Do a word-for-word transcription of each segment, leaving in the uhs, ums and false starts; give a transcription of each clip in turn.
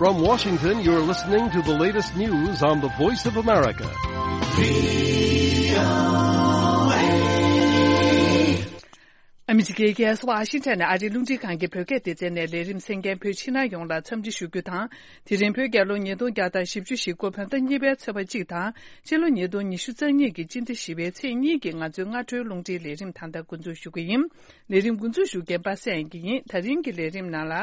From Washington, you're listening to the latest news on the Voice of America. ཨ་མི་རི་ཀའི་རྒྱལ་ས་ཝ་ཤིང་ཊོན་ནས་ཨ་རིའི་རླུང་འཕྲིན་ཁང་གི་བོད་སྐད་སྡེ་ཚན་ནས་ལས་རིམ་གསན་མཁན་བོད་ཕྱི་ནང་ཡོངས་ལ་འཚམས་འདྲི་ཞུ་རྒྱུ་དང་། དེ་རིང་བོད་རྒྱལ་ལོ་ཉིས་སྟོང་བརྒྱ་དང་བཞི་བཅུ་ཞེ་དགུ་བོད་ཟླ་གཉིས་པའི་ཚེས་པ་གཅིག་དང་། ཕྱི་ལོ་ཉིས་སྟོང་ཉི་ཤུ་རྩ་གཉིས་ཀྱི་སྤྱི་ཟླ་བཞི་པའི་ཚེས་གཉིས་ཀྱི་ང་ཚོའི་སྔ་དྲོའི་རླུང་འཕྲིན་ལས་རིམ་ད་ལྟ་འགོ་འཛུགས་ཞུ་གི་ཡིན། ལས་རིམ་འགོ་འཛུགས་ཞུ་མཁན་པ་སངས་སྐྱིད་ཡིན། ད་རིང་གི་ལས་རིམ་ནང་ལ།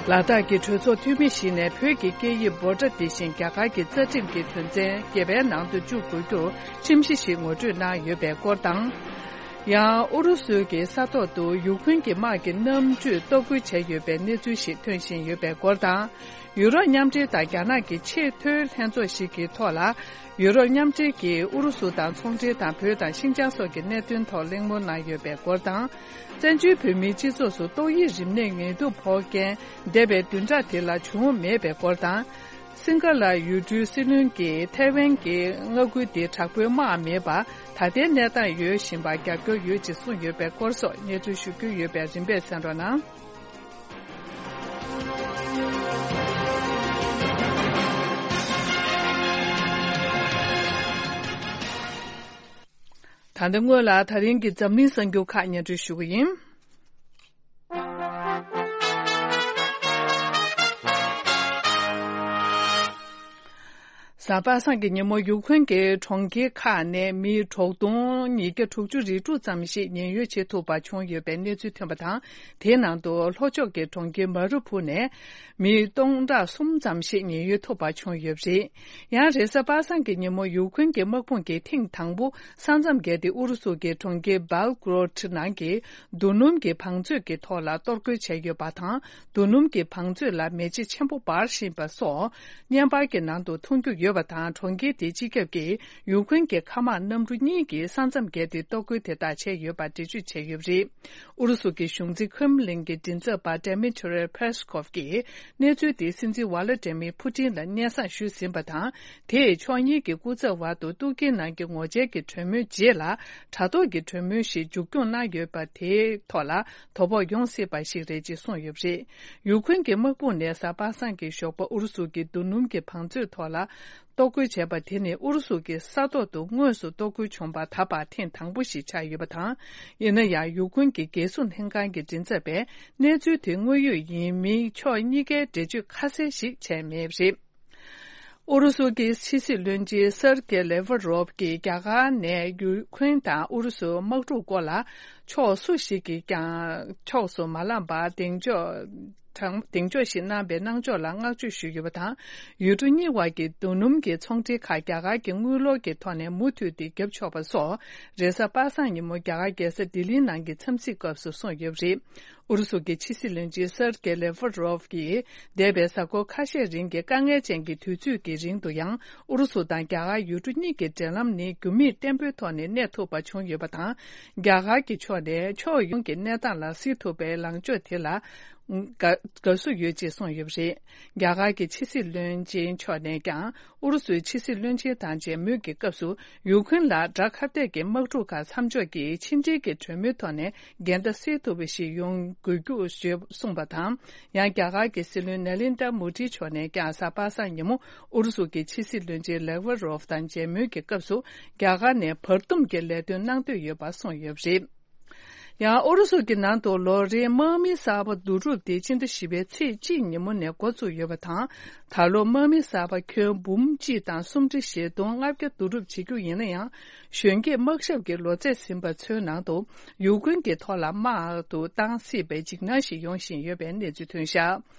ལ་དྭགས་ཀྱི་གྲོས་ཚོགས་འཐུས་མི་ཞིག་ནས་བོད་ཀྱི་སྐད་ཡིག་བྷོ་ཊ་དེ་བཞིན་རྒྱ་གར་གྱི་རྩ་ཁྲིམས་ཀྱི་དོན་ཚན་བརྒྱད་པའི་ནང་དུ་བཅུག་དགོས་རྒྱུར་ཁྲིམས་གཞི་ཞིག་ངོ་སྤྲོད་གནང་ཡོད་པའི་སྐོར་དང་། ཡང་ཨུ་རུ་སུ་གྱི་ས་ཐོག་ཏུ་ཡུཀ་རེན་གྱི་དམག་གི་གནམ་གྲུས་གཏོར་རྒོལ་བྱས་ཡོད་པའི་གནས་ཚུལ་ཞིག་ཐོན་བཞིན་ཡོད་པའི་སྐོར་དང་། ཡུ་རོབ་མཉམ་འབྲེལ་དང་རྒྱ་ནག་གི་ཆེས་མཐོའི་ལྷན་ཚོགས་ཤིག་གི་ཐོག་ལ། ཡུ་རོབ་མཉམ་འབྲེལ་གྱིས་ཨུ་རུ་སུ་དང་ཚོང་འབྲེལ་དང་བོད་དང་ཤིན་ཅང་སོགས་ཀྱི་གནད་དོན་ཐོག་གླེང་མོལ་གནང་ཡོད་པའི་སྐོར་དང་། བཙན་བྱོལ་བོད་མིའི་སྤྱི་ཚོགས་སུ་ཏོག་དབྱིབས་རིམས་ནད་ངལ་དུབ་ཕོག་མཁན་འདས་པའི་བདུན་ཕྲག་དེ་ལ་བྱུང་མེད་པའི་སྐོར་དང་། སིང་ག་ལ་ཡུལ་གྲུའི་སྲིད་བློན་གྱིས་ཐའེ་ཝན་གྱི་མངའ་ཁུལ་དེ་དྲག་པོའི་དམག་མེད་པར་ད་ལྟའི་གནས་སྟངས་ཡོད་བཞིན་པར་རྒྱབ་སྐྱོར་ཡོད་ཅེས་གསུངས་ཡོད་པའི་སྐོར་སོགས་གནས་ཚུལ་ཞུ་རྒྱུ་ཡོད་པས་རིམ་པས་གསན་རོགས་གནང་། ད་ལྟ་སྔོན་ལ་ད་རིང་གི་འཛམ་གླིང་གསར་འགྱུར་ཁག་སྙན་སྒྲོན་ཞུ་གི་ཡིན། གཟའ་པ་སངས་ཀྱི་ཉིན་མོ་ཡུཀ་རེན་གྱི་གྲོང་ཁྱེར་ཁག་ནས་མི་དྲུག་སྟོང་ཉིས་བརྒྱ་དྲུག་ཅུ་རེ་དྲུག་ཙམ་ཞིག་ཉེན་གཡོལ་བྱེད་ཐུབ་པ་བྱུང་ཡོད་པའི་གནས་ཚུལ་ཐོན་པ་དང་། དེའི་ནང་དུ་ལྷོ་ཕྱོགས་ཀྱི་གྲོང་ཁྱེར་མ་རུ་ཕུ་ནས་མི་སྟོང་ཕྲག་གསུམ་ཙམ་ཞིག་ཉེན་གཡོལ་ཐུབ་པ་བྱུང་ཡོད་པ་རེད། ཡང་རེས་གཟའ་པ་སངས་ཀྱི་ཉིན་མོ་ཡུཀ་རེན་གྱི་དམག་དཔུང་གིས་ཐེངས་དང་པོ་ས་མཚམས་བརྒལ་ཏེ་ཨུ་རུ་སུ་གྱི་གྲོང་ཁྱེར་སྦལ་གོ་རོད་ནང་གི་རྡོ་སྣུམ་གྱི་བང་མཛོད་ཀྱི་ཐོག་ལ་གཏོར་རྒོལ་བྱས་ཡོད་པ་དང་། རྡོ་སྣུམ་གྱི་བང་མཛོད་ལ་མེ་ལྕེ་ཆེན་པོ་འབར་བཞིན་པ་སོགས་བརྙན་པར་གྱི་ནང་དུ་མཐོང་རྒྱུ་ཡོད་པ་དང་། གྲོང་ཁྱེར་དེའི་སྤྱི་ཁྱབ་ཀྱིས་ཡུཀ་རེན་གྱི་མཁའ་དམག་གནམ་གྲུ་གཉིས་ཀྱིས་ས་མཚམས་བརྒལ་ཏེ་གཏོར་རྒོལ་དེ་དག་བྱས་ཡོད་པ་འགྲེལ་བརྗོད་བྱས་ཡོད་པ་རེད། ཨུ་རུ་སུ་གྱི་གཞུང་འཛིན་ཁྲེམ་ལིན་གྱི་མགྲིན་ཚབ་པ་Dmitry Peskov་གིས་གནས་ཚུལ་དེ་སྲིད་འཛིན་ཝ་ལ་ཏྲེ་མིར་ཕུ་ཏིན་ལ་སྙན་སེང་ཞུས་ཟིན་པ་དང་། དེས་ཕྱོགས་གཉིས་ཀྱི་སྐུ་ཚབ་བར་དུ་ཏུར་ཀིའི་ནང་གི་ངོ་བཅར་གྱི་གྲོས་མོལ་རྗེས་ལ་དྲ་ཐོག་གི་གྲོས་མོལ་ཞིག་མཇུག་སྐྱོང་གནང་ཡོད་པ་དེའི་ཐོག་ལ་དོ་ཕོག་ཡོང་སྲིད་པ་ཞིག་རེད་ཅེས་གསུངས་ཡོད་པ་རེད། ཡུཀ་རེན་གྱི་དམག་དཔུང་ནས་གཟའ་པ་སངས་ཀྱི་ཞོགས་པ་ཨུ་རུ་སུ་གྱི་རྡོ་སྣུམ་གྱི་བང་མཛོད་ཐོག་ལ་གཏོར་རྒོལ་བྱས་པ་དེ་ནི་ཨུ་རུ་སུ་གྱི་ས་ཐོག་ཏུ་དངོས་སུ་གཏོར་རྒོལ་བྱུང་བ་ད་བར་ཐེངས་དང་པོ་ཞིག་ཆགས་ཡོད་པ་དང་། ཡིན་ན་ཡང་ཡུཀ་རེན་གྱི་རྒྱལ་སྲུང་ལྷན་ཁང་གི་མགྲིན་ཚབ་པས་གནས་ཚུལ་དེ་དངོས་ཡོད་ཡིན་མིན་ཕྱོགས་གཉིས་ཀས་འགྲེལ་བརྗོད་ཁ་གསལ་ཞིག་བྱས་མེད་པ་རེད། ཨུ་རུ་སུ་གྱི་ཕྱི་སྲིད་བློན་ཆེན་སེར་ཀེ་ལེ་ཝ་རོབ་ཀྱིས་རྒྱ་གར་ནས་ཡུ་ཁུན་དང་ཨུ་རུ་སུའི་དམག་འཁྲུག་སྐོར་ལ་ཕྱོགས་སུ་ཞིག་གིས་ཀྱང་ཕྱོགས་སུ་མ་ལངས་པར་གདེང་འཇོག་དང་གདེང་འཇོག་ཞིག་གནང་པའི་གནང་ཕྱོགས་ལ་བསྔགས་བརྗོད་ཞུས་ཡོད་པ་དང་། ཡུལ་གྲུ་གཉིས་དབར་གྱི་རྡོ་སྣུམ་གྱི་ཚོང་འབྲེལ་ཁག་རྒྱ་གར་གྱི་དངུལ་ལོར་གྱི་ཐོག་ནས་མུ་མཐུད་དེ་བརྒྱབ་ཆོག་པ་སོགས་རེས་གཟའ་པ་སངས་ཉིན་མོ་རྒྱ་གར་རྒྱལ་ས་ལྡི་ལིའི་ནང་གི་འཚམས་གཟིགས་སྐབས་སུ་གསུངས་ཡོད་པ་རེད། ཨུ་རུ་སུ་གྱི་ཕྱི་སྲིད་བློན་ཆེན་སེར་ཀེ་ལེ་ཝ་རོབ་ཀྱིས་འདས་པའི་གཟའ་འཁོར་ཁ་ཤས་རིང་གི་དཀའ་ངལ་ཅན་གྱི་དུས་ཚོད་ཀྱི་རིང་དུ་ཡང་ཨུ་རུ་སུ་དང་རྒྱ་གར་ཡུལ་གྲུ་གཉིས་ཀྱི་འབྲེལ་ལམ་ནི་རྒྱུ་མེད་བརྟན་པོའི་ཐོག་ནས་གནས་ཐུབ་པ་བྱུང་ཡོད་པ་དང་། རྒྱ་གར་གྱི་ཕྱོགས་ནས་ཕྱོགས་ཡོངས་ཀྱི་གནས་སྟངས་ལ་གཟིགས་ཐུབ་པའི་ལངས་ཕྱོགས་དེ་ལ་དགའ་དགའ་བསུ་ཡོད་ཅེས་གསུངས་ཡོད་པ་རེད། རྒྱ་གར་གྱི་ཕྱི་སྲིད་བློན་ཆེན་མཆོག་ནས་ཀྱང་ཨུ་རུ་སུའི་ཕྱི་སྲིད་བློན་ཆེན་དང་མཇལ་མོལ་གྱི་སྐབས་སུ་ཡུ་ཁུན་ལ་དགྲ་ཁ་གཏད་ཀྱི་དམག་འཁྲུག་ཁག་མཚམས་འཇོག་གིས་ཕྱི་འབྲེལ་གྱི་གྲོས་མོལ་ཐོག་ནས་འགལ་ཟླ་སེལ་ཐུབ་པ་ཞིག་ཡོང་དགོས་རྒྱུ་ཞེས་གསུངས་པ་དང་། ཡང་རྒྱ་གར་གྱི་སྲིད་བློན་ནཱ་ལེནྡྲ་མོ་དྷི་མཆོག་ནས་ཀྱང་གཟའ་པ་སངས་ཉིན་མོ་ཨུ་རུ་སུ་གྱི་ཕྱི་སྲིད་བློན་ཆེན་ལེ་ཝ་རོབ་དང་མཇལ་མོལ་གྱི་སྐབས་སུ་རྒྱ་གར་ནས་བར་འདུམ་གྱི་ལས་དོན་གནང་འདོད་ཡོད་པ་གསུངས་ཡོད་པ་རེད། ཡང་ཨུ་རུ་སུ་གྱི་ནང་དུ་ལོ་རེའི་དམག་མི་གསར་པ་བསྡུ་རུབ་དེ་སྤྱི་ཟླ་བཞི་པའི་ཚེས་གཅིག་ཉིན་མོ་ནས་འགོ་བཙུགས་ཡོད་པ་དང་། ད་ལོ་དམག་མི་གསར་པ་ཁྱོན་འབུམ་གཅིག་དང་སུམ་ཁྲི་བཞི་སྟོང་ལྔ་བརྒྱ་བསྡུ་རུབ་བྱེད་རྒྱུ་ཡིན་ན་ཡང་། གཞོན་སྐྱེས་དམག་ཞབས་ཀྱི་ལོ་ཚད་ཟིན་པ་ཚོའི་ནང་དུ་ཡུ་ཀུན་གྱི་ཐོག་ལ་དམག་ཏུ་བཏང་སྲིད་པའི་འཇིགས་སྣང་ཞིག་ཡོང་བཞིན་ཡོད་པའི་གནས་ཚུལ་ཐོན་ཤག་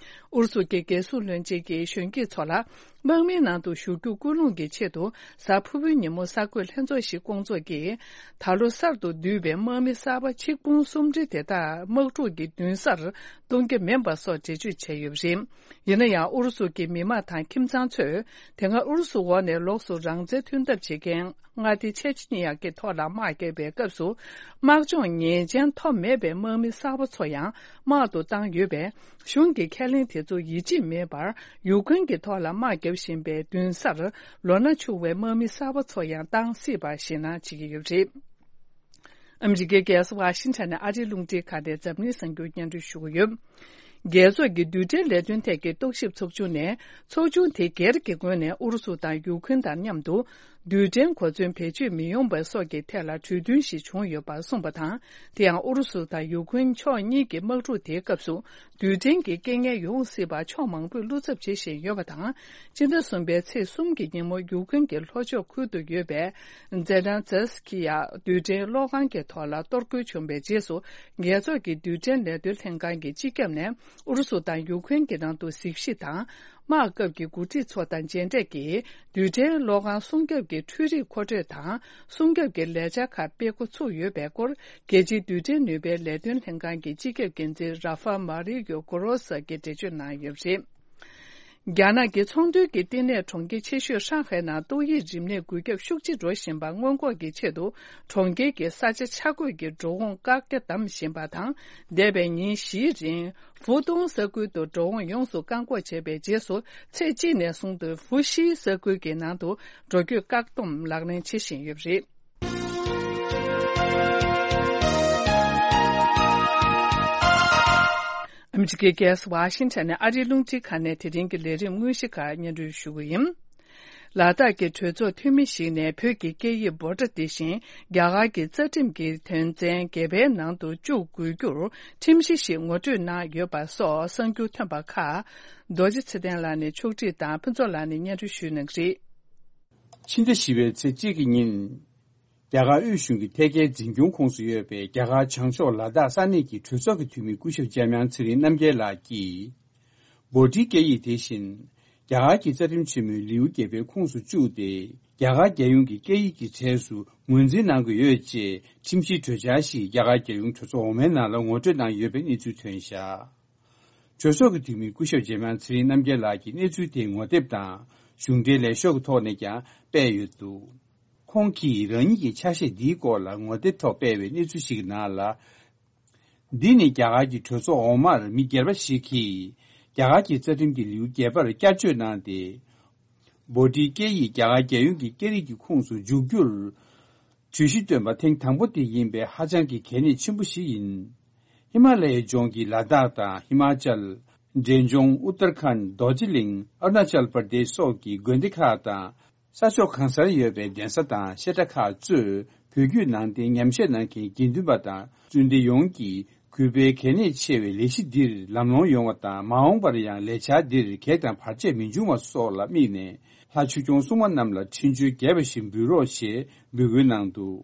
ཨུ་རུ་སུ་གྱི་རྒྱལ་སྲུང་བློན་ཆེན་གྱིས་གཞོན་སྐྱེས་ཚོ་ལ་དམག་མིའི་ནང་དུ་ཞུགས་རྒྱུ་སྐུལ་སློང་གི་ཆེད་དུ་གཟའ་ཕུར་བུའི་ཉིན་མོ་གསར་འགོད་ལྷན་ཚོགས་ཤིག་བསྐོང་ཚོགས་ཀྱིས། ད་ལོ་གསར་དུ་བསྡུས་པའི་དམག་མི་གསར་པ་ཆིག་འབུམ་སུམ་ཁྲི་དེ་དག་དམག་འཁྲུག་གི་མདུན་སར་གཏོང་རྒྱུ་མིན་པ་སོགས་འགྲེལ་བརྗོད་བྱས་ཡོད་པ་རེད། ཡིན་ན་ཡང་ཨུ་རུ་སུ་གྱི་མི་དམངས་དང་ཁྱིམ་ཚང་ཚོས་དེ་སྔ་ཨུ་རུ་སུ་འོག་ནས་ལོགས་སུ་རང་བཙན་མཐུན་ཐབས་བྱེད་མཁན་མངའ་སྡེ་ཆེ་ཆི་ནི་ཡ་གི་ཐོག་ལ་དམག་བརྒྱབ་པའི་སྐབས་སུ། དམག་སྦྱོང་ཉེས་ཅན་ཐོབ་མེད་པའི་དམག་མི་གསར་པ་ཚོ་ཡང་དམག་ཏུ་བཏང་ཡོད་པས། གཞུང་གི་ཁས་ལེན་དེ་ཚོ་ཡིད་ཆེས་མེད་པར་ཡུ་ཀུན་གྱི་ཐོག་ལ་དམག་བརྒྱབ་བཞིན་པའི་མདུན་སར་ལོ་ན་ཆུང་བའི་དམག་མི་གསར་པ་ཚོ་ཡང་བཏང་སྲིད་པ་ཞེད་སྣང་བྱེད་ཀྱི་ཡོད་པ་རེད། ཨ་མི་རི་ཀའི་རྒྱལ་ས་ཝ་ཤིང་ཊོན་ནས་ཨ་རིའི་རླུང་འཕྲིན་ཁང་ནས་འཛམ་གླིང་གསར་འགྱུར་སྙན་སྒྲོན་ཞུ་གི་ཡོད། རྒྱལ་ཚོགས་ཀྱི་རྡུལ་ཕྲན་ལས་དོན་ཐད་ཀྱི་རྟོག་ཞིབ་ཚོགས་ཆུང་ནས་ཚོགས་ཆུང་དེ་སྒེར་གྱི་ངོས་ནས་ཨུ་རུ་སུ་དང་ཡུ་ཁུན་དང་མཉམ་དུ་རྡུལ་ཕྲན་གོ་མཚོན་བེད་སྤྱོད་མི་ཡོང་བ་སོགས་ཀྱི་ཐད་ལ་གྲོས་མཐུན་ཞིག་བྱུང་ཡོད་པར་གསུངས་པ་དང་། དེ་ཡང་ཨུ་རུ་སུ་དང་ཡུ་ཁུན་ཕྱོགས་གཉིས་ཀྱི་དམག་འཁྲུག་དེའི་སྐབས་སུ་རྡུལ་ཕྲན་གྱི་རྐྱེན་ངན་ཡོང་སྲིད་པར་ཕྱོགས་མང་པོས་བློ་འཚབ་བྱེད་བཞིན་ཡོད་པ་དང་། སྤྱི་ཟླ་གསུམ་པའི་ཚེས་གསུམ་གྱི་ཉིན་མོ་ཡུ་ཁུན་གྱི་ལྷོ་ཕྱོགས་ཁུལ་དུ་ཡོད་པའི་ཛེ་ཌན་ཛེ་སི་ཀི་ཡ་རྡུལ་ཕྲན་གློག་ཁང་གི་ཐོག་ལ་གཏོར་རྒོལ་བྱུང་བའི་རྗེས་སུ། རྒྱལ་ཚོགས་ཀྱི་རྡུལ་ཕྲན་ལས་དོན་ལྷན་ཁང་གི་སྤྱི་ཁྱབ་ནས་ཨུ་རུ་སུ་དང་ཡུ་ཁུན་གྱི་ནང་དུ་གཟིགས་ཞིབ་དང་། དམག་སྐབས་ཀྱི་འགོ་ཁྲིད་ཚོ་དང་མཇལ་འཕྲད་ཀྱིས་རྡུལ་ཕྲན་གློག་ཁང་སྲུང་སྐྱོབ་ཀྱི་འཕྲུལ་རིག་མཁོ་སྤྲོད་དང་སྲུང་སྐྱོབ་ཀྱི་ལས་འཆར་ཁག་སྤེལ་འགོ་ཚུགས་ཡོད་པའི་སྐོར། རྒྱལ་སྤྱིའི་རྡུལ་ཕྲན་ནུས་པའི་ལས་དོན་ལྷན་ཁང་གི་སྤྱི་ཁྱབ་འགན་འཛིན་ར་ཧྥ་མ་རི་ཡོ་གོ་རོ་ས་གིས་འགྲེལ་བརྗོད་གནང་ཡོད་པ་རེད། རྒྱ་ནག་གི་ཚོང་དོན་གྱི་བསྟི་གནས་གྲོང་ཁྱེར་ཆེ་ཤོས་ཧྲང་ཧའེ་ནང་ཏོག་དབྱིབས་རིམས་ནད་འགོས་ཁྱབ་ཤུགས་ཆེ་འགྲོ་བཞིན་པ་སྔོན་འགོག་གི་ཆེད་དུ། གྲོང་ཁྱེར་གྱི་ས་ཆ་ཆ་བགོས་ཀྱི་འགྲོ་འོང་བཀག་རྒྱ་བསྡམས་བཞིན་པ་དང་། འདས་པའི་ཉིན་བཞིའི་རིང་། ཧྥུ་ཏུང་ས་ཁུལ་དུ་འགྲོ་འོང་ཡོངས་སུ་བཀག་འགོག་བྱས་པའི་རྗེས་སུ། ཚེས་གཅིག་ནས་བཟུང་སྟེ་ཧྥུ་ཤི་ས་ཁུལ་གྱི་ནང་དུ་འགྲོ་སྐྱོད་བཀག་སྡོམ་ལག་ལེན་བྱེད་བཞིན་ཡོད་པ་རེད། ཨ་མི་རི་ཀའི་རྒྱལ་ས་ཝ་ཤིང་ཊོན་ནས་ཨ་རིའི་རླུང་འཕྲིན་ཁང་ནས་དེ་རིང་གི་ལས་རིམ་དངོས་གཞི་ཁག་སྙན་སྒྲོན་ཞུ་གི་ཡིན། ལ་དྭགས་ཀྱི་གྲོས་ཚོགས་འཐུས་མི་ཞིག་ནས་བོད་ཀྱི་སྐད་ཡིག་བྷོ་ཊ་དེ་བཞིན་རྒྱ་གར་གྱི་རྩ་ཁྲིམས་ཀྱི་དོན་ཚན་བརྒྱད་པའི་ནང་དུ་བཅུག་དགོས་རྒྱུར་ཁྲིམས་གཞི་ཞིག་ངོ་སྤྲོད་གནང་ཡོད་པ་སོགས་གསར་འགྱུར་ཐོན་པ་ཁག་རྡོ་རྗེ་ཚེ་བརྟན་ལགས་ནས་ཕྱོགས་སྒྲིག་དང་ཕུན་ཚོགས་ལགས་ནས་སྙན་སྒྲོན་ཞུ་གནང་གི་རེད། ཕྱི་ཟླ་བཞི་པའི་ཚེས་གཅིག་གི་ཉིན། རྒྱ་གར་དབུས་གཞུང་གི་ཐད་ཀའི་འཛིན་སྐྱོང་ཁོངས་སུ་ཡོད་པའི་རྒྱ་གར་བྱང་ཕྱོགས་ལ་དྭགས་ས་གནས་ཀྱི་གྲོས་ཚོགས་ཀྱི་འཐུས་མི་སྐུ་ཞབས་འཇམ་དབྱངས་ཚེ་རིང་རྣམ་རྒྱལ་ལགས་ཀྱིས། བྷོ་ཊིའི་སྐད་ཡིག་དེ་བཞིན། རྒྱ་གར་གྱི་རྩ་ཁྲིམས་ཆེན་མོའི་ལེའུ་བརྒྱད་པའི་ཁོངས་སུ་བཅུག་སྟེ། རྒྱ་གར་རྒྱལ་ཡོངས་ཀྱི་སྐད་ཡིག་གི་གྲས་སུ་ངོས་འཛིན་གནང་དགོས་ཡོད་ཅེས་ཁྲིམས་ཞིབ་གྲོས་འཆར་ཞིག་རྒྱ་གར་རྒྱལ་ཡོངས་གྲོས་ཚོགས་འོག་མའི་ནང་ལ་ངོ་སྤྲོད་གནང་ཡོད་པའི་གནས་ཚུལ་ཐོན་བཞག་གྲོས་ཚོགས་ཀྱི་འཐུས་མི་སྐུ་ཞབས་འཇམ་དབྱངས་ཚེ་རིང་རྣམ་རྒྱལ་ལགས་ཀྱིས་གནས་ཚུལ་དེ་ངོ་དེབ་དང་གཞུང་འབྲེལ་ལས་ཤོག་གི་ཐོག་ནས་ཀྱང་སྤེལ་ཡོད་འདུག་ཁོང་གིས་རང་ཉིད་ཀྱི་ཆ་ཤས་འདིའི་སྐོར་ལ་ངོ་དེབ་ཐོག་སྤེལ་བའི་གནས་ཚུལ་ཞིག་གི་ནང་ལ། འདི་ནི་རྒྱ་གར་གྱི་གྲོས་ཚོགས་འོག་མར་མི་སྒེར་པ་ཞིག་གིས་རྒྱ་གར་གྱི་རྩ་ཁྲིམས་ཀྱི་ལེའུ་བརྒྱད་པར་བསྐྱར་བཅོས་གནང་སྟེ། བྷོ་ཊིའི་སྐད་ཡིག་རྒྱ་གར་རྒྱལ་ཡོངས་ཀྱི་སྐད་རིགས་ཀྱི་ཁོངས་སུ་འཇུག་རྒྱུར། གྲོས་གཞི་བཏོན་པ་ཐེངས་དང་པོ་དེ་ཡིན་པས་ཧ་ཅང་གི་གལ་གནད་ཆེན་པོ་ཞིག་ཡིན། ཧི་མ་ལ་ཡའི་ལྗོངས་ཀྱི་ལ་དྭགས་དང་ཧི་མ་ཅལ། འབྲས་ལྗོངས་ཨུ་ཏར་ཁཱན། རྡོ་རྗེ་གླིང་། ཨ་རུ་ན་ཅལ་པར་དེཤ་སོགས་ཀྱི་དགོན་སྡེ་ཁག་དང་། ས་ཕྱོགས་གང་སར་ཡོད་པའི་གདན་ས་དང་བཤད་གྲྭ་ཁག་གཙོས་བོད་བརྒྱུད་ནང་བསྟན་ཉམས་ཞིབ་གནང་མཁན་དགེ་འདུན་པ་དང་བཙུན་སྡེ་ཡོངས་ཀྱིས་གུས་པའི་གལ་གནད་ཆེ་བའི་ལས་གཞི་འདིར་ལམ་ལྷོང་ཡོང་བ་དང་མ་འོངས་པར་ཡང་ལས་འཆར་འདིར་གེགས་དང་བར་ཆད་མི་འབྱུང་བ་སོགས་ལ་དམིགས་ནས་ལྷ་ཆོས་སྐྱོང་སྲུང་མ་རྣམས་ལ་འཕྲིན་བཅོལ་རྒྱས་པ་ཞིག་འབུལ་རོགས་ཞེས་འབོད་སྐུལ་གནང་འདུག་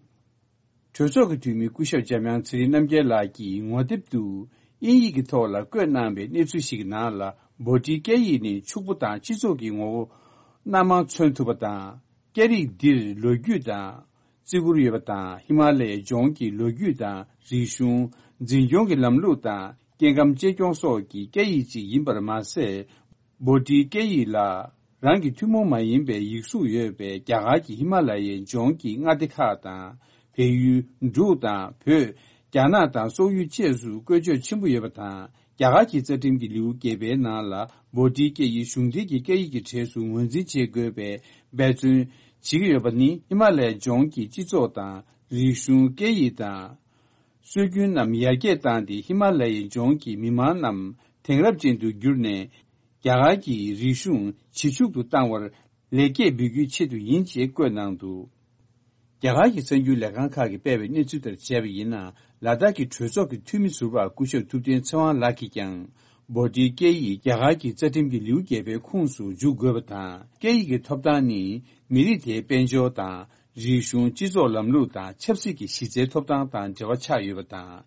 གྲོས་ཚོགས་ཀྱི་འཐུས་མི་སྐུ་ཞབས་འཇམ་དབྱངས་ཚེ་རིང་རྣམ་རྒྱལ་ལགས་ཀྱིས་ངོ་དེབ་ཏུ་དབྱིན་ཡིག་གི་ཐོག་ལ་བཀོད་གནང་བའི་གནས་ཚུལ་ཞིག་གི་ནང་ལ་བྷོ་ཊིའི་སྐད་ཡིག་ནི་ཕྱུག་པོ་དང་སྤྱི་ཚོགས་ཀྱི་ངོ་བོ་སྣ་མང་མཚོན་ཐུབ་པ་དང་། སྐད་རིགས་འདིར་ལོ་རྒྱུས་དང་བརྩི་བཀུར་ཡོད་པ་དང་ཧི་མ་ལ་ཡའི་ལྗོངས་ཀྱི་ལོ་རྒྱུས་དང་རིག་གཞུང་། འཛིན་སྐྱོང་གི་ལམ་ལུགས་དང་སྐྱེ་ཁམས་གཅེས་སྐྱོང་སོགས་ཀྱི་སྐད་ཡིག་ཅིག་ཡིན་པར་མ་ཟད། བྷོ་ཊིའི་སྐད་ཡིག་ལ་རང་གི་ཐུན་མོང་མ་ཡིན་པའི་ཡིག་གཟུགས་ཡོད་པའི་རྒྱ་གར་གྱི་ཧི་མ་ལ་ཡའི་ལྗོངས་ཀྱི་མངའ་སྡེ་ཁག་དང་། བལ་ཡུལ། འབྲུག་དང་བོད། རྒྱ་ནག་དང་སོག་ཡུལ་བཅས་སུ་བཀོལ་སྤྱོད་ཆེན་པོ་ཡོད་པ་དང་། རྒྱ་གར་གྱི་རྩ་ཁྲིམས་ཀྱི་ལེའུ་བརྒྱད་པའི་ནང་ལ་བྷོ་ཊིའི་སྐད་ཡིག་གཞུང་འབྲེལ་གྱི་སྐད་ཡིག་གི་གྲས་སུ་ངོས་འཛིན་བྱེད་དགོས་པའི་འབད་བརྩོན་བྱེད་ཀྱི་ཡོད་པ་ནི་ཧི་མ་ལ་ཡའི་ལྗོངས་ཀྱི་སྤྱི་ཚོགས་དང་རིག་གཞུང་། སྐད་ཡིག་དང་། སྲོལ་རྒྱུན་རྣམས་ཡར་རྒྱས་བཏང་སྟེ་ཧི་མ་ལ་ཡའི་ལྗོངས་ཀྱི་མི་མང་རྣམས་དེང་རབས་ཅན་དུ་བསྒྱུར་ནས། རྒྱ་གར་གྱི་རིག་གཞུང་ཇེ་ཕྱུག་ཏུ་བཏང་བར་ལེགས་སྐྱེས་འབུལ་རྒྱུའི་ཆེད་དུ་ཡིན་ཅེས་བཀོད་གནང་འདུག་རྒྱ་གར་གྱི་གསར་འགྱུར་ལས་ཁང་ཁག་གིས་སྤེལ་བའི་གནས་ཚུལ་ལྟར་བྱས་པ་ཡིན་ན། ལ་དྭགས་ཀྱི་གྲོས་ཚོགས་ཀྱི་འཐུས་མི་ཟུར་པ་སྐུ་ཞབས་ཐུབ་བསྟན་ཚེ་དབང་ལགས་ཀྱིས་ཀྱང་། བྷོ་ཊིའི་སྐད་ཡིག་རྒྱ་གར་གྱི་རྩ་ཁྲིམས་ཀྱི་ལེའུ་བརྒྱད་པའི་ཁོངས་སུ་འཇུག་དགོས་པ་དང་། སྐད་ཡིག་གི་ཐོབ་ཐང་ནི་མི་རིགས་དེའི་དཔལ་འབྱོར་དང་། རིག་གཞུང་། སྤྱི་ཚོགས་ལམ་ལུགས་དང་ཆབ་སྲིད་ཀྱི་གཞི་རྩའི་ཐོབ་ཐང་དང་འབྲེལ་བ་ཆགས་ཡོད་པ་དང་།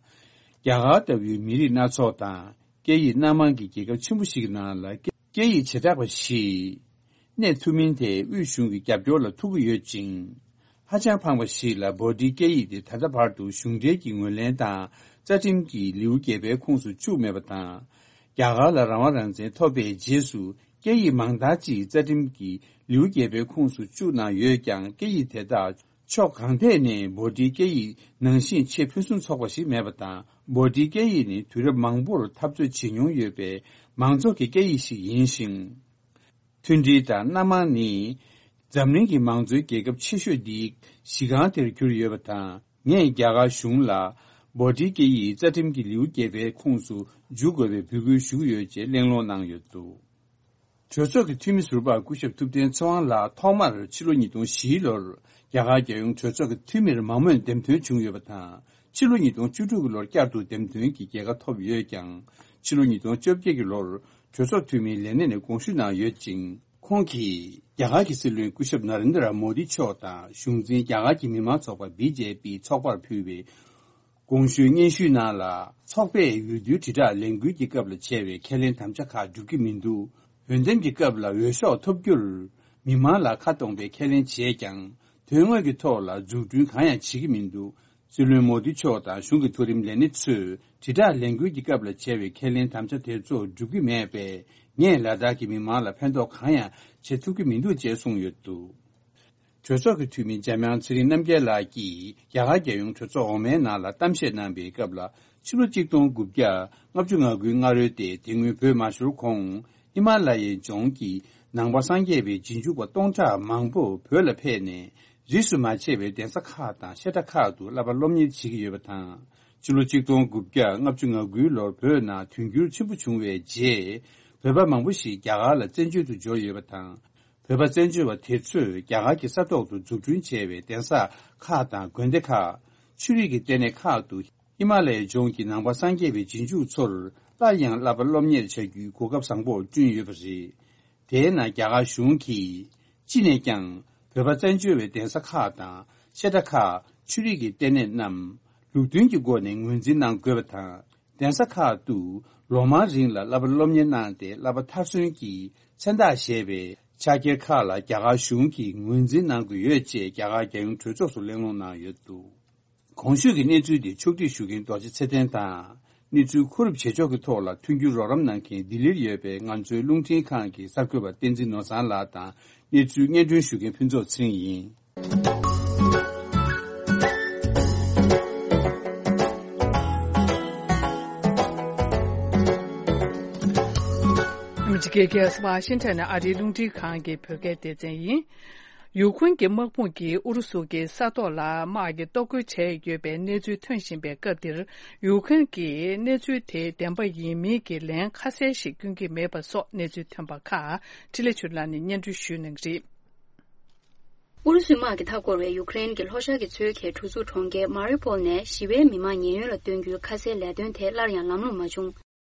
རྒྱ་གར་ལྟ་བུའི་མི་རིགས་སྣ་ཚོགས་དང་། སྐད་ཡིག་སྣ་མང་གི་རྒྱལ་ཁབ་ཆེན་པོ་ཞིག་གི་ནང་ལ་སྐད་ཡིག་བྱེ་བྲག་པ་ཞིག་གནས་ཐུབ་མིན་དེ་དབུས་གཞུང་གི་རྒྱབ་སྐྱོར་ལ་ཐུག་གི་ཡོད་ཅིང་། ཧ་ཅང་ཕངས་པ་ཞིག་ལ་བྷོ་ཊིའི་སྐད་ཡིག་དེ་ད་ལྟ་བར་དུ་གཞུང་འབྲེལ་གྱི་ངོས་ལེན་དང་རྩ་ཁྲིམས་ཀྱི་ལེའུ་བརྒྱད་པའི་ཁོངས་སུ་བཅུག་མེད་པ་དང་། རྒྱ་གར་ལ་རང་དབང་རང་བཙན་ཐོབ་པའི་རྗེས་སུ་སྐད་ཡིག་མང་དག་ཅིག་རྩ་ཁྲིམས་ཀྱི་ལེའུ་བརྒྱད་པའི་ཁོངས་སུ་བཅུག་གནང་ཡོད་ཀྱང་། སྐད་ཡིག་དེ་དག་ཕྱོགས་གང་ཐད་ནས་བྷོ་ཊིའི་སྐད་ཡིག་ནང་བཞིན་ཆེས་ཕུན་སུམ་ཚོགས་པ་ཞིག་མེད་པ་དང་། བྷོ་ཊིའི་སྐད་ཡིག་ནི་དུས་རབས་མང་པོར་འཐབ་རྩོད་བྱེད་མྱོང་ཡོད་པའི་མང་ཚོགས་ཀྱི་སྐད་ཡིག་ཞིག་ཡིན་ཞིང་། མཐུན་སྒྲིལ་དང་སྣ་མང་ནི་འཛམ་གླིང་གི་མང་གཙོའི་རྒྱལ་ཁབ་ཆེ་ཤོས་འདིའི་གཞི་རྐང་དེར་གྱུར་ཡོད་པ་དང་། ངས་རྒྱ་གར་གཞུང་ལ་བྷོ་ཊིའི་སྐད་ཡིག་རྩ་ཁྲིམས་ཀྱི་ལེའུ་བརྒྱད་པའི་ཁོངས་སུ་འཇུག་དགོས་པའི་འབོད་སྐུལ་ཞུ་གི་ཡོད་ཅེས་གླེང་སློང་གནང་ཡོད་འདུག་གྲོས་ཚོགས་ཀྱི་འཐུས་མི་ཟུར་པ་སྐུ་ཞབས་ཐུབ་བསྟན་ཚེ་དབང་ལགས་ཐོག་མར་ཕྱི་ལོ་ཉིས་སྟོང་བཞིའི་ལོར་རྒྱ་གར་རྒྱལ་ཡོངས་གྲོས་ཚོགས་ཀྱི་འཐུས་མིར་མང་མོས་འདེམས་ཐོན་བྱུང་ཡོད་པ་དང་། ཕྱི་ལོ་ཉིས་སྟོང་བཅུ་དྲུག་གི་ལོར་བསྐྱར་དུ་འདེམས་ཐོན་གྱི་རྒྱལ་ཁ་ཐོབ་ཡོད་ཀྱང་། ཕྱི་ལོ་ཉིས་སྟོང་བཅོ་བརྒྱད་ཀྱི་ལོར་གྲོས་ཚོགས་འཐུས་མིའི་ལས་གནས་ནས་དགོངས་ཞུ་གནང་ཡོད་ཅིང་། ཁོང་གིས་རྒྱ་གར་གྱི་སྲིད་བློན་སྐུ་ཞབས་ན་རེན་དྲ་མོ་དི་མཆོག་དང་གཞུང་འཛིན་རྒྱ་གར་གྱི་མི་དམངས་ཚོགས་པ་བི་ཇེ་པི་ཚོགས་པར་ཕུལ་བའི་དགོངས་ཞུའི་སྙན་ཞུའི་ནང་ལ། ཚོགས་པས་འོས་བསྡུའི་དྲིལ་བསྒྲགས་ལས་འགུལ་གྱི་སྐབས་ལ་བྱས་པའི་ཁས་ལེན་དམ་བཅའ་ཁག་འགྲུབ་ཀྱི་མི་འདུག་འོས་འདེམས་ཀྱི་སྐབས་ལ་འོས་ཤོག་ཐོབ་རྒྱུར་མི་མང་ལ་ཁ་གཏོང་བའི་ཁས་ལེན་བྱས་ཀྱང་། དོན་དངོས་ཀྱི་ཐོག་ལ་འཛུགས་སྐྲུན་གང་ཡང་བྱེད་ཀྱི་མི་འདུག་སྲིད་བློན་མོ་དི་མཆོག་དང་གཞུང་གི་མཐོ་རིམ་ལས་སྣེ་ཚོས་དྲིལ་བསྒྲགས་ལས་འགུལ་གྱི་སྐབས་ལ་བྱས་པའི་ཁས་ལེན་དམ་བཅའ་དེ་ཚོ་འགྲུབ་ཀྱི་མེད་པས། ངས་ལ་དྭགས་ཀྱི་མི་མང་ལ་ཕན་ཐོགས་གང་ཡང་བྱེད་ཐུབ་ཀྱི་མི་འདུག་ཅེས་གསུངས་ཡོད་འདུག་གྲོས་ཚོགས་ཀྱི་འཐུས་མི་འཇམ་དབྱངས་ཚེ་རིང་རྣམ་རྒྱལ་ལགས་ཀྱིས་རྒྱ་གར་རྒྱལ་ཡོངས་གྲོས་ཚོགས་འོག་མའི་ནང་ལ་གཏམ་བཤད་གནང་པའི་སྐབས་ལ། ཕྱི་ལོ་གཅིག་སྟོང་དགུ་བརྒྱ་ལྔ་བཅུ་ང་དགུའི་སྔ་རོལ་ཏེ། དེ་སྔོན་བོད་མ་ཤོར་གོང་ཧི་མ་ལ་ཡའི་ལྗོངས་ཀྱི་ནང་པ་སངས་རྒྱས་པའི་རྗེས་འཇུག་པ་སྟོང་ཕྲག་མང་པོ་བོད་ལ་ཕེབས་ནས། རིས་སུ་མ་ཆད་པའི་གདན་ས་ཁག་དང་བཤད་གྲྭ་ཁག་ཏུ་བསླབ་པ་སློབ་གཉེར་བྱེད་ཀྱི་ཡོད་པ་དང་། ཕྱི་ལོ་གཅིག་སྟོང་དགུ་བརྒྱ་ལྔ་བཅུ་ང་དགུའི་ལོར་བོད་ནང་དུས་འགྱུར་ཆེན་པོ་བྱུང་བའི་རྗེས། བོད་པ་མང་པོ་ཞིག་རྒྱ་གར་ལ་བཙན་བྱོལ་དུ་འབྱོར་ཡོད་པ་དང་། བོད་པ་བཙན་བྱོལ་བ་དེ་ཚོས་རྒྱ་གར་གྱི་ས་ཐོག་ཏུ་འཛུགས་སྐྲུན་བྱས་པའི་གདན་ས་ཁག་དང་དགོན་སྡེ་ཁག་ཆོས་རིག་གི་ལྟེ་གནས་ཁག་ཏུ་ཧི་མ་ལ་ཡའི་ལྗོངས་ཀྱི་ནང་པ་སངས་རྒྱས་པའི་རྗེས་འཇུག་ཚོར་སླར་ཡང་བསླབ་པ་སློབ་གཉེར་བྱ་རྒྱུའི་གོ་སྐབས་བཟང་པོ་བསྐྲུན་ཡོད་པ་རེད། དེས་ན་རྒྱ་གར་གཞུང་གིས་ཅི་ནས་ཀྱང་བོད་པ་བཙན་བྱོལ་བའི་གདན་ས་ཁག་དང་བཤད་གྲྭ་ཁག་ཆོས་རིག་གི་ལྟེ་གནས་རྣམས་ལུགས་མཐུན་གྱི་སྒོ་ནས་ངོས་འཛིན་གནང་དགོས་པ་དང་། གདན་ས་ཁག་ཏུ་ལོ་མང་རིང་ལ་བསླབ་པ་སློབ་གཉེར་གནང་སྟེ་བསླབ་པ་མཐར་སོན་གྱི་མཚན་རྟགས་བཞེས་པའི་ཕྱག་འཁྱེར་ཁག་ལ་རྒྱ་གར་གཞུང་གིས་ངོས་འཛིན་གནང་དགོས་ཡོད་ཅེས་རྒྱ་གར་རྒྱལ་ཡོངས་གྲོས་ཚོགས་སུ་གླེང་སློང་གནང་ཡོད་འདུག་གོང་ཞུས་ཀྱི་གནས་ཚུལ་འདི་ཕྱོགས་སྒྲིག་ཞུ་མཁན་རྡོ་རྗེ་ཚེ་བརྟན་དང་། གནས་ཚུལ་མཁོ་སྒྲུབ་བྱེད་ཕྱོགས་ཀྱི་ཐོག་ལ་མཐུན་འགྱུར་རོགས་རམ་གནང་མཁན་ལྡི་ལིར་ཡོད་པའི་ང་ཚོའི་རླུང་འཕྲིན་ཁང་གི་གསར་འགོད་པ་བསྟན་འཛིན་ནོར་བཟང་ལགས་དང་། གནས་ཚུལ་སྙན་སྒྲོན་ཞུ་མཁན་ཕུན་ཚོགས་ཚེ་རིང་ཡིན། ཨ་མི་རི་ཀའི་རྒྱལ་ས་ཝ་ཤིང་ཊོན་ནས་ཨ་རིའི་རླུང་འཕྲིན་ཁང་གི་བོད་སྐད་སྡེ་ཚན་ཡིན། ཡུ་ཁུན་གྱི་དམག་དཔུང་གིས་ཨུ་རུ་སུ་གི་ས་ཐོག་ལ་དམག་གི་གཏོར་རྒོལ་བྱས་ཡོད་པའི་གནས་ཚུལ་ཐོན་བཞིན་པའི་སྐབས་འདིར། ཡུ་ཁུན་གྱིས་གནས་ཚུལ་དེ་བདེན་པ་ཡིན་མིན་གྱི་ལན་ཁ་གསལ་ཞིག་སྐྱོན་གྱི་མེད་པ་སོགས་གནས་ཚུལ་ཐོན་པ་ཁག་འཕྲིན་ལས་ཆོས་ལགས་ནས་སྙན་སྒྲོན་ཞུས་གནང་གི་རེད། ཨུ་རུ་སུའི་དམག་གིས་མཐའ་བསྐོར་བའི་ཡུ་ཀེ་རེན་གྱི་ལྷོ་ཤར་གྱི་མཚོ་ཁའི་གྲུ་ཟུར་གྲོང་ཁྱེར་མ་རི་པོལ་ནས་ཞི་བའི་མི་མང་ཉེན་གཡོལ་ལ་སྟོན་རྒྱུའི་ཁ་གསལ་ལས་དོན་དེ་སླར་ཡང་ལམ་ལྷོང་མ་བྱུང་།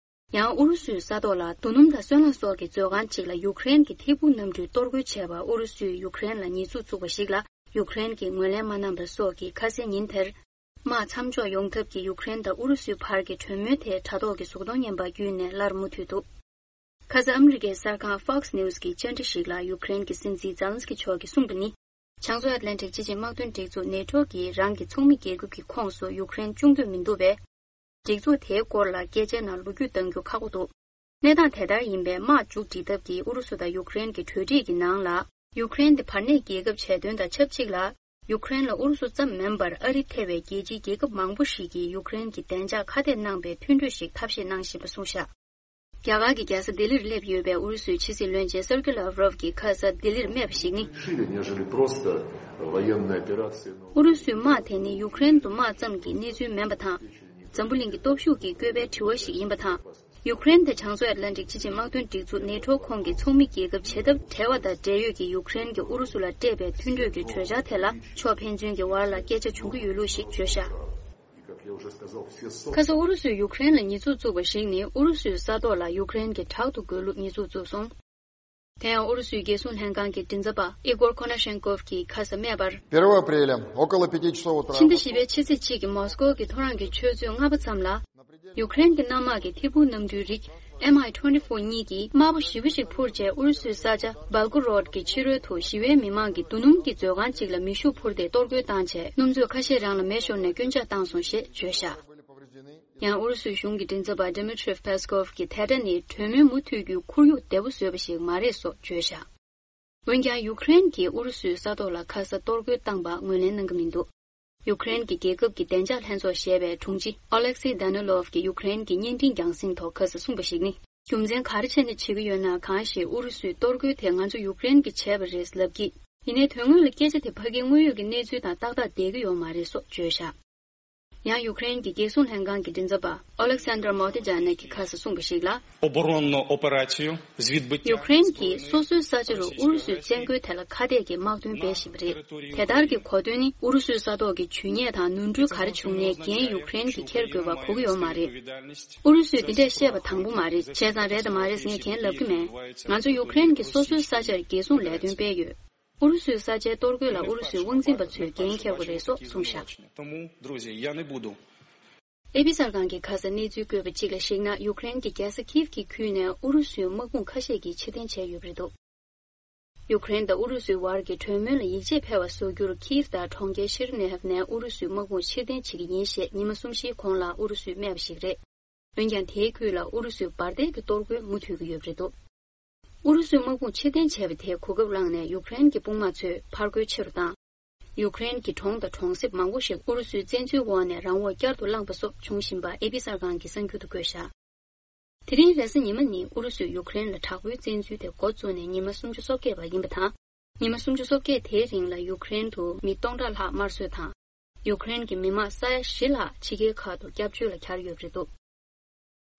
ཡང་ཨུ་རུ་སུའི་ས་ཐོག་ལ་རྡོ་སྣུམ་དང་སོལ་རླངས་སོགས་ཀྱི་མཛོད་ཁང་གཅིག་ལ་ཡུ་ཀེ་རེན་གྱི་ཐད་འཕུར་གནམ་གྲུས་གཏོར་རྒོལ་བྱས་པར་ཨུ་རུ་སུས་ཡུ་ཀེ་རེན་ལ་ཉེས་འཛུགས་བཙུགས་པ་ཞིག་ལ་ཡུ་ཀེ་རེན་གྱིས་ངོས་ལེན་མ་གནང་པ་སོགས་ཀྱིས་ཁ་སང་ཉིན་དེར། དམག་མཚམས་འཇོག་ཡོང་ཐབས་ཀྱི་ཡུ་ཀེ་རེན་དང་ཨུ་རུ་སུའི་བར་གྱི་གྲོས་མོལ་དེ་དྲ་ཐོག་གི་གཟུགས་མཐོང་བརྙན་པར་བརྒྱུད་ནས་སླར་མུ་མཐུད་འདུག་ཁ་སང་ཨ་མི་རི་ཀའི་གསར་ཁང་Fox News་གི་བཅར་འདྲི་ཞིག་ལ་ཡུ་ཀེ་རེན་གྱི་སྲིད་འཛིན་ཛེ་ལན་སི་ཀི་མཆོག་གིས་གསུངས་པ་ནི། བྱང་མཚོ་ཨེཊ་ལན་ཊིག་སྤྱི་ཆིངས་དམག་དོན་སྒྲིག་འཛུགས་ནེ་ཊོ་གིས་རང་གི་ཚོགས་མི་རྒྱལ་ཁབ་ཀྱི་ཁོངས་སུ་ཡུ་ཀེ་རེན་བཅུག་འདོད་མི་འདུག་པས། སྒྲིག་འཛུགས་དེའི་སྐོར་ལ་སྐད་ཆའི་ནང་ལོ་རྒྱུས་གཏང་རྒྱུ་ཁག་པོ་འདུག་གནས་སྟངས་དེ་ལྟར་ཡིན་པས། དམག་མཇུག་སྒྲིལ་ཐབས་ཀྱིས་ཨུ་རུ་སུ་དང་ཡུ་ཀེ་རེན་གྱི་གྲོས་འགྲིག་གི་ནང་ལ། ཡུ་ཀེ་རེན་དེ་བར་གནས་རྒྱལ་ཁབ་བྱས་དོན་དང་ཆབས་ཅིག་ལ། ཡུ་ཀེ་རེན་ལ་ཨུ་རུ་སུ་ཙམ་མིན་པར་ཨ་རི་ཐེ་བའི་རྒྱལ་སྤྱིའི་རྒྱལ་ཁབ་མང་པོ་ཞིག་གིས་ཡུ་ཀེ་རེན་གྱི་བདེ་འཇགས་ཁ་གཏད་གནང་པའི་མཐུན་གྲོས་ཤིག་ཐབས་ཤེས་གནང་བཞིན་པ་གསུངས་བཞག་རྒྱ་གར་གྱི་རྒྱལ་ས་ལྡི་ལིར་སླེབས་ཡོད་པའི་ཨུ་རུ་སུའི་ཕྱི་སྲིད་བློན་ཆེན་སེར་ཀི་ལཱབ་རོབ་ཀྱིས་ཁ་སང་ལྡི་ལིར་སྨྲས་པ་ཞིག་ནི། Шире, нежели просто военная операция, но ཨུ་རུ་སུའི་དམག་དེ་ནི་ཡུ་ཀེ་རེན་དུ་དམག་ཙམ་གྱི་གནས་ཚུལ་མིན་པ་དང་། འཛམ་བུ་གླིང་གི་སྟོབས་ཤུགས་ཀྱིས་བསྐོས་པའི་དྲི་བ་ཞིག་ཡིན་པ་དང་། ཡུ་ཀེ་རེན་དེ་བྱང་མཚོ་ཨེཊ་ལན་ཊིག་སྤྱི་ཆིངས་དམག་དོན་སྒྲིག་འཛུགས་ནེ་ཊོ་ཁོངས་ཀྱི་ཚོགས་མི་རྒྱལ་ཁབ་བྱེད་ཐབས་བྲལ་བ་དང་འབྲེལ་ཡོད་ཀྱི་ཡུ་ཀེ་རེན་གྱིས་ཨུ་རུ་སུ་ལ་སྤྲད་པའི་མཐུན་གྲོས་ཀྱི་གྲོས་འཆར་དེ་ལ་ཕྱོགས་ཕན་ཚུན་གྱི་བར་ལ་སྐད་ཆ་བྱུང་གི་ཡོད་ལུགས་ཤིག་བརྗོད་བཞག་ཁ་སང་ཨུ་རུ་སུས་ཡུ་ཀེ་རེན་ལ་ཉེས་འཛུགས་བཙུགས་པ་ཞིག་ནི་ཨུ་རུ་སུའི་ས་ཐོག་ལ་ཡུ་ཀེ་རེན་གྱིས་དྲག་ཏུ་རྒོལ་ལུགས་ཉེས་འཛུགས་བཙུགས་སོང་། དེ་ཡང་ཨུ་རུ་སུའི་རྒྱལ་སྲུང་ལྷན་ཁང་གི་མགྲིན་ཚབ་པ་ཨི་གོར་ཁོ་ན་ཤེན་ཀོབ་ཀྱིས་ཁ་སང་སྨྲས་པར། Первого апреля около пяти часов утра ཕྱི་ཟླ་བཞི་པའི་ཕྱི་ཚེས་གཅིག་གི་མོ་སི་ཀོ་གི་ཐོ་རངས་ཀྱི་ཆུ་ཚོད་ལྔ་པ་ཙམ་ལ། ཡུ་ཀེ་རེན་གྱི་གནམ་དམག་གིས་ཐད་འཕུར་གནམ་གྲུའི་རིགས་M I twenty-four གཉིས་ཀྱིས་དམར་པོ་ཞེ་པོ་ཞིག་འཕུར་རྗེས་ཨུ་རུ་སུའི་ས་ཆ་སྦལ་ཀོ་རོཌ་ཀྱི་ཕྱི་རོལ་དུ་ཞི་བའི་མི་མང་གིས་རྡོ་སྣུམ་གྱི་མཛོད་ཁང་གཅིག་ལ་མེ་ཤུགས་འཕུར་ཏེ་གཏོར་རྒོལ་བཏང་རྗེས་སྣུམ་ཚོས་ཁ་ཤས་རང་ལ་མེ་ཤོར་ནས་སྐྱོན་ཆག་བཏང་སོང་ཞེས་བརྗོད་བཞག་ཡང་ཨུ་རུ་སུའི་གཞུང་གི་མགྲིན་ཚབ་པ་Dmitry Peskov གིས་དེ་འདྲ་ནི་གྲོས་མོལ་མུ་མཐུད་རྒྱུའི་ཁོར་ཡུག་བདེ་པོ་བཟོས་པ་ཞིག་མ་རེད་སོགས་བརྗོད་བཞག་འོན་ཀྱང་ཡུ་ཀེ་རེན་གྱིས་ཨུ་རུ་སུའི་ས་ཐོག་ལ་ཁ་སང་གཏོར་རྒོལ་བཏང་པ་ངོས་ལེན་གནང་གི་མི་འདུག་ཡུ་ཀེ་རེན་གྱི་རྒྱལ་ཁབ་ཀྱི་བདེ་འཇགས་ལྷན་ཚོགས་ཞེས་པའི་དྲུང་ཆེ་Oleksiy Danilov གིས་ཡུ་ཀེ་རེན་གྱི་བརྙན་འཕྲིན་རྒྱང་སྲིང་ཐོག་ཁ་སང་གསུངས་པ་ཞིག་ནི། རྒྱུ་མཚན་ག་རེ་བྱས་ནས་བྱེད་ཀྱི་ཡོད་ན་གང་ཞིག་ཨུ་རུ་སུས་གཏོར་རྒོལ་དེ་ང་ཚོ་ཡུ་ཀེ་རེན་གྱིས་བྱས་པ་རེད་ལབ་ཀྱིས། ཡིན་ནའི་དོན་དངོས་ལ་སྐད་ཆ་དེ་ཕ་གིའི་དངོས་ཡོད་ཀྱི་གནས་ཚུལ་དང་ཏག་ཏག་བསྡད་ཀྱི་ཡོད་མ་རེད་སོགས་བརྗོད་བཞག་ཡང་ཡུཀ་རེན་གྱི་རྒྱལ་སྲུང་ལྷན་ཁང་གི་མགྲིན་ཚབ་པ་ཨོ་ལེག་སན་དར་མོ་ཏི་ཇ་ནེ་གིས་ཁ་སང་གསུངས་པ་ཞིག་ལ། Оборонну операцію з відбиття ཡུཀ་རེན་གྱིས་སོ་སོའི་ས་ཆ་རུ་ཨུ་རུ་སུའི་བཙན་རྒོལ་ཐད་ལ་ཁ་གཏད་ཀྱི་དམག་དོན་སྤེལ་བཞིན་པ་རེད། དེ་ལྟར་གྱི་གོ་དོན་ནི་ཨུ་རུ་སུའི་ས་ཐོག་གི་ཇུས་ཉེས་དང་ནོར་འཁྲུལ་ག་རེ་བྱུང་ནའི་འགན་ཡུཀ་རེན་གྱིས་འཁྱེར་དགོས་པ་གོ་གི་ཡོད་མ་རེད། ཨུ་རུ་སུས་འདི་འདྲས་བཤད་པ་དང་པོ་མ་རེད། བྱས་ཙང་རེད་དམ་མ་རེད་ཟེར་ངས་གན་ལབ་ཀྱི་མེད། ང་ཚོ་ཡུཀ་རེན་གྱིས་སོ་སོའི་ས་ཆར་རྒྱལ་སྲུང་ལས་དོན་སྤེལ་ཡོད། ཨུ་རུ་སུའི་ས་ཆའི་གཏོར་རྒོལ་ལ་ཨུ་རུ་སུའི་དབང་འཛིན་པ་ཚོས་འགན་འཁྱེར་དགོས་རེད་སོགས་གསུངས་བཞག Тому, друзі, я не буду. ཨེ་པི་གསར་ཁང་གིས་ཁ་སང་གནས་ཚུལ་བཀོད་པ་གཅིག་ལ་གཞིགས་ན། ཡུཀ་རེན་གྱི་རྒྱལ་ས་ཁིབ་ཀྱི་ཁུལ་ནས་ཨུ་རུ་སུའི་དམག་དཔུང་ཁ་ཤས་ཀྱིས་ཕྱིར་འཐེན་བྱས་ཡོད་པ་རེད་འདུག་ཡུཀ་རེན་དང་ཨུ་རུ་སུའི་བར་གྱི་གྲོས་མོལ་ལ་ཡིད་ཆེས་འཕེར་བ་བཟོ་རྒྱུར་ཁིབ་དང་གྲོང་ཁྱེར་ཤེར་ནེ་ཧབ་ནས་ཨུ་རུ་སུའི་དམག་དཔུང་ཕྱིར་འཐེན་བྱེད་ཀྱི་ཡིན་ཞེས་ཉི་མ་གསུམ་བཞིའི་གོང་ལ་ཨུ་རུ་སུས་སྨྲས་པ་ཞིག་རེད། འོན་ཀྱང་དེའི་ཁུལ་ལ་ཨུ་རུ་སུའི་འབར་མདེལ་གྱི་གཏོར་རྒོལ་མུ་མཐུད་ཀྱི་ཡོད་པ་རེད་འདུག་ཨུ་རུ་སུའི་དམག་དཔུང་ཕྱིར་འཐེན་བྱས་པ་དེས་གོ་སྐབས་བླངས་ནས་ཡུཀ་རེན་གྱི་དཔུང་དམག་ཚོས་ཕར་རྒོལ་ཆེ་རུ་བཏང་། ཡུཀ་རེན་གྱི་གྲོང་དང་གྲོང་གསེབ་མང་པོ་ཞིག་ཨུ་རུ་སུའི་བཙན་འཛུལ་འོག་ནས་རང་དབང་བསྐྱར་དུ་བླངས་པ་སོགས་བྱུང་བཞིན་པ་ཨེ་པི་གསར་ཁང་གིས་གསར་འགྱུར་དུ་བཀོད་བཞག་དེ་རིང་རེས་གཟའ་ཉི་མ་ཉིན་ཨུ་རུ་སུས་ཡུཀ་རེན་ལ་དྲག་པོའི་བཙན་འཛུལ་དེ་འགོ་བཙུགས་ནས་ཉི་མ་སུམ་ཅུ་སོ་བརྒྱད་པ་ཡིན་པ་དང་། ཉི་མ་སུམ་ཅུ་སོ་བརྒྱད་དེའི་རིང་ལ་ཡུཀ་རེན་དུ་མི་སྟོང་ཕྲག་ལྷག་དམར་གསོད་དང་། ཡུཀ་རེན་གྱི་མི་མང་ས་ཡ་བཞི་ལྷག་ཕྱི་རྒྱལ་ཁག་ཏུ་སྐྱབས་བཅོལ་ལ་གྱར་ཡོད་པ་རེད་འདུག་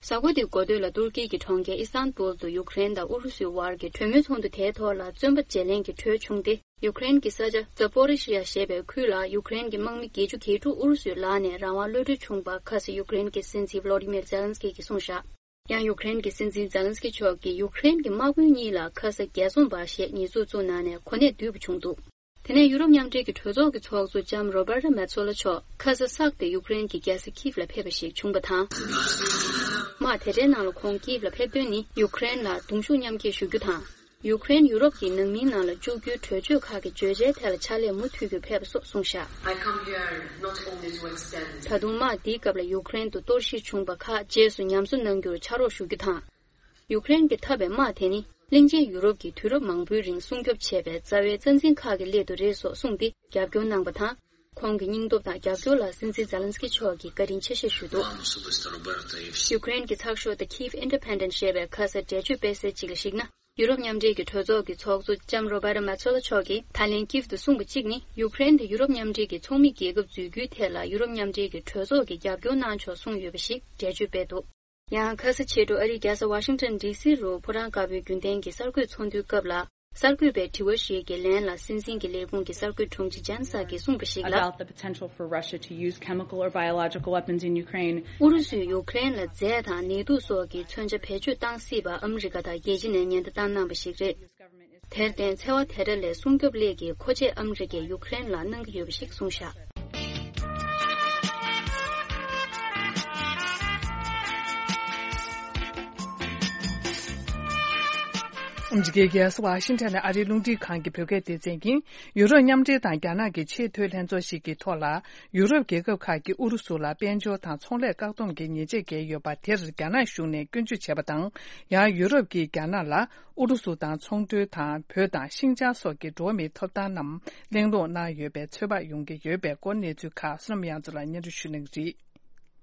གཟའ་འཁོར་འདིའི་འགོ་སྟོད་ལ་ཏུར་ཀི་གི་གྲོང་ཁྱེར་ཨི་སྟན་པུལ་དུ་ཡུཀ་རེན་དང་ཨུ་རུ་སུའི་བར་གྱི་གྲོས་མོལ་ཚོགས་འདུ་དེའི་ཐོག་ལ་བཙོན་པ་བརྗེ་ལེན་གྱི་གྲོས་བྱུང་སྟེ། ཡུཀ་རེན་གྱི་ས་ཆ་ཛ་པོ་རི་ཤི་ཡ་ཞེས་པའི་ཁུལ་ལ་ཡུཀ་རེན་གྱི་དམག་མི་བརྒྱད་ཅུ་གྱ་དྲུག་ཨུ་རུ་སུའི་ལག་ནས་རང་དབང་གློད་གྲོལ་བྱུང་བ་ཁ་སང་ཡུཀ་རེན་གྱི་སྲིད་འཛིན་ཝོ་ལོ་ཌི་མིར་ཛེ་ལན་སི་ཀི་གིས་གསུངས་བཞག་ཡང་ཡུཀ་རེན་གྱི་སྲིད་འཛིན་ཛེ་ལན་སི་ཀི་མཆོག་གིས་ཡུཀ་རེན་གྱི་དམག་དཔོན་གཉིས་ལ་ཁ་སང་རྒྱལ་སྲུང་པ་ཞེས་ཉེས་འཛུགས་བཙུགས་གནང་ནས་གོ་གནས་བསྡུས་པ་བྱུང་འདུག་དེ་ནས་ཡུ་རོབ་མཉམ་འབྲེལ་གྱི་གྲོས་ཚོགས་ཀྱི་ཚོགས་གཙོ་ལྕམ་རོ་བར་ཏ་མེ་ཚོ་ལ་མཆོག་ཁ་སང་གསར་དུ་ཡུཀ་རེན་གྱི་རྒྱལ་ས་ཁིབ་ལ་ཕེབས་པ་ཞིག་བྱུང་བ་དང་། དམག་དེ་འདྲའི་ནང་ལ་ཁོང་ཁིབ་ལ་ཕེབས་དོན་ནི་ཡུཀ་རེན་ལ་གདུང་ཤུགས་མཉམ་སྐྱེད་ཞུ་རྒྱུ་དང་། ཡུཀ་རེན་ཡུ་རོབ་ཀྱི་ནང་མིའི་ནང་ལ་བཅུག་རྒྱུའི་གྲོས་ཆོད་ཁག་གི་བརྗོད་བྱའི་ཐད་ལ་ཕྱག་ལས་མུ་མཐུད་རྒྱུར་ཕེབས་པ་སོགས་གསུངས་བཞག I come here not only to extend ད་དུང་དམག་འདིའི་སྐབས་ལ་ཡུཀ་རེན་དུ་གཏོར་བཤིག་བྱུང་བ་ཁག་རྗེས་སུ་ཉམས་གསོ་གནང་རྒྱུར་ཕྱག་རོགས་ཞུ་རྒྱུ་དང་། ཡུཀ་རེན་གྱིས་འཐབ་པའི་དམག་དེ་ནི་གླིང་ཆེན་ཡུ་རོབ་ཀྱིས་དུས་རབས་མང་པོའི་རིང་སྲུང་སྐྱོབ་བྱས་པའི་རྩ་བའི་རྩ་འཛིན་ཁག་གི་སླད་དུ་རེད་སོགས་གསུངས་ཏེ་རྒྱབ་སྐྱོར་གནང་པ་དང་། ཁོང་གི་སྙིང་སྟོབས་དང་རྒྱབ་སྐྱོར་ལ་སྲིད་འཛིན་ཛེ་ལན་སི་ཀི་མཆོག་གིས་བཀའ་དྲིན་ཆེ་ཞེས་ཞུས་འདུག་ཡུཀ་རེན་གྱི་ཚགས་ཤོག་The Kyiv Independent ཞེས་པས་ཁ་སང་འགྲེལ་བརྗོད་སྤེལ་གསལ་ཅིག་ལ་གཞིགས་ན། ཡུ་རོབ་མཉམ་འབྲེལ་གྱི་གྲོས་ཚོགས་ཀྱི་ཚོགས་གཙོ་ལྕམ་རོ་བར་ཏ་མེ་ཚོ་ལ་མཆོག་གིས་ད་ལན་ཀིབ་ཏུ་གསུངས་པ་གཅིག་ནི། ཡུཀ་རེན་དེ་ཡུ་རོབ་མཉམ་འབྲེལ་གྱི་ཚོགས་མི་རྒྱལ་ཁབ་འཛུལ་རྒྱུའི་ཐད་ལ་ཡུ་རོབ་མཉམ་འབྲེལ་གྱི་གྲོས་ཚོགས་ཀྱིས་རྒྱབ་སྐྱོར་གནང་ཆོག་གསུངས་ཡོད་པ་ཞིག་འགྲེལ་བརྗོད་སྤེལ་འདུག་ཡང་ཁ་ས་ཕྱི་དྲོ་ཨ་རིའི་རྒྱལ་ས་ཝ་ཤིང་ཊོན་ཌི་སི་རུ་ཕོ་བྲང་དཀར་པོའི་རྒྱུན་ལྡན་གྱི་གསར་འགོད་ཚོགས་འདུའི་སྐབས་ལ། གསར་འགོད་པའི་དྲི་བ་ཞིག་གི་ལན་ལ་སྲིད་འཛིན་གྱི་ལས་ཁུངས་ཀྱི་གསར་འགོད་དྲུང་ཆེ་ཇན་སཱ་ཀིས་གསུངས་པ་ཞིག་ལ། About the potential for Russia to use chemical or biological weapons in Ukraine. ཨུ་རུ་སུས་ཡུཀ་རེན་ལ་རྫས་དང་ནས་དུག་སོགས་ཀྱི་མཚོན་ཆ་བེད་སྤྱོད་གཏང་སྲིད་པ་ཨ་མི་རི་ཀ་དང་རྒྱལ་སྤྱི་ནས་ཉེན་བརྡ་བཏང་གནང་བ་ཞིག་རེད། དེར་བརྟེན་འཚེ་བ་དེ་འདྲ་ལས་སྲུང་སྐྱོབ་སླད་ཀྱི་མཁོ་ཆས་ཨ་མི་རི་ཀས་ཡུཀ་རེན་ལ་གནང་གི་ཡོད་པ་ཞིག་གསུངས་བཞག་ཨ་མི་རི་ཀའི་རྒྱལ་ས་ཝ་ཤིང་ཊོན་ནས་ཨ་རིའི་རླུང་འཕྲིན་ཁང་གི་བོད་སྐད་སྡེ་ཚན་གྱིས། ཡུ་རོབ་མཉམ་འབྲེལ་དང་རྒྱ་ནག་གི་ཆེས་མཐོའི་ལྷན་ཚོགས་ཤིག་གི་ཐོག་ལ། ཡུ་རོབ་རྒྱལ་ཁབ་ཁག་གིས་ཨུ་རུ་སུ་ལ་དཔལ་འབྱོར་དང་ཚོང་ལས་བཀག་སྡོམ་གྱི་ཉེས་ཆད་བཀལ་ཡོད་པ་དེར་རྒྱ་ནག་གཞུང་ནས་སྐྱོན་བརྗོད་བྱས་པ་དང་། ཡང་ཡུ་རོབ་ཀྱིས་རྒྱ་ནག་ལ་ཨུ་རུ་སུ་དང་ཚོང་འབྲེལ་དང་བོད་དང་ཤིན་ཅང་སོགས་ཀྱི་འགྲོ་བ་མིའི་ཐོབ་ཐང་རྣམས་གླེང་སློང་གནང་ཡོད་པའི་ཚོད་དཔག་ཡོང་གི་ཡོད་པའི་སྐོར་གནས་ཚུལ་ཁག་བསོད་ནམས་དབྱངས་མཚོ་ལགས་སྙན་སྒྲོན་ཞུ་གནང་གི་རེད། ཕྱི་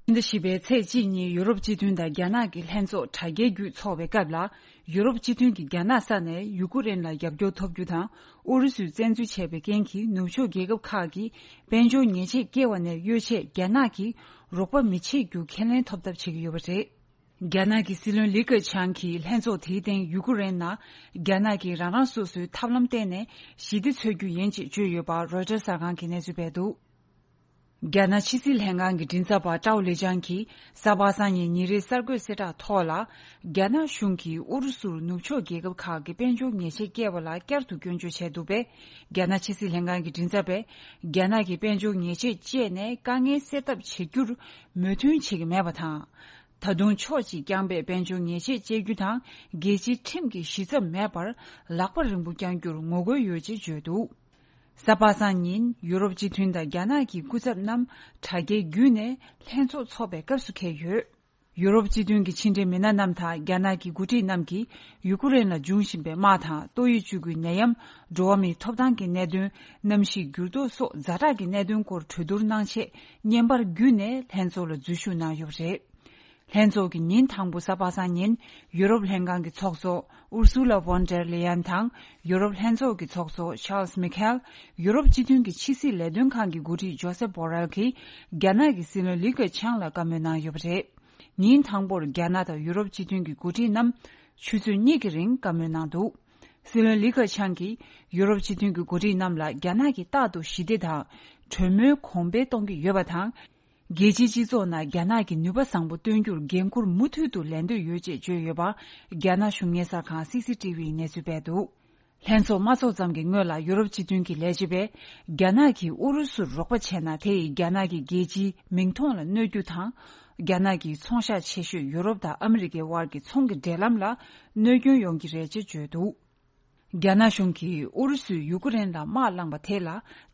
ཟླ་བཞི་པའི་ཚེས་གཅིག་ཉིན་ཡུ་རོབ་སྤྱི་མཐུན་དང་རྒྱ་ནག་གི་ལྷན་ཚོགས་དྲ་རྒྱའི་བརྒྱུད་འཚོགས་པའི་སྐབས་ལ། ཡུ་རོབ་སྤྱི་མཐུན་གྱིས་རྒྱ་ནག་ས་ནས་ཡུ་ཀུ་རེན་ལ་རྒྱབ་སྐྱོར་ཐོབ་རྒྱུ་དང་། ཨུ་རུ་སུས་བཙན་འཛུལ་བྱས་པའི་རྐྱེན་གྱིས་ནུབ་ཕྱོགས་རྒྱལ་ཁབ་ཁག་གིས་དཔལ་འབྱོར་ཉེས་ཆད་བཀལ་བ་ནས་གཡོལ་ཆེད་རྒྱ་ནག་གིས་རོགས་པ་མི་བྱེད་རྒྱུ་ཁས་ལེན་ཐོབ་ཐབས་བྱེད་ཀྱི་ཡོད་པ་རེད། རྒྱ་ནག་གི་སྲིད་བློན་ལི་ཁེ་ཆང་གིས་ལྷན་ཚོགས་དེའི་སྟེང་ཡུ་ཀུ་རེན་ནང་རྒྱ་ནག་གིས་རང་རང་སོ་སོའི་ཐབས་ལམ་བརྟེན་ནས་ཞི་བདེ་འཚོལ་རྒྱུ་ཡིན་ཅེས་བརྗོད་ཡོད་པ་རོའི་ཊར་གསར་ཁང་གིས་གནས་ཚུལ་སྤེལ་འདུག་རྒྱ་ནག་ཕྱི་སྲིད་ལྷན་ཁང་གི་མགྲིན་ཚབ་པ་ཀྲའོ་ལི་ཅང་གིས་གཟའ་པ་སངས་ཉིན་ཉིན་རེའི་གསར་འགོད་གསལ་བསྒྲགས་ཐོག་ལ། རྒྱ་ནག་གཞུང་གིས་ཨུ་རུ་སུར་ནུབ་ཕྱོགས་རྒྱལ་ཁབ་ཁག་གི་དཔལ་འབྱོར་ཉེས་ཆད་བཀལ་བ་ལ་བསྐྱར་དུ་སྐྱོན་བརྗོད་བྱས་འདུག་པས། རྒྱ་ནག་ཕྱི་སྲིད་ལྷན་ཁང་གི་མགྲིན་ཚབ་པས། རྒྱ་ནག་གིས་དཔལ་འབྱོར་ཉེས་ཆད་བཅད་ནས་དཀའ་ངལ་སེལ་ཐབས་བྱེད་རྒྱུར་མོས་མཐུན་བྱེད་ཀྱི་མེད་པ་དང་། ད་དུང་ཕྱོགས་གཅིག་རྐྱང་པས་དཔལ་འབྱོར་ཉེས་ཆད་བཅད་རྒྱུ་དང་། རྒྱལ་སྤྱིའི་ཁྲིམས་ཀྱི་གཞི་རྩ་མེད་པར་ལག་པ་རིང་པོ་བརྐྱང་རྒྱུར་ངོ་རྒོལ་ཡོད་ཅེས་བརྗོད་འདུག་གཟའ་པ་སངས་ཉིན་ཡུ་རོབ་སྤྱི་མཐུན་དང་རྒྱ་ནག་གི་སྐུ་ཚབ་རྣམས་དྲ་རྒྱའི་བརྒྱུད་ནས་ལྷན་ཚོགས་འཚོགས་པའི་སྐབས་སུ་འཁེལ་ཡོད། ཡུ་རོབ་སྤྱི་མཐུན་གྱི་ཕྱི་འབྲེལ་མི་སྣ་རྣམས་དང་རྒྱ་ནག་གི་འགོ་ཁྲིད་རྣམས་ཀྱིས་ཡུ་ཀུ་རེན་ལ་འབྱུང་བཞིན་པའི་དམག་དང་ཏོག་དབྱིབས་བཅུ་དགུའི་ནད་ཡམས། འགྲོ་བ་མིའི་ཐོབ་ཐང་གི་གནད་དོན། གནམ་གཤིས་འགྱུར་ལྡོག་སོགས་ཛ་དྲག་གི་གནད་དོན་སྐོར་གྲོས་བསྡུར་གནང་ཆེད་བརྙན་པར་བརྒྱུད་ནས་ལྷན་ཚོགས་ལ་འཛུལ་ཞུགས་གནང་ཡོད་པ་རེད། ལྷན་ཚོགས་ཀྱི་ཉིན་དང་པོ་གཟའ་པ་སངས་ཉིན་ཡུ་རོབ་ལྷན་ཁང་གི་ཚོགས་གཙོ་ཨུར་སུ་ལ་ཝོན་ཌེར་ལེ་ཡན་དང་ཡུ་རོབ་ལྷན་ཚོགས་ཀྱི་ཚོགས་གཙོ་ཆཱལ་སི་མི་ཁེལ། ཡུ་རོབ་སྤྱི་མཐུན་གྱི་ཕྱི་སྲིད་ལས་དོན་ཁང་གི་འགོ་ཁྲིད་ཇོ་སེབ་བྷོ་རེལ་གྱིས་རྒྱ་ནག་གི་སྲིད་བློན་ལི་ཁེ་ཆང་ལ་བཀའ་མོལ་གནང་ཡོད་པ་རེད། ཉིན་དང་པོར་རྒྱ་ནག་དང་ཡུ་རོབ་སྤྱི་མཐུན་གྱི་འགོ་ཁྲིད་རྣམས་ཆུ་ཚོད་གཉིས་ཀྱི་རིང་བཀའ་མོལ་གནང་འདུག་སྲིད་བློན་ལི་ཁེ་ཆང་གིས་ཡུ་རོབ་སྤྱི་མཐུན་གྱི་འགོ་ཁྲིད་རྣམས་ལ་རྒྱ་ནག་གིས་རྟག་ཏུ་ཞི་བདེ་དང་གྲོས་མོལ་གོང་འཕེལ་གཏོང་གི་ཡོད་པ་དང་། རྒྱལ་སྤྱིའི་སྤྱི་ཚོགས་ནང་རྒྱ་ནག་གི་ནུས་པ་བཟང་པོ་སྟོན་རྒྱུར་འགན་འཁུར་མུ་མཐུད་དུ་ལེན་འདོད་ཡོད་ཅེས་བརྗོད་ཡོད་པ་རྒྱ་ནག་གཞུང་སྙན་སར་ཁང་སི་སི་ཏི་བིས་གནས་ཚུལ་སྤེལ་འདུག་ལྷན་ཚོགས་མ་ཚོགས་ཙམ་གྱི་སྔོན་ལ་ཡུ་རོབ་སྤྱི་མཐུན་གྱི་ལས་བྱེད་པས་རྒྱ་ནག་གིས་ཨུ་རུ་སུར་རོགས་པ་བྱས་ན་དེ་ཡིས་རྒྱ་ནག་གི་རྒྱལ་སྤྱིའི་མིང་མཐོང་ལ་གནོད་རྒྱུ་དང་། རྒྱ་ནག་གི་ཚོང་ཤག་ཆེ་ཤོས་ཡུ་རོབ་དང་ཨ་མི་རི་ཀའི་དབར་གྱི་ཚོང་གི་འབྲེལ་ལམ་ལ་གནོད་སྐྱོན་ཡོང་གི་རེད་ཅེས་བརྗོད་འདུག་རྒྱ་ནག་གཞུང་གིས་ཨུ་རུ་སུས་ཡུ་ཀེ་རེན་ལ་དམག་བསླངས་པ་དེ་ལ་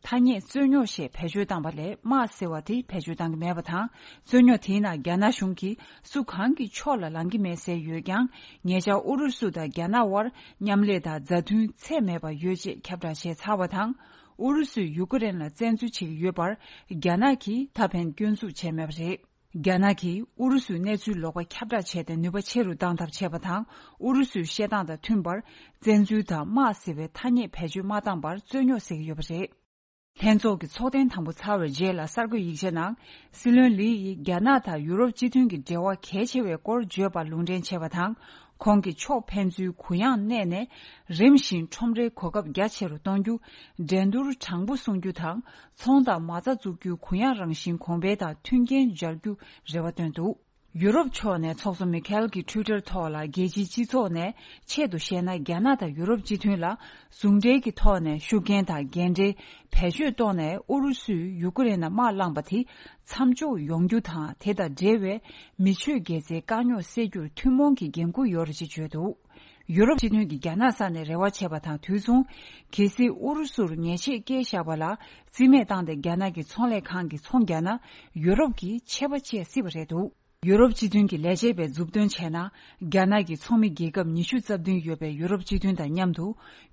ཐ་སྙད་རྩོད་རྙོག་ཞེས་བེད་སྤྱོད་བཏང་བ་ལས་དམག་ཟེར་བ་དེ་བེད་སྤྱོད་བཏང་གི་མེད་པ་དང་། རྩོད་རྙོག་དེའི་ནང་རྒྱ་ནག་གཞུང་གིས་སུ་གང་གི་ཕྱོགས་ལ་ལངས་ཀྱི་མེད་ཟེར་ཡོད་ཀྱང་། ཉེ་ཆར་ཨུ་རུ་སུ་དང་རྒྱ་ནག་དབར་མཉམ་ལས་དང་མཛའ་མཐུན་ཚད་མེད་པ་ཡོད་ཅེས་ཁྱབ་བསྒྲགས་བྱས་ཚར་བ་དང་། ཨུ་རུ་སུས་ཡུ་ཀེ་རེན་ལ་བཙན་འཛུལ་བྱེད་ཀྱི་ཡོད་པར་རྒྱ་ནག་གིས་ད་ཕན་སྐྱོན་འཛུགས་བྱས་མེད་པ་རེད། རྒྱ་ནག་གིས་ཨུ་རུ་སུའི་གནས་ཚུལ་ལོག་པ་ཁྱབ་བསྒྲགས་བྱས་ཏེ་ནུས་པ་ཆེ་རུ་བཏང་ཐབས་བྱས་པ་དང་། ཨུ་རུ་སུའི་བཤད་སྟངས་དང་མཐུན་པར་བཙན་འཛུལ་དང་དམག་ཟེར་བའི་ཐ་སྙད་བེད་སྤྱོད་མ་བཏང་བར་རྩོད་རྙོག་སེལ་གྱི་ཡོད་པ་རེད། ལྷན་ཚོགས་ཀྱི་ཚོགས་ཐེངས་དང་པོ་ཚར་བའི་རྗེས་ལ་གསར་འགོད་ཡིག་ཆ་ནང་། སྲིད་བློན་ལི་ཡིས་རྒྱ་ནག་དང་ཡུ་རོབ་སྤྱི་མཐུན་གྱི་འབྲེལ་བ་གལ་ཆེ་བའི་སྐོར་བརྗོད་པར་ལུང་འདྲེན་བྱས་པ་དང་། ཁོང་གིས་ཕྱོགས་ཕན་ཚུན་གུ་ཡངས་གནས་ནས་རིམ་བཞིན་ཁྲོམ་རའི་གོ་སྐབས་རྒྱ་ཆེ་རུ་གཏོང་རྒྱུ། འགྲན་བསྡུར་དྲང་པོ་སྲུང་རྒྱུ་དང་། ཚོང་དང་མ་རྩ་བཙུགས་རྒྱུའི་གུ་ཡངས་རང་བཞིན་གོང་འཕེལ་དང་མཐུན་རྐྱེན་སྦྱར་རྒྱུ་རེ་བ་བཏོན་འདུག་ཡུ་རོབ་ཕྱོགས་ནས་ཚོགས་གཙོ་མི་ཁེལ་གྱི་ཊུའི་ཊར་ཐོག་ལ། རྒྱལ་སྤྱིའི་སྤྱི་ཚོགས་ནས་ཆེད་དུ་བཤད་ན། རྒྱ་ནག་དང་ཡུ་རོབ་སྤྱི་མཐུན་ལ་ཟུང་འབྲེལ་གྱི་ཐོག་ནས་ཤུགས་རྐྱེན་དང་འགན་འཁྲི་བེད་སྤྱོད་གཏོང་ནས། ཨུ་རུ་སུས་ཡུ་ཀེ་རེན་ལ་དམག་བསླངས་པ་དེ་མཚམས་འཇོག་ཡོང་རྒྱུ་དང་། དེ་དང་འབྲེལ་བའི་མི་ཆོས་དགེ་རྩའི་དཀའ་རྙོག་སེལ་རྒྱུར་ཐུན་མོང་གི་འགན་འཁུར་ཡོད་རེད་ཅེས་བརྗོད་འདུག་ཡུ་རོབ་སྤྱི་མཐུན་གྱིས་རྒྱ་ནག་ས་ནས་རེ་བ་བྱས་པ་དང་དུས་མཚུངས། གལ་སྲིད་ཨུ་རུ་སུར་ཉེས་ཆད་བཀལ་བཞག་པ་ལ་རྩིས་མེད་བཏང་སྟེ་རྒྱ་ནག་གི་ཚོང་ལས་ཁང་གིས་ཚོང་རྒྱག་ན། ཡུ་རོབ་ཀྱིས་ཆད་པ་བཅད་སྲིད་པ་རེད་འདུག་ཡུ་རོབ་སྤྱི་མཐུན་གྱི་ལས་བྱེད་པས་མཛུབ་སྟོན་བྱས་ན། རྒྱ་ནག་གི་ཚོགས་མི་རྒྱལ་ཁབ་ཉི་ཤུ་རྩ་བདུན་ཡོད་པའི་ཡུ་རོབ་སྤྱི་མཐུན་དང་མཉམ་དུ་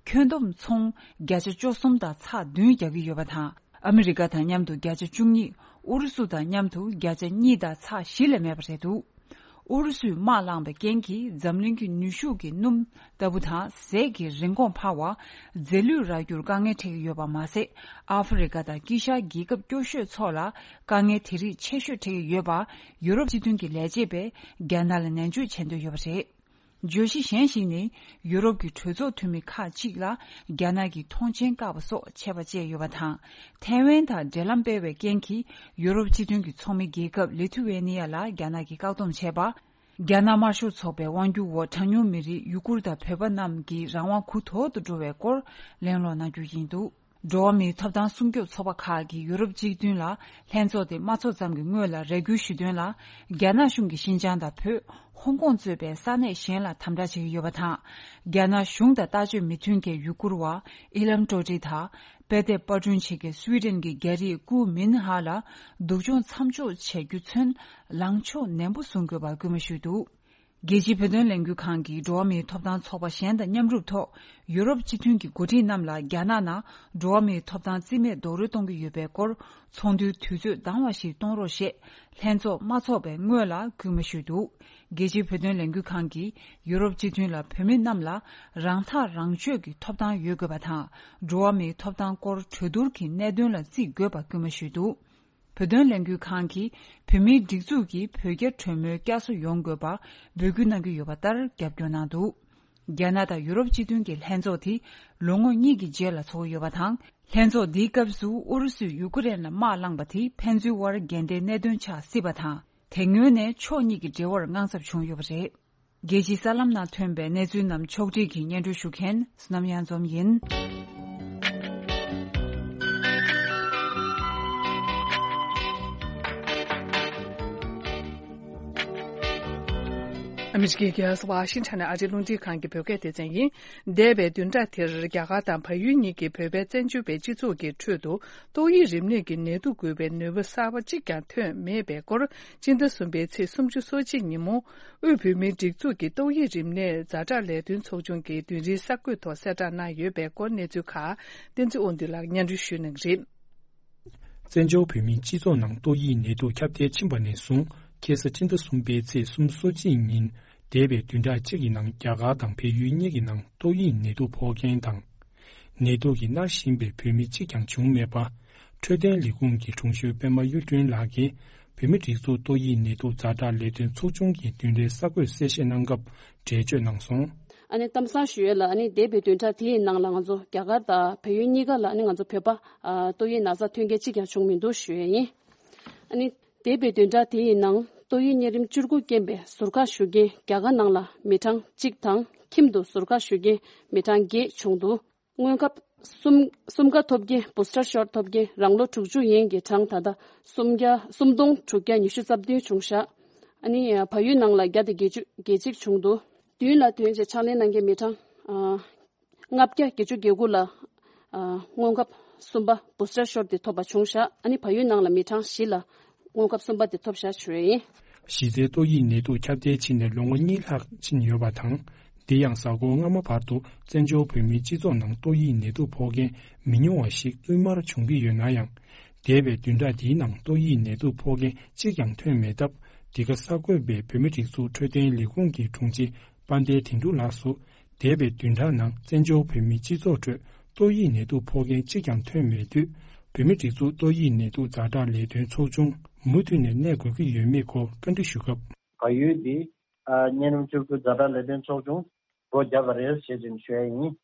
ཁྱོན་བསྡོམས་ཚོང་བརྒྱ་ཆ་བཅུ་གསུམ་དང་ཚེག་བདུན་རྒྱག་གི་ཡོད་པ་དང་། ཨ་མི་རི་ཀ་དང་མཉམ་དུ་བརྒྱ་ཆ་བཅུ་གཉིས། ཨུ་རུ་སུ་དང་མཉམ་དུ་བརྒྱ་ཆ་གཉིས་དང་ཚེག་བཞི་ལས་མེད་པ་རེད་འདུག་ཨུ་རུ་སུས་དམག་བསླངས་པའི་རྐྱེན་གྱིས་འཛམ་གླིང་གི་ནུས་ཤུགས་ཀྱི་སྣུམ་ལྟ་བུ་དང་ཟས་ཀྱི་རིན་གོང་འཕར་བ། རྫས་ལུད་རག་རྒྱུར་དཀའ་ངལ་འཕྲད་ཀྱི་ཡོད་པ་མ་ཟད། ཨ་ཧྥེ་རི་ཁ་དང་དཀྱིལ་ཤར་རྒྱལ་ཁབ་སྐྱོ་ཤོས་ཚོ་ལ་དཀའ་ངལ་དེ་རིགས་ཆེ་ཤོས་འཕྲད་ཀྱི་ཡོད་པ། ཡུ་རོབ་སྤྱི་མཐུན་གྱི་ལས་བྱེད་པས་རྒྱ་ནག་ལ་ནན་བརྗོད་བྱེད་འདོད་ཡོད་པ་རེད། བརྗོད་གཞི་གཞན་ཞིག་ནི། ཡུ་རོབ་ཀྱི་གྲོས་ཚོགས་འཐུས་མི་ཁག་ཅིག་ལ་རྒྱ་ནག་གིས་མཐོང་མཆན་བཀག་པ་སོགས་ཆད་པ་བཅད་ཡོད་པ་དང་། ཐའེ་ཝན་དང་འབྲེལ་ལམ་སྤེལ་བའི་རྐྱེན་གྱིས་ཡུ་རོབ་སྤྱི་མཐུན་གྱི་ཚོགས་མི་རྒྱལ་ཁབ་ལི་ཐུ་ཝེ་ནི་ཡ་ལ་རྒྱ་ནག་གིས་བཀག་སྡོམ་བྱས་པ། རྒྱ་ནག་དམར་ཤོག་ཚོགས་པའི་དབང་སྒྱུར་འོག་གྲངས་ཉུང་མི་རིགས་ཡུ་གུར་དང་བོད་པ་རྣམས་ཀྱི་རང་དབང་གུ་དོག་ཏུ་འགྲོ་བའི་སྐོར་གླེང་སློང་གནང་རྒྱུ་ཡིན་འདུག་འགྲོ་བ་མིའི་ཐོབ་ཐང་སྲུང་སྐྱོབ་ཚོགས་པ་ཁག་གིས་ཡུ་རོབ་སྤྱི་མཐུན་ལ་ལྷན་ཚོགས་དེ་མ་ཚོགས་ཙམ་གྱི་སྔོན་ལ་རེ་སྐུལ་ཞུས་དོན་ལ། རྒྱ་ནག་གཞུང་གིས་ཤིན་ཅང་དང་བོད། ཧོང་ཀོང་གཙོས་པའི་ས་གནས་གཞན་ལ་དམ་དྲག་བྱེད་ཀྱི་ཡོད་པ་དང་། རྒྱ་ནག་གཞུང་དང་ལྟ་སྤྱོད་མི་མཐུན་མཁན་ཡུ་གུར་བ་ཨི་ལམ་ཀྲོ་ཀྲི་དང་། དཔེ་དེབ་པར་སྐྲུན་བྱེད་མཁན་སུའི་ཌེན་གྱི་རྒྱ་རིགས་ཀུའུ་མིན་ཧ་ལ་སྡུག་སྦྱོང་མཚམས་འཇོག་བྱ་རྒྱུ་ཚུན་ལངས་ཕྱོགས་ནན་པོ་བཟུང་དགོས་པར་སྐུལ་མ་ཞུས་འདུག་རྒྱལ་སྤྱིའི་བོད་དོན་ལས་འགུལ་ཁང་གིས་འགྲོ་བ་མིའི་ཐོབ་ཐང་ཚོགས་པ་གཞན་དང་མཉམ་རུབ་ཐོག་ཡུ་རོབ་སྤྱི་མཐུན་གྱི་འགོ་ཁྲིད་རྣམས་ལ་རྒྱ་ནག་ནང་འགྲོ་བ་མིའི་ཐོབ་ཐང་རྩིས་མེད་རྡོག་རོལ་གཏོང་གི་ཡོད་པའི་སྐོར་ཚོགས་འདུའི་དུས་ཚོད་དྭངས་བ་ཞིག་གཏོང་རོགས་ཞེས་ལྷན་ཚོགས་མ་ཚོགས་པའི་སྔོན་ལ་སྐུལ་མ་ཞུས་འདུག་རྒྱལ་སྤྱིའི་བོད་དོན་ལས་འགུལ་ཁང་གིས་ཡུ་རོབ་སྤྱི་མཐུན་ལ་བོད་མི་རྣམས་ལ་རང་ཐག་རང་གཅོད་ཀྱི་ཐོབ་ཐང་ཡོད་དགོས་པ་དང་། འགྲོ་བ་མིའི་ཐོབ་ཐང་སྐོར་གྲོས་བསྡུར་གྱི་གནད་དོན་ལ་བརྩི་དགོས་པ་སྐུལ་མ་ཞུས་འདུག་བོད་དོན་ལས་འགུལ་ཁང་གིས་བོད་མིའི་སྒྲིག་འཛུགས་ཀྱིས་བོད་རྒྱ་གྲོས་མོལ་བསྐྱར་གསོ་ཡོང་དགོས་པ་འབོད་སྐུལ་གནང་གི་ཡོད་པ་ལྟར་རྒྱབ་སྐྱོར་གནང་འདུག་རྒྱ་ནག་དང་ཡུ་རོབ་སྤྱི་མཐུན་གྱི་ལྷན་ཚོགས་དེ་ལོ་ངོ་གཉིས་ཀྱི་རྗེས་ལ་ཚོགས་ཀྱི་ཡོད་པ་དང་། ལྷན་ཚོགས་འདིའི་སྐབས་སུ་ཨུ་རུ་སུས་ཡུ་ཀེ་རེན་ལ་དམག་བསླངས་པ་དེ་ཕན་ཚུན་དབར་འགལ་ཟླའི་གནད་དོན་ཆགས་སྲིད་པ་དང་། དེ་སྔོན་ནས་ཕྱོགས་གཉིས་ཀྱི་འབྲེལ་བར་དངངས་འཚབ་བྱུང་ཡོད་པ་རེད། རྒྱལ་སྤྱིའི་གསར་ལམ་ནང་ཐོན་པའི་གནས་ཚུལ་རྣམས་ཕྱོགས་སྒྲིག་གིས་སྙན་སྒྲོན་ཞུ་མཁན་བསོད་ནམས་གཡང་འཛོམས་ཡིན། ཨ་མི་རི་ཀའི་རྒྱལ་ས་ཝ་ཤིང་ཊོན་ནས་ཨ་རིའི་རླུང་འཕྲིན་ཁང་གི་བོད་སྐད་སྡེ་ཚན་ཡིན། འདས་པའི་བདུན་ཕྲག་དེར་རྒྱ་གར་དང་བལ་ཡུལ་གཉིས་ཀྱི་བོད་པའི་བཙན་བྱོལ་བའི་སྤྱི་ཚོགས་ཀྱི་ཁྲོད་དུ་ཏོག་དབྱིབས་རིམས་ནད་ཀྱི་ནད་དུག་འགོས་པའི་ནུས་པ་གསར་པ་གཅིག་ཀྱང་ཐོན་མེད་པའི་སྐོར། སྤྱི་ཟླ་གསུམ་པའི་ཚེས་སུམ་ཅུ་སོ་གཅིག་ཉིན་མོ། དབུས་བོད་མིའི་སྒྲིག་འཛུགས་ཀྱི་ཏོག་དབྱིབས་རིམས་ནད་ཛ་དྲག་ལས་དོན་ཚོགས་ཆུང་གིས་བདུན་རེའི་གསར་འགོད་ཐོག་གསལ་བསྒྲགས་གནང་ཡོད་པའི་སྐོར་གནས་ཚུལ་ཁག་བསྟན་འཛིན་དབང་འདུས་ལགས་སྙན་སྒྲོན་ཞུ་གནང་གི་རེད། བཙན་བྱོལ་བོད་མིའི་སྤྱི་ཚོགས་ནང་ཏོག་དབྱིབས་ནད་དུག་ཁྱབ་གདལ་ཕྱིན་པ་ནས་བཟུང་ ཁ་སང་སྤྱི་ཟླ་གསུམ་པའི་ཚེས་སོ་གཅིག་ཉིན། འདས་པའི་བདུན་ཕྲག་གཅིག་གི་ནང་རྒྱ་གར་དང་བལ་ཡུལ་གཉིས་ཀྱི་ནང་ཏོག་དབྱིབས་ནད་དུག་ཕོག་མཁན་དང་། ནད་དུག་གིས་མནར་བཞིན་པའི་བོད་མི་གཅིག་ཀྱང་བྱུང་མེད་པ། འཕྲོད་བསྟེན་ལས་ཁུངས་ཀྱི་དྲུང་ཆེ་པད་མ་གཡུ་སྒྲོན་ལགས་ཀྱིས། བོད་མིའི་སྒྲིག་འཛུགས་ཏོག་དབྱིབས་ནད་དུག་ཛ་དྲག་ལས་དོན་ཚོགས་ཆུང་གི་བདུན་ཕྲག་གསར་འགོད་གསལ་བཤད་གནང་སྐབས་འགྲེལ་བརྗོད་གནང་སོང་། ཨ་ནི་གཏམ་བཟང་ཞུ་ཡས་ལ། ཨ་ནི་འདས་པའི་བདུན་ཕྲག་དེའི་ནང་ལ་ང་ཚོ་རྒྱ་གར་དང་བལ་ཡུལ་གཉིས་ཀ་ལ། ཨ་ནི་ང་ཚོ་བོད་པ་ཨ་ཏོག་དབྱིབས་ན་ཚ་ཐོན་མཁན་གཅིག་ཀྱང་བྱུང་མི་འདུག་ཞུ་ཡས་ཡིན། ཨ་ནི་འདས་པའི་བདུན་ཕྲག་དེའི་ནང་ཏོག་དབྱིབས་གཉན་རིམས་བཅུ་དགུ་རྐྱེན་པས་ཟུར་བཀག་ཞུ་མཁན་རྒྱ་གར་ནང་ལ་མི་གྲངས་གཅིག་དང་། ཁྱིམ་དུ་ཟུར་བཀག་ཞུ་མཁན་མི་གྲངས་བརྒྱད་བྱུང་འདུག་སྔོན་ཁབ་གསུམ་གསུམ་ཀ་ཐོབ་མཁན། བུ་སི་ཊར་ཤོཊ་ཐོབ་མཁན་རང་ལོ་དྲུག་ཅུ་ཡན་གྱི་གྲངས་ད་ལྟ་སུམ་བརྒྱ་སུམ་སྟོང་དྲུག་བརྒྱ་ཉི་ཤུ་རྩ་བདུན་བྱུང་ཤག་ཨ་ནི་བལ་ཡུལ་ནང་ལ་བརྒྱ་དང་བརྒྱད་ཅུ་གྱ་གཅིག་བྱུང་འདུག་མདུན་ལ་ཐོན་བྱས་ཕྱག་ལེན་གནང་མཁན་མི་གྲངས་ཨ་ལྔ་བརྒྱ་བརྒྱད་ཅུ་གྱ་དགུ་ལ་ཨ་སྔོན་ཁབ་གསུམ་པ་བུ་སི་ཊར་ཤོཊ་དེ་ཐོབ་པ་བྱུང་ཤག་ཨ་ནི་བལ་ཡུལ་ནང་ལ་མི་གྲངས་བཞི་ལ་སྔོན་ཁབ་གསུམ་པ་དེ་ཐོབ་ཤག་ཞུ་ཡས་ཡིན། གཞི་རྩའི་ཏོག་དབྱིབས་ནད་དུག་ཁྱབ་གདལ་ཕྱིན་ནས་ལོ་ངོ་གཉིས་ལྷག་ཕྱིན་ཡོད་པ་དང་། འདི་ཡང་གཟའ་འཁོར་སྔ་མ་བར་དུ་བཙན་བྱོལ་བོད་མིའི་སྤྱི་ཚོགས་ནང་ཏོག་དབྱིབས་ནད་དུག་ཕོག་མཁན་མི་ཉུང་བ་ཞིག་བསྟུད་མར་བྱུང་གི་ཡོད་ན་ཡང་། འདས་པའི་བདུན་ཕྲག་འདིའི་ནང་ཏོག་དབྱིབས་ནད་དུག་ཕོག་མཁན་གཅིག་ཀྱང་ཐོན་མེད་སྟབས། འདི་ག་གསར་འགོད་པས་བོད་མིའི་སྒྲིག་འཛུགས་འཕྲོད་བསྟེན་ལས་ཁུངས་ཀྱི་དྲུང་ཆེ་དཔལ་ལྡན་དོན་གྲུབ་ལགས་སུ། འདས་པའི་བདུན་ཕྲག་ནང་བཙན་བྱོལ་བོད་མིའི་སྤྱི་ཚོགས་ཁྲོད་ཏོག་དབྱིབས་ནད་དུག་ཕོག་མཁན་གཅིག་ཀྱང་ཐོན་མེད་དུས། བོད་མིའི་སྒྲིག་འཛུགས་ཏོག་དབྱིབས་ནད་དུག་ཛ་དྲག་ལས་དོན་ཚོགས་ཆུང་མུ་མཐུད་ནས་གནས་དགོས་ཀྱི་ཡོད་མེད་སྐོར་བཀའ་འདྲི་ཞུ་སྐབས། བལ་ཡུལ་འདི་ཨ་གཉན་རིམས་བཅུ་དགུ་ཛ་དྲག་ལས་དོན་ཚོགས་ཆུང་སྒོ་བརྒྱབ་པ་རེད་ཞེས་ཅིག་ཞུ་ཡ་ཡིན།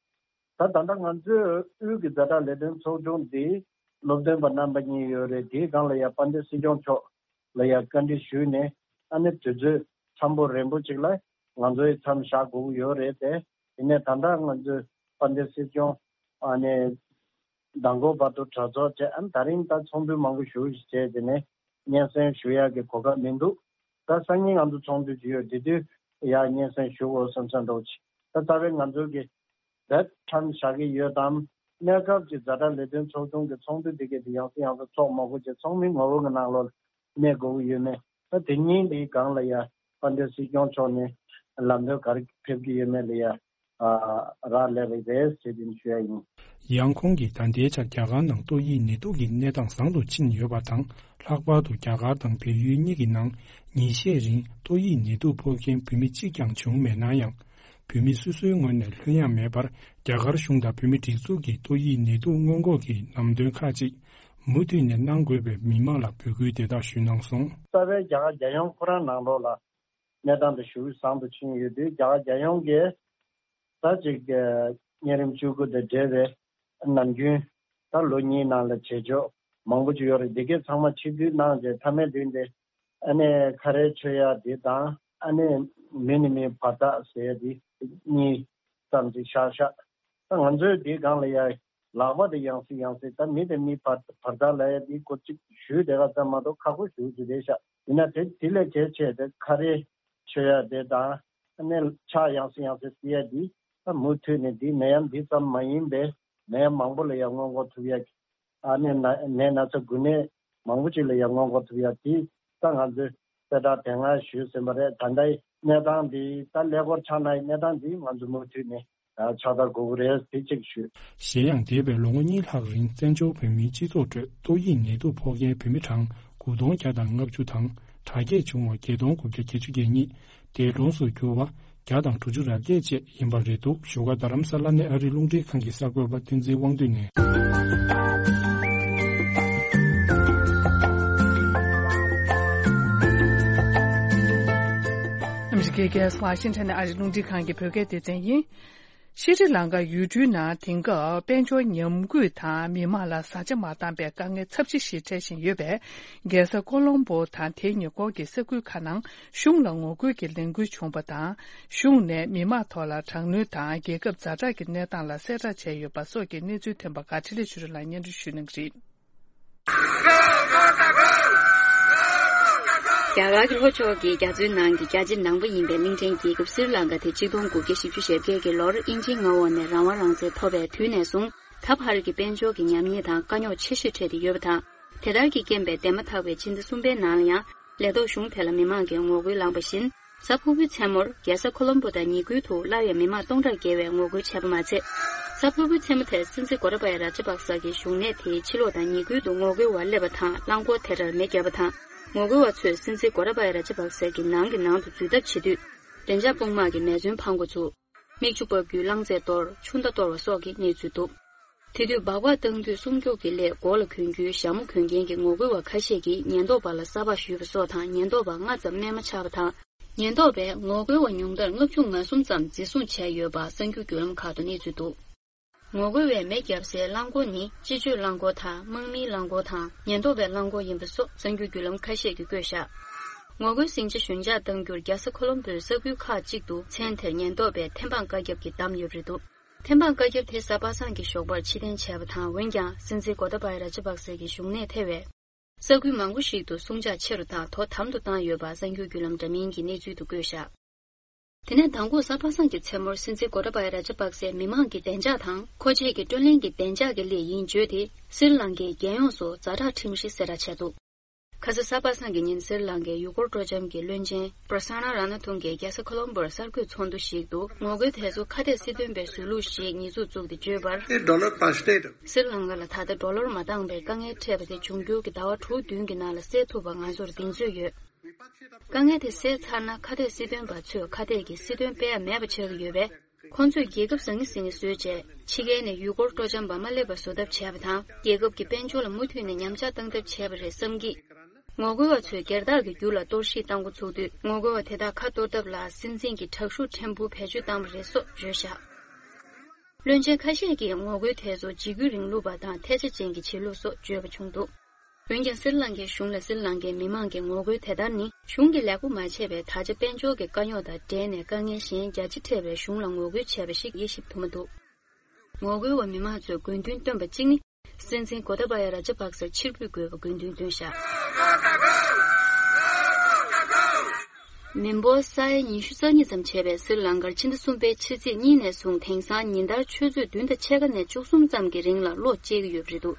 ད་ད་ལྟ་ང་ཚོའི་དབུས་ཀྱི་ཛ་དྲག་ལས་དོན་ཚོགས་ཆུང་འདི་སློབ་སྟོན་པ་རྣམ་པ་གཉིས་ཡོད་རེད། དེའི་སྒང་ལ་ཡ་དཔལ་ལྡན་སྲིད་སྐྱོང་མཆོག་ལ་ཡ་བཀའ་འདྲི་ཞུས་ནས། ཨ་ནི་དུས་ཚོད་འཚམ་པོ་རན་པོ་ཅིག་ལ་ང་ཚོའི་མཚམས་བཞག་དགོས་ཀྱི་ཡོད་རེད་དེ། ཡིན་ནའི་ད་ལྟ་ང་ཚོའི་དཔལ་ལྡན་སྲིད་སྐྱོང་ཨ་ནི་མདང་དགོང་བར་དུ་གྲོས་ཚོགས་བྱས། ཨ་ནི་ད་རིང་ད་ཚོགས་འདུ་མང་པོ་ཞེ་པོ་ཞིག་བྱས། དེ་ནས་སྙན་སེང་ཞུ་ཡག་གི་གོ་སྐབས་མི་འདུག་ད་སང་ཉིན་ང་ཚོ་ཚོགས་འདུ་ཅིག་ཡོད། དེ་དུས་ཡ་སྙན་སེང་ཞུ་དགོས་བསམ་བསམ་འདྲ་བོ་ཅིག་ད་རྩ་བའི་ང་ཚོ་གི་བེད་མཚམས་བཞག་གི་ཡོད་དམ། གནས་སྐབས་ཀྱི་ཛ་དྲག་ལས་དོན་ཚོགས་ཆུང་གི་ཚོགས་འདུ་དེ་གས་དེ་ཡང་སེ་ཡང་སེ་ཚོགས་མ་དགོས་བྱས། ཚོགས་མི་ངོ་བོ་གི་ནང་ལོགས་ལ་གནས་དགོས་ཀྱི་ཡོད་མེད། ད་དེ་གཉིས་འདིའི་སྒང་ལ་ཡ་དཔལ་ལྡན་སྲིད་སྐྱོང་མཆོག་ནས་ལམ་སྟོན་ག་རེ་ཕེབས་ཀྱི་ཡོད་མེད་ལ་ཡ་ཨ་རག་ལས་པ་རེད་ཟེར་དེ་ཞུ་ཡ་ཡིན། ཡང་ཁོང་གིས་ད་ལྟའི་ཆར་རྒྱ་གར་ནང་ཏོག་དབྱིབས་ནད་དུག་གི་གནས་སྟངས་བཟང་དུ་ཕྱིན་ཡོད་པ་དང་། ལྷག་པར་དུ་རྒྱ་གར་དང་བལ་ཡུལ་གཉིས་ཀྱི་ནང་ཉིན་ཤས་རིང་ཏོག་དབྱིབས་ནད་དུག་ཕོག་མཁན་བོད་མི་གཅིག་ཀྱང་བྱུང་མེད་ན་ཡང་། བོད་མི་སོ་སོའི་ངོས་ནས་ལྷོད་ཡངས་མེད་པར། རྒྱ་གར་གཞུང་དང་བོད་མིའི་སྒྲིག་འཛུགས་ཀྱིས་ཏོག་དབྱིབས་ནད་དུག་སྔོན་འགོག་གི་ལམ་སྟོན་ཁག་ཅིག་མུ་མཐུད་ནས་གནང་དགོས་པའི་མི་མང་ལ་འབོད་སྐུལ་དེ་དག་ཞུས་གནང་སོང་། རྩ་བའི་རྒྱ་གར་རྒྱལ་ཡོངས་ཁོ་རང་ནང་ལོགས་ལ་གནས་སྟངས་དེ་ཞེ་པོ་བཟང་དུ་ཕྱིན་ཡོད་དུས། རྒྱ་གར་རྒྱལ་ཡོངས་ཀྱི་ད་ཅིག་གི་གཉན་རིམས་བཅུ་དགུ་དང་འབྲེལ་བའི་ནམ་རྒྱུན་ད་ལོ་གཉིས་ནང་ལ་བྱེད་ཕྱོགས་མང་པོ་ཅིག་ཡོད་རེད། འདི་གའི་ཚང་མ་ཕྱིར་བསྡུ་གནང་རྗེས་མཐའ་མའི་དུས་འདི་ཨ་ning་ཁ་རས་མཆོད་ཡ་འདི་དང་། ཨ་ning་མི་ནས་མི་བར་ཐག་ཟེར་ཡ་འདི་གཉིས་ཙམ་ཅིག་བཞག་ཤག་ད་ང་ཚོའི་འདིའི་སྒང་ལ་ཡ་ལག་པ་དེ་ཡང་སེ་ཡང་སེ་ད་མི་དང་མི་བར་བར་ཐག་ལབ་ཡ་འདི་སྐོར་ཅིག་ཞུས་བསྡད་པ་ཙམ་མ་གཏོགས་ཁག་པོ་ཞེ་པོ་ཅིག་རེད་ཤག་ཡིན་ན་དེ་དེ་ལས་གལ་ཆེ་དེ་ཁ་རས་མཆོད་ཡ་དེ་དང་། ཨ་ning་ཕྱག་ཡང་སེ་ཡང་སེ་བསིལ་ཡ་འདི་ད་མུ་མཐུད་ནས་འདི་ནད་ཡམས་འདི་ཙམ་མ་ཡིན་པའི་ནད་ཡམས་མང་པོ་ལ་ཡང་སྔོན་འགོག་ཐུབ་ཡ། ཨ་ནི་ན་ནད་ན་ཚ་འགོས་ནད་མང་པོ་ཅིག་ལ་ཡང་སྔོན་འགོག་ཐུབ་ཡ་དེ་ད་ང་ཚོའི་གསལ་བསྒྲགས་དེ་སྔ་ཞུས་ཟིན་པ་རེད། ད་ལྟའི་གནས་སྟངས་འདི་ད་ཀླད་ཀོར་ཆགས་ནའི་གནས་སྟངས་འདི་ང་ཚོ་མུ་མཐུད་ནས་ཕྱག་བསྟར་དགོས་ཀྱི་རེད་ཟེར་ཅིག་ཞུས། གཞན་ཡང་། འདས་པའི་ལོ་ངོ་གཉིས་ལྷག་རིང་བཙན་བྱོལ་བོད་མིའི་སྤྱི་ཚོགས་ཁྲོད་ཏོག་དབྱིབས་ནད་དུག་ཕོག་མཁན་བོད་མི་གྲངས་དགུ་སྟོང་བརྒྱ་དང་ལྔ་བཅུ་དང་། དྲག་སྐྱེད་བྱུང་བ་བརྒྱད་སྟོང་དགུ་བརྒྱ་བརྒྱད་ཅུ་གྱ་གཉིས། འདས་གྲོངས་སུ་གྱུར་བ་བརྒྱ་དང་དྲུག་ཅུ་རེ་བརྒྱད་བཅས་ཡིན་པ་རེད་འདུག་བཞུགས་སྒར་རྡ་རམ་ས་ལ་ནས་ཨ་རིའི་རླུང་འཕྲིན་ཁང་གི་གསར་འགོད་པ་བསྟན་འཛིན་དབང་འདུས་ནས། ཨ་མི་རི་ཀའི་རྒྱལ་ས་ཝ་ཤིང་ཊོན་ནས་ཨ་རིའི་རླུང་འཕྲིན་ཁང་གི་བོད་སྐད་སྡེ་ཚན་ཡིན། ཤྲི་ལང་ཀ་ཡུལ་གྲུའི་ནང་དེང་སྐབས་དཔལ་འབྱོར་ཉམས་རྒུད་དང་མི་མང་ལ་བཟའ་བཅའ་མ་བཏང་པའི་དཀའ་ངལ་ཚབས་ཆེ་ཞིག་འཕྲད་བཞིན་ཡོད་པས། རྒྱལ་ས་ཀོ་ལོམ་པོ་དང་དེའི་ཉེ་འཁོར་གྱི་ས་ཁུལ་ཁག་ནང་གཞུང་ལ་ངོ་རྒོལ་གྱི་ལས་འགུལ་བྱུང་བ་དང་། གཞུང་ནས་མི་མང་ཐོག་ལ་དྲག་གནོན་དང་རྒྱལ་ཁབ་ཛ་དྲག་གི་གནས་སྟངས་ལ་གསལ་བསྒྲགས་བྱས་ཡོད་པ་སོགས་ཀྱི་གནས་ཚུལ་ཐོན་པ་འགའ་འཕྲིན་ལས་ཆོས་སྒྲོན་ལགས་སྙན་སྒྲོན་ཞུ་གནང་གི་རེད། རྒྱ་གར་གྱི་ལྷོ་ཕྱོགས་ཀྱི་རྒྱ་མཚོའི་ནང་གི་རྒྱ་ཆེ་ནང་པ་ཡིན་པའི་གླིང་ཕྲན་རྒྱལ་ཁབ་སི་རི་ལང་ཀ་དེ་ཆིག་སྟོང་དགུ་བརྒྱ་བཞི་བཅུ་ཞེ་བརྒྱད་ཀྱི་ལོར་དབྱིན་ཇིའི་མངའ་འོག་ནས་རང་དབང་རང་བཙན་ཐོབ་པའི་དུས་ནས་བཟུང་། ད་བར་གྱི་དཔལ་འབྱོར་གྱི་ཉམས་ཉེས་དང་དཀའ་རྙོག་ཆེ་ཤོས་འཕྲད་དེ་ཡོད་པ་དང་། དེ་ལྟར་གྱི་རྐྱེན་པས་འདས་མ་ཐག་པའི་ཕྱི་ཟླ་གསུམ་པའི་ནང་ལ་ཡང་ལས་ཐོག་གཞུང་དེ་ལ་མི་མང་གིས་ངོ་རྒོལ་བསླངས་པ་བཞིན། གཟའ་ཕུར་བུའི་མཚན་མོར་རྒྱལ་ས་ཁོ་ལོམ་པོ་དང་ཉེ་ཁུལ་དུ་སླར་ཡང་མི་མང་སྟོང་ཕྲག་བརྒལ་བས་ངོ་རྒོལ་བྱས་པ་མ་ཚད། གཟའ་ཕུར་བུའི་མཚན་མོ་དེར་སྲིད་འཛིན་གོ་ཏཱ་བ་ཡ་ར་ཇ་པག་ས་གིས་གཞུང་གནས་དེའི་ཕྱི་ལོགས་དང་ཉེ་ཁུལ་དུ་ངོ་རྒོལ་བ་སླེབས་པ་དང་རླངས་འཁོར་དེ་འདྲར་མེ་བརྒྱབ་པ་དང་། ངོ་རྒོལ་བ་ཚོས་སྲིད་འཛིན་གོ་ཏ་བ་ཡ་ར་ཇ་པག་སེ་གི་ནང་གི་ནང་དུ་འཛུལ་ཐབས་བྱེད་དུས། བདེ་འཇགས་དཔུང་དམག་གིས་མེ་མཚོན་འཕང་མགོ་ཚུགས། མིག་ཆུ་འབབ་རྒྱུའི་རླངས་རྫས་གཏོར། ཆུ་མདའ་གཏོར་བ་སོགས་ཀྱི་གནས་ཚུལ་འདུག་དེ་དུས་སྦག་སྦག་བཏང་དུས་སྲུང་སྐྱོབ་ཀྱི་སླད་མགོ་ལ་གྱོན་རྒྱུའི་ཞྭ་མོ་གྱོན་མཁན་གྱི་ངོ་རྒོལ་བ་ཁ་ཤས་ཀྱིས་ཉེན་རྟོག་པ་ལ་ས་ཕག་གཞུས་པ་སོགས་དང་ཉེན་རྟོག་པ་ལྔ་ཙམ་རྨས་མ་ཆགས་པ་དང་། ཉེན་རྟོག་པས་ངོ་རྒོལ་བ་ཉུང་མཐར་ལྔ་བཅུ་ང་གསུམ་ཙམ་འཛིན་བཟུང་བྱས་ཡོད་པ་གསར་འགྱུར་བརྒྱུད་ལམ་ཁག་ཏུ་གནས་ཚུལ་འདུག་ངོ་རྒོལ་བས་མེ་བརྒྱབ་སའི་རླངས་འཁོར་ནི་སྤྱི་སྤྱོད་རླངས་འཁོར་དང་དམག་མིའི་རླངས་འཁོར་དང་ཉེན་རྟོག་པའི་རླངས་འཁོར་ཡིན་པ་སོགས་གསར་འགྱུར་བརྒྱུད་ལམ་ཁ་ཤས་ཀྱིས་བཀོད་བཞག་ངོ་རྒོལ་ཟིང་ཆ་ཞོད་འཇགས་གཏང་རྒྱུར་རྒྱལ་ས་ཁོ་ལོམ་བྷོའི་ས་ཁུལ་ཁག་ཅིག་ཏུ་མཚན་དེར་ཉེན་རྟོག་པས་ཐེམ་སྤང་བཀའ་རྒྱ་གིས་བསྡམས་ཡོད་པ་རེད་འདུག་ཐེམ་སྤང་བཀའ་རྒྱ་དེ་གཟའ་པ་སངས་ཀྱི་ཞོགས་པར་ཕྱིར་འཐེན་བྱས་པ་དང་། འོན་ཀྱང་སྲིད་འཛིན་གོ་ཏ་བ་ཡ་ར་ཇ་པག་སེ་གི་བཞུགས་གནས་ཐེ་བའི་ས་ཁུལ་མང་པོ་ཞིག་ཏུ་སྲུང་བྱ་ཆེ་རུ་དང་དོ་དམ་དུ་བཏང་ཡོད་པ་གསར་འགྱུར་བརྒྱུད་ལམ་འདྲ་མིན་གྱི་གནས་ཚུལ་དུ་བཀོད་བཞག་དེ་ནས་མདང་དགོང་གཟའ་པ་སངས་ཀྱི་མཚན་མོར་སྲིད་འཛིན་གོ་ཏ་བ་ཡ་ར་ཇ་པག་སེ་མི་མང་གི་བདེ་འཇགས་དང་མཁོ་ཆས་ཀྱི་བགྲོ་གླེང་གི་བདེ་འཇགས་ཀྱི་སླད་ཡིན་བརྗོད་དེ། སྲི་ལང་ཀའི་རྒྱལ་ཡོངས་སུ་ཛ་དྲག་ཁྲིམས་གཞི་གསལ་བསྒྲགས་བྱས་འདུག་ཁ་སང་གཟའ་པ་སངས་ཀྱི་ཉིན་སྲི་ལང་ཀའི་ཡུལ་སྐོར་སྤྲོ་འཆམ་གྱི་བློན་ཆེན་པྲ་སན་ན་ར་ན་ཐུང་གིས་རྒྱལ་ས་ཁོ་ལོམ་བྷོར་གསར་འགོད་ཚོགས་འདུ་ཞིག་ཏུ་ངོ་རྒོལ་དེ་ཚོ་ཁ་གཏད་སྲིད་དོན་པའི་བཟོས་ལུགས་ཤིག་ཉེས་འཛུགས་བཙུགས་ཏེ་བརྗོད་པར། སྲི་ལང་ཀ་ལ་ད་ལྟ་ཌོ་ལར་མ་འདང་བའི་དཀའ་ངལ་འཕྲད་པ་དེ་འབྱུང་འགྱུར་གྱི་ཟླ་བ་དྲུག་བདུན་གྱི་ནང་ལ་སེལ་ཐུབ་པ་ང་ཚོར་གདེང་ཚོད་ཡོད། དཀའ་ངལ་དེ་སེལ་ཚར་ན་ཁ་གཏད་སྲིད་དོན་པ་ཚོས་ཁ་གཏད་ཀྱི་སྲིད་དོན་སྤེལ་ཡ་མེད་པ་ཆགས་ཀྱི་ཡོད་པས། ཁོང་ཚོས་རྒྱལ་ཁབ་བཟང་ངན་ཟིང་ངེ་བཟོས་རྗེས་ཕྱི་རྒྱལ་ནས་ཡུལ་སྐོར་སྤྲོ་འཆམ་པ་མ་སླེབས་པ་བཟོ་ཐབས་བྱས་པ་དང་། རྒྱལ་ཁབ་ཀྱི་དཔལ་འབྱོར་ལ་མུ་མཐུད་ནས་ཉམས་ཆག་བཏང་ཐབས་བྱས་པ་རེད་བསམ་གྱིས། ངོ་རྒོལ་བ་ཚོས་སྒེར་བདག་གི་རྒྱུ་ལ་གཏོར་བཤིག་བཏང་འགོ་ཚུགས་དུས། ངོ་རྒོལ་བ་དེ་དག་ཁ་གཏོར་ཐབས་ལ་སྲིད་འཛིན་གྱི་དྲག་ཤུགས་ཕྲན་བུ་བེད་སྤྱོད་བཏང་བ་རེད་སོགས་བརྗོད་བཞག་བློན་ཆེན་ཁ་ཤས་ཀྱིས་ངོ་རྒོལ་དེ་ཚོ་འཇིགས་སྐུལ་རིང་ལུགས་པ་དང་ཐལ་ཆ་ཅན་གྱི་བྱེད་ལུགས་སོགས་བརྗོད་པ་བྱུང་འདུག་འོན་ཀྱང་སྲི་ལང་ཀའི་གཞུང་ལ་སྲི་ལང་ཀའི་མི་མང་གི་ངོ་རྒོལ་དེ་ལྟར་ནི་གཞུང་གིས་ལེགས་པོ་མ་བྱས་པའི་ད་ཆ་དཔལ་འབྱོར་གྱི་དཀའ་རྙོག་དང་འབྲེལ་ནས་དཀའ་ངལ་གཞན་རྒྱ་ཆེ་འཕྲད་པའི་གཞུང་ལ་ངོ་རྒོལ་བྱས་པ་ཞིག་དབྱེ་ཞིབ་ཐུབ་མ་འདུག་ངོ་རྒོལ་བ་མི་མང་ཚོས་དགོས་འདུན་བཏོན་པ་གཅིག་ནི། སྲིད་འཛིན་གོ་ཏཱ་བ་ཡ་ར་ཇ་པག་སར་ཕྱིར་འབུད་དགོས་པའི་དགོས་འདུན་བཏོན་བཞག་མི་འབོར་ས་ཡ་ཉི་ཤུ་རྩ་གཉིས་ཙམ་བྱས་པའི་སྲི་ལང་ཀར་ཕྱི་ཟླ་གསུམ་པའི་ཕྱི་ཚེས་གཉིས་ནས་བཟུང་དེང་སང་ཉིན་ལྟར་ཆུ་ཚོད་བདུན་དང་ཕྱེད་ཀ་ནས་བཅུ་གསུམ་ཙམ་གྱི་རིང་ལ་གློག་བཅད་ཀྱི་ཡོད་པ་རེད་འདུག་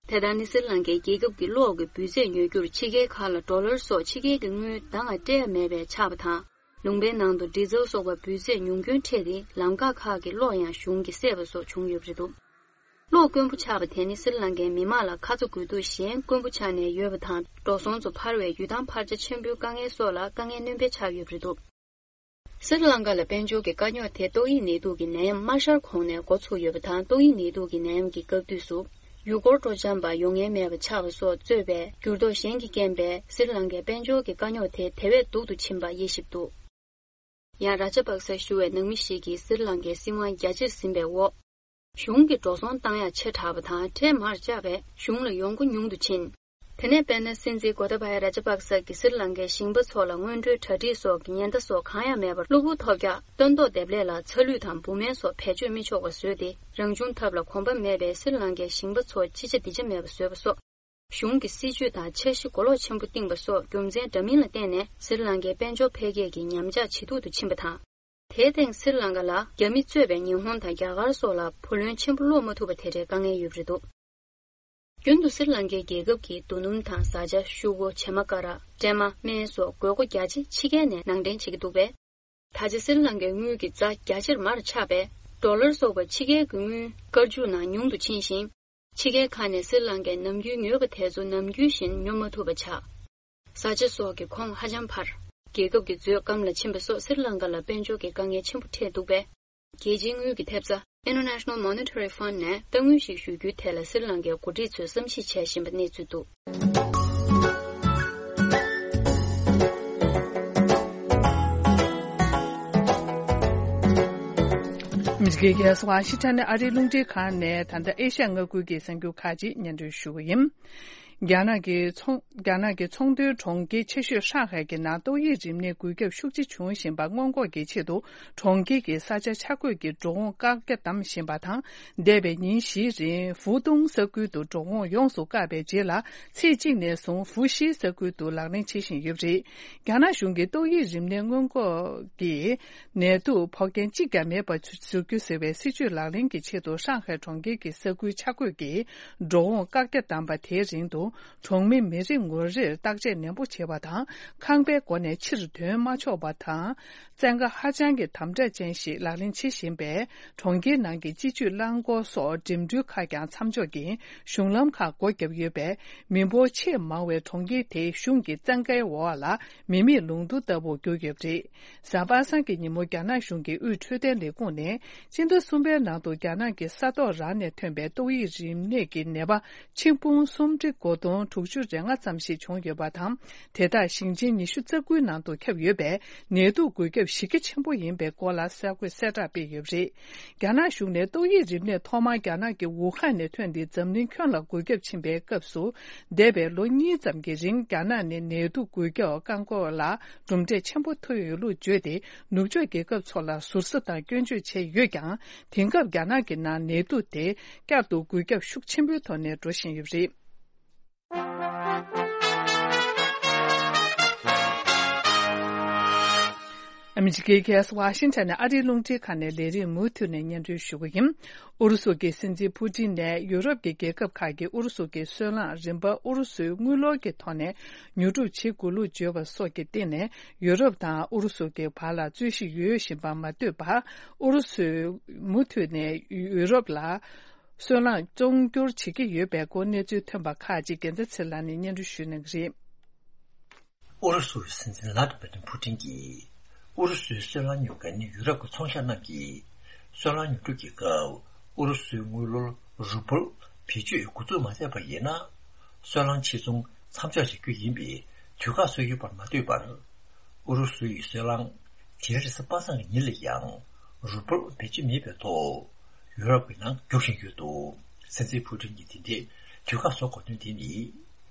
དེ་ལྟར་ནི་སྲི་ལང་ཀའི་རྒྱལ་ཁབ་ཀྱི་གློག་གི་འབུད་ཚད་ཉོ་རྒྱུར་ཕྱི་རྒྱལ་ཁག་ལ་ཌོ་ལར་སོགས་ཕྱི་རྒྱལ་གྱི་དངུལ་ད་སྔ་སྤྲད་ཡ་མེད་པས་ཆགས་པ་དང་། ལུང་པའི་ནང་དུ་ཌི་ཟལ་སོགས་པ་འབུད་ཚད་ཉུང་སྐྱོན་འཕྲད་དེ། ལམ་ཁ་ཁག་གི་གློག་ཡང་གཞུང་གིས་བསད་པ་སོགས་བྱུང་ཡོད་པ་རེད་འདུག་གློག་དཀོན་པོ་ཆགས་པ་དེ་ནི་སྲི་ལང་ཀའི་མི་དམངས་ལ་ཁ་ཚ་དགོས་གཏུགས་གཞན་དཀོན་པོ་ཆགས་ནས་ཡོད་པ་དང་། འགྲོ་སོང་ཚོ་འཕར་བའི་ཡུལ་ཐང་འཕར་ཆ་ཆེན་པོའི་དཀའ་ངལ་སོགས་ལ་དཀའ་ངལ་སྣོན་སྤེལ་ཆགས་ཡོད་པ་རེད་འདུག་སྲི་ལང་ཀ་ལ་དཔལ་འབྱོར་གྱི་དཀའ་རྙོག་དེ་ཏོག་དབྱིབས་ནད་དུག་གི་ནད་ཡམས་དམར་ཤར་གོང་ནས་འགོ་ཚུགས་ཡོད་པ་དང་། ཏོག་དབྱིབས་ནད་དུག་གི་ནད་ཡམས་ཀྱི་སྐབས་དུས་སུ་ཡུལ་སྐོར་སྤྲོ་འཆམ་པ་ཡོང་མཁན་མེད་པ་ཆགས་པ་སོགས་གཙོས་པའི་འགྱུར་ལྡོག་གཞན་གྱི་རྐྱེན་པས་སྲི་ལང་ཀའི་དཔལ་འབྱོར་གྱི་དཀའ་རྙོག་དེ་དེ་བས་སྡུག་ཏུ་ཕྱིན་པ་དབྱེ་ཞིབ་འདུག་ཡང་ར་ཇ་པག་སར་བཞུགས་པའི་ནང་མི་ཞིག་གིས་སྲི་ལང་ཀའི་སྲིད་དབང་རྒྱ་ཆེར་ཟིན་པའི་འོག་གཞུང་གིས་འགྲོ་སོང་བཏང་ཡག་ཆེ་དྲགས་པ་དང་ཁྲལ་མར་བཅག་པས་གཞུང་ལ་ཡོང་སྒོ་ཉུང་དུ་ཕྱིན། དེ་ནས་དཔེར་ན་སྲིད་འཛིན་གོ་ཏཱ་བ་ཡ་ར་ཇ་པག་ས་གིས་སྲི་ལང་ཀའི་ཞིང་པ་ཚོ་ལ་སྔོན་འགྲོའི་གྲ་སྒྲིག་སོགས་ཀྱི་ཉེན་བརྡ་སོགས་གང་ཡང་མེད་པར་གློ་བུར་ཐོལ་རྒྱག་སྟོན་ཐོག་འདེབས་ལས་ལ་ཚ་ལུད་དང་འབུ་སྨན་སོགས་བེད་སྤྱོད་མི་ཆོག་པ་བཟོས་ཏེ། རང་བྱུང་ཐབས་ལ་གོམས་པ་མེད་པའི་སྲི་ལང་ཀའི་ཞིང་པ་ཚོ་ཅི་བྱ་འདི་བྱ་མེད་པ་བཟོས་པ་སོགས། གཞུང་གི་སྲིད་ཇུས་དང་འཆར་གཞི་གོ་ལོག་ཆེན་པོ་བཏིང་བ་སོགས་རྒྱུ་མཚན་འདྲ་མིན་ལ་བརྟེན་ནས་སྲི་ལང་ཀའི་དཔལ་འབྱོར་འཕེལ་རྒྱས་ཀྱི་ཉམས་ཆག་ཇེ་སྡུག་ཏུ་ཕྱིན་པ་དང་། དེའི་སྟེང་སྲི་ལང་ཀ་ལ་རྒྱ་མི་གཙོས་པའི་ཉི་ཧོང་དང་རྒྱ་གར་སོགས་ལ་བུ་ལོན་ཆེན་པོ་སློག་མ་ཐུབ་པ་དེ་འདྲའི་དཀའ་ངལ་ཡོད་པ་རེད་འདུག་རྒྱུན་དུ་སྲི་ལང་ཀའི་རྒྱལ་ཁབ་ཀྱི་རྡོ་སྣུམ་དང་བཟའ་བཅའ། ཤུ་གུ། བྱེ་མ་ཀ་ར། སྲན་མ། སྨན་སོགས་དགོས་མཁོ་རྒྱ་ཆེ་ཕྱི་རྒྱལ་ནས་ནང་འདྲེན་བྱེད་ཀྱི་འདུག་པས། ད་ཆ་སྲི་ལང་ཀའི་དངུལ་གྱི་རྩ་རྒྱ་ཆེར་མར་ཆག་པས། ཌོ་ལར་སོགས་པ་ཕྱི་རྒྱལ་གྱི་དངུལ་སྐར་མཇུག་ནང་ཉུང་དུ་ཕྱིན་ཞིང་། ཕྱི་རྒྱལ་ཁག་ནས་སྲི་ལང་ཀའི་ནམ་རྒྱུན་ཉོས་པ་དེ་ཚོ་ནམ་རྒྱུན་བཞིན་ཉོ་མ་ཐུབ་པ་ཆགས། བཟའ་བཅའ་སོགས་ཀྱི་གོང་ཧ་ཅང་འཕར། རྒྱལ་ཁབ་ཀྱི་མཛོད་སྐམ་ལ་ཕྱིན་པ་སོགས་སྲི་ལང་ཀ་ལ་དཔལ་འབྱོར་གྱི་དཀའ་ངལ་ཆེན་པོ་འཕྲད་འདུག་པས། རྒྱལ་སྤྱིའི་དངུལ་གྱི་ཐེབས་རྩ་International Monetary Fund ནས་གཏའ་དངུལ་ཞིག་ཞུ་རྒྱུའི་ཐད་ལ་སྲི་ལང་ཀའི་འགོ་ཁྲིད་ཚོས་བསམ་གཞིག་བྱེད་བཞིན་པ་གནས་ཚུལ་འདུག་ཨ་མི་རི་ཀའི་རྒྱལ་ས་ཝ་ཤིང་ཊོན་ནས་ཨ་རིའི་རླུང་འཕྲིན་ཁང་ནས་ད་ལྟ་ཨེ་ཤ་ཡ་མངའ་ཁུལ་གྱི་གསར་འགྱུར་ཁག་ཅིག་སྙན་སྒྲོན་ཞུ་གི་ཡིན། རྒྱ་ནག་གི་ཚོང་རྒྱ་ནག་གི་ཚོང་དོན་གྲོང་ཁྱེར་ཆེ་ཤོས་ཧྲང་ཧའེ་གྱི་ནང་ཏོག་དབྱིབས་རིམས་ནད་འགོས་ཁྱབ་ཤུགས་ཆེ་བྱུང་བཞིན་པ་སྔོན་འགོག་གི་ཆེད་དུ་གྲོང་ཁྱེར་གྱི་ས་ཆ་ཆ་བགོས་ཀྱི་འགྲོ་འོང་བཀག་རྒྱ་བསྡམས་བཞིན་པ་དང་། འདས་པའི་ཉིན་བཞིའི་རིང་ཧྥུ་ཏུང་ས་ཁུལ་དུ་འགྲོ་འོང་ཡོངས་སུ་བཀག་པའི་རྗེས་ལ། ཚེས་གཅིག་ནས་བཟུང་ཧྥུ་ཤི་ས་ཁུལ་དུ་ལག་ལེན་བྱེད་བཞིན་ཡོད་པ་རེད། རྒྱ་ནག་གཞུང་གིས་ཏོག་དབྱིབས་རིམས་ནད་སྔོན་འགོག་གི་ནད་དུག་ཕོག་མཁན་གཅིག་ཀྱང་མེད་པ་བཟོ་རྒྱུ་ཟེར་བའི་སྲིད་ཇུས་ལག་ལེན་གྱི་ཆེད་དུ་ཧྲང་ཧའེ་གྲོང་ཁྱེར་གྱི་ས་ཁུལ་ཆ་བགོས་ཀྱི་འགྲོ་འོང་བཀག་རྒྱ་བསྡམས་པ་དེའི་རིང་དུ་ གྲོང་མི་མི་རེ་ངོ་རེར་བརྟག་དཔྱད་ནན་པོ་བྱེད་པ་དང་། ཁང་པའི་སྒོ་ནས་ཕྱིར་ཐོན་མ་ཆོག་པ་དང་། བཙན་བཀའ་ཧ་ཅང་གི་དམ་དྲག་ཅན་ཞིག་ལག་ལེན་བྱེད་བཞིན་པས། གྲོང་ཁྱེར་ནང་གི་སྤྱི་སྤྱོད་རླངས་འཁོར་སོགས་འགྲིམ་འགྲུལ་ཁག་ཀྱང་མཚམས་འཇོག་གིས་གཞུང་ལམ་ཁག་སྒོ་བརྒྱབ་ཡོད་པས། མི་འབོར་ཆེས་མང་བའི་གྲོང་ཁྱེར་དེའི་གཞུང་གི་བཙན་བཀའི་འོག་ལ་མི་མེད་ལུང་སྟོང་ལྟ་བུར་གྱུར་ཡོད་པ་རེད། གཟའ་པ་སངས་ཀྱི་ཉིན་མོ་རྒྱ་ནག་གཞུང་གི་དབུས་འཕྲོད་བསྟེན་ལས་ཁུངས་ནས། སྤྱི་ཟླ་གསུམ་པའི་ནང་དུ་རྒྱ་ནག་གི་ས་ཐོག་རང་ནས་ཐོན་པའི་ཏོག་དབྱིབས་རིམས་ནད་ཀྱི་ནད་པ་ཆིག་སྟོང་སུམ་ཁྲི་དགུ་སྟོང་དྲུག་ཅུ་རེ་ལྔ་ཙམ་ཞིག་བྱུང་ཡོད་པ་དང་། དེ་དག་ཞིང་ཆེན་ཉི་ཤུ་རྩ་དགུའི་ནང་དུ་ཁྱབ་ཡོད་པས། ནད་དུག་འགོས་ཁྱབ་གཞི་རྒྱ་ཆེན་པོ་ཡིན་པའི་སྐོར་ལ་གསར་འགོད་གསལ་བསྒྲགས་སྤེལ་ཡོད་པ་རེད། རྒྱ་ནག་གཞུང་ནས་ཏོག་དབྱིབས་རིམས་ནད་ཐོག་མར་རྒྱ་ནག་གི་ཝུ་ཧན་ནས་ཐོན་ཏེ་འཛམ་གླིང་ཁྱོན་ལ་འགོས་ཁྱབ་ཕྱིན་པའི་སྐབས་སུ། འདས་པའི་ལོ་གཉིས་ཙམ་གྱི་རིང་རྒྱ་ནག་ནས་ནད་དུག་འགོས་ཁྱབ་བཀག་འགོག་ལ་གྲུབ་འབྲས་ཆེན་པོ་ཐོན་ཡོད་ལུགས་བརྗོད་དེ། ནུབ་ཕྱོགས་རྒྱལ་ཁབ་ཚོ་ལ་ཟུར་ཟ་དང་སྐྱོན་བརྗོད་བྱས་ཡོད་ཀྱང་། དེང་སྐབས་རྒྱ་ནག་གི་ནང་ནད་དུག་དེ་བསྐྱར་དུ་འགོས་ཁྱབ་ཤུགས་ཆེན་པོའི་ཐོག་ནས་འགྲོ་བཞིན་ཡོད་པ་རེད། ཨ་མི་རི་ཀའི་རྒྱལ་ས་ཝ་ཤིང་ཊོན་ནས་ཨ་རིའི་རླུང་འཕྲིན་ཁང་ནས་ལས་རིམ་མུ་མཐུད་ནས་སྙན་སྒྲོན་ཞུ་གི་ཡིན། ཨུ་རུ་སུ་གི་སྲིད་འཛིན་ཕུ་ཏིན་ནས་ཡུ་རོབ་ཀྱི་རྒྱལ་ཁབ་ཁག་གིས་ཨུ་རུ་སུ་གི་སོལ་རླངས་རིན་པ་ཨུ་རུ་སུའི་དངུལ་ལོར་གྱི་ཐོག་ནས་ཉོ་སྒྲུབ་བྱེད་དགོས་ལུགས་བརྗོད་པ་སོགས་ཀྱི་སྟེང་ནས། ཡུ་རོབ་དང་ཨུ་རུ་སུ་གི་བར་ལ་རྩོད་གཞི་ཡོད་བཞིན་པ་མ་ལྟོས་པར། ཨུ་རུ་སུས་མུ་མཐུད་ནས་ཡུ་རོབ་ལ་སོལ་རླངས་བཙོང་སྒྱུར་བྱེད་ཀྱི་ཡོད་པའི་སྐོར་གནས་ཚུལ་ཐོན་པ་ཁག་ཅིག་རྒྱལ་མཚན་ཚེ་ལགས་ནས་སྙན་སྒྲོན་ཞུ་གནང་གི་རེད། ཨུ་རུ་སུའི་སྲིད་འཛིན་ལྷ་དྲུག་པ་ཏིན་ཕུ་ཏིན་གྱིས། ཨུ་རུ་སུའི་སོལ་རླངས་ཉོ་མཁན་ཡུ་རོབ་ཀྱི་ཚོང་ཤག་རྣམས་ཀྱིས། སོལ་རླངས་ཉོ་སྒྲུབ་ཀྱི་སྐབས། ཨུ་རུ་སུའི་དངུལ་ལོར་རུ་པལ་བེད་སྤྱོད་འགོ་འཛུགས་མ་མཛད་པ་ཡིན་ན། སོལ་རླངས་ཕྱིར་ཚོང་མཚམས་འཇོག་བྱ་རྒྱུ་ཡིན་པའི་དུས་བཀག་བཟོས་ཡོད་པར་མ་ལྟོས་པར། ཨུ་རུ་སུ་ཡི་སོལ་རླངས་དེ་རིང་རེས་གཟའ་པ་སངས་ཀྱི་ཉིན་ལ་ཡང་རུ་པལ་བེད་སྤྱོད་མེད་པའི་ཐོག་ཡུ་རོབ་ཀྱི་ནང་རྒྱུག་བཞིན་ཡོད་འདུག་སྲིད་འཛིན་ཕུ་ཏིན་གྱིས་དེ་འདྲའི་དུས་བཀག་བཟོ་དགོས་དོན་དེ་ནི།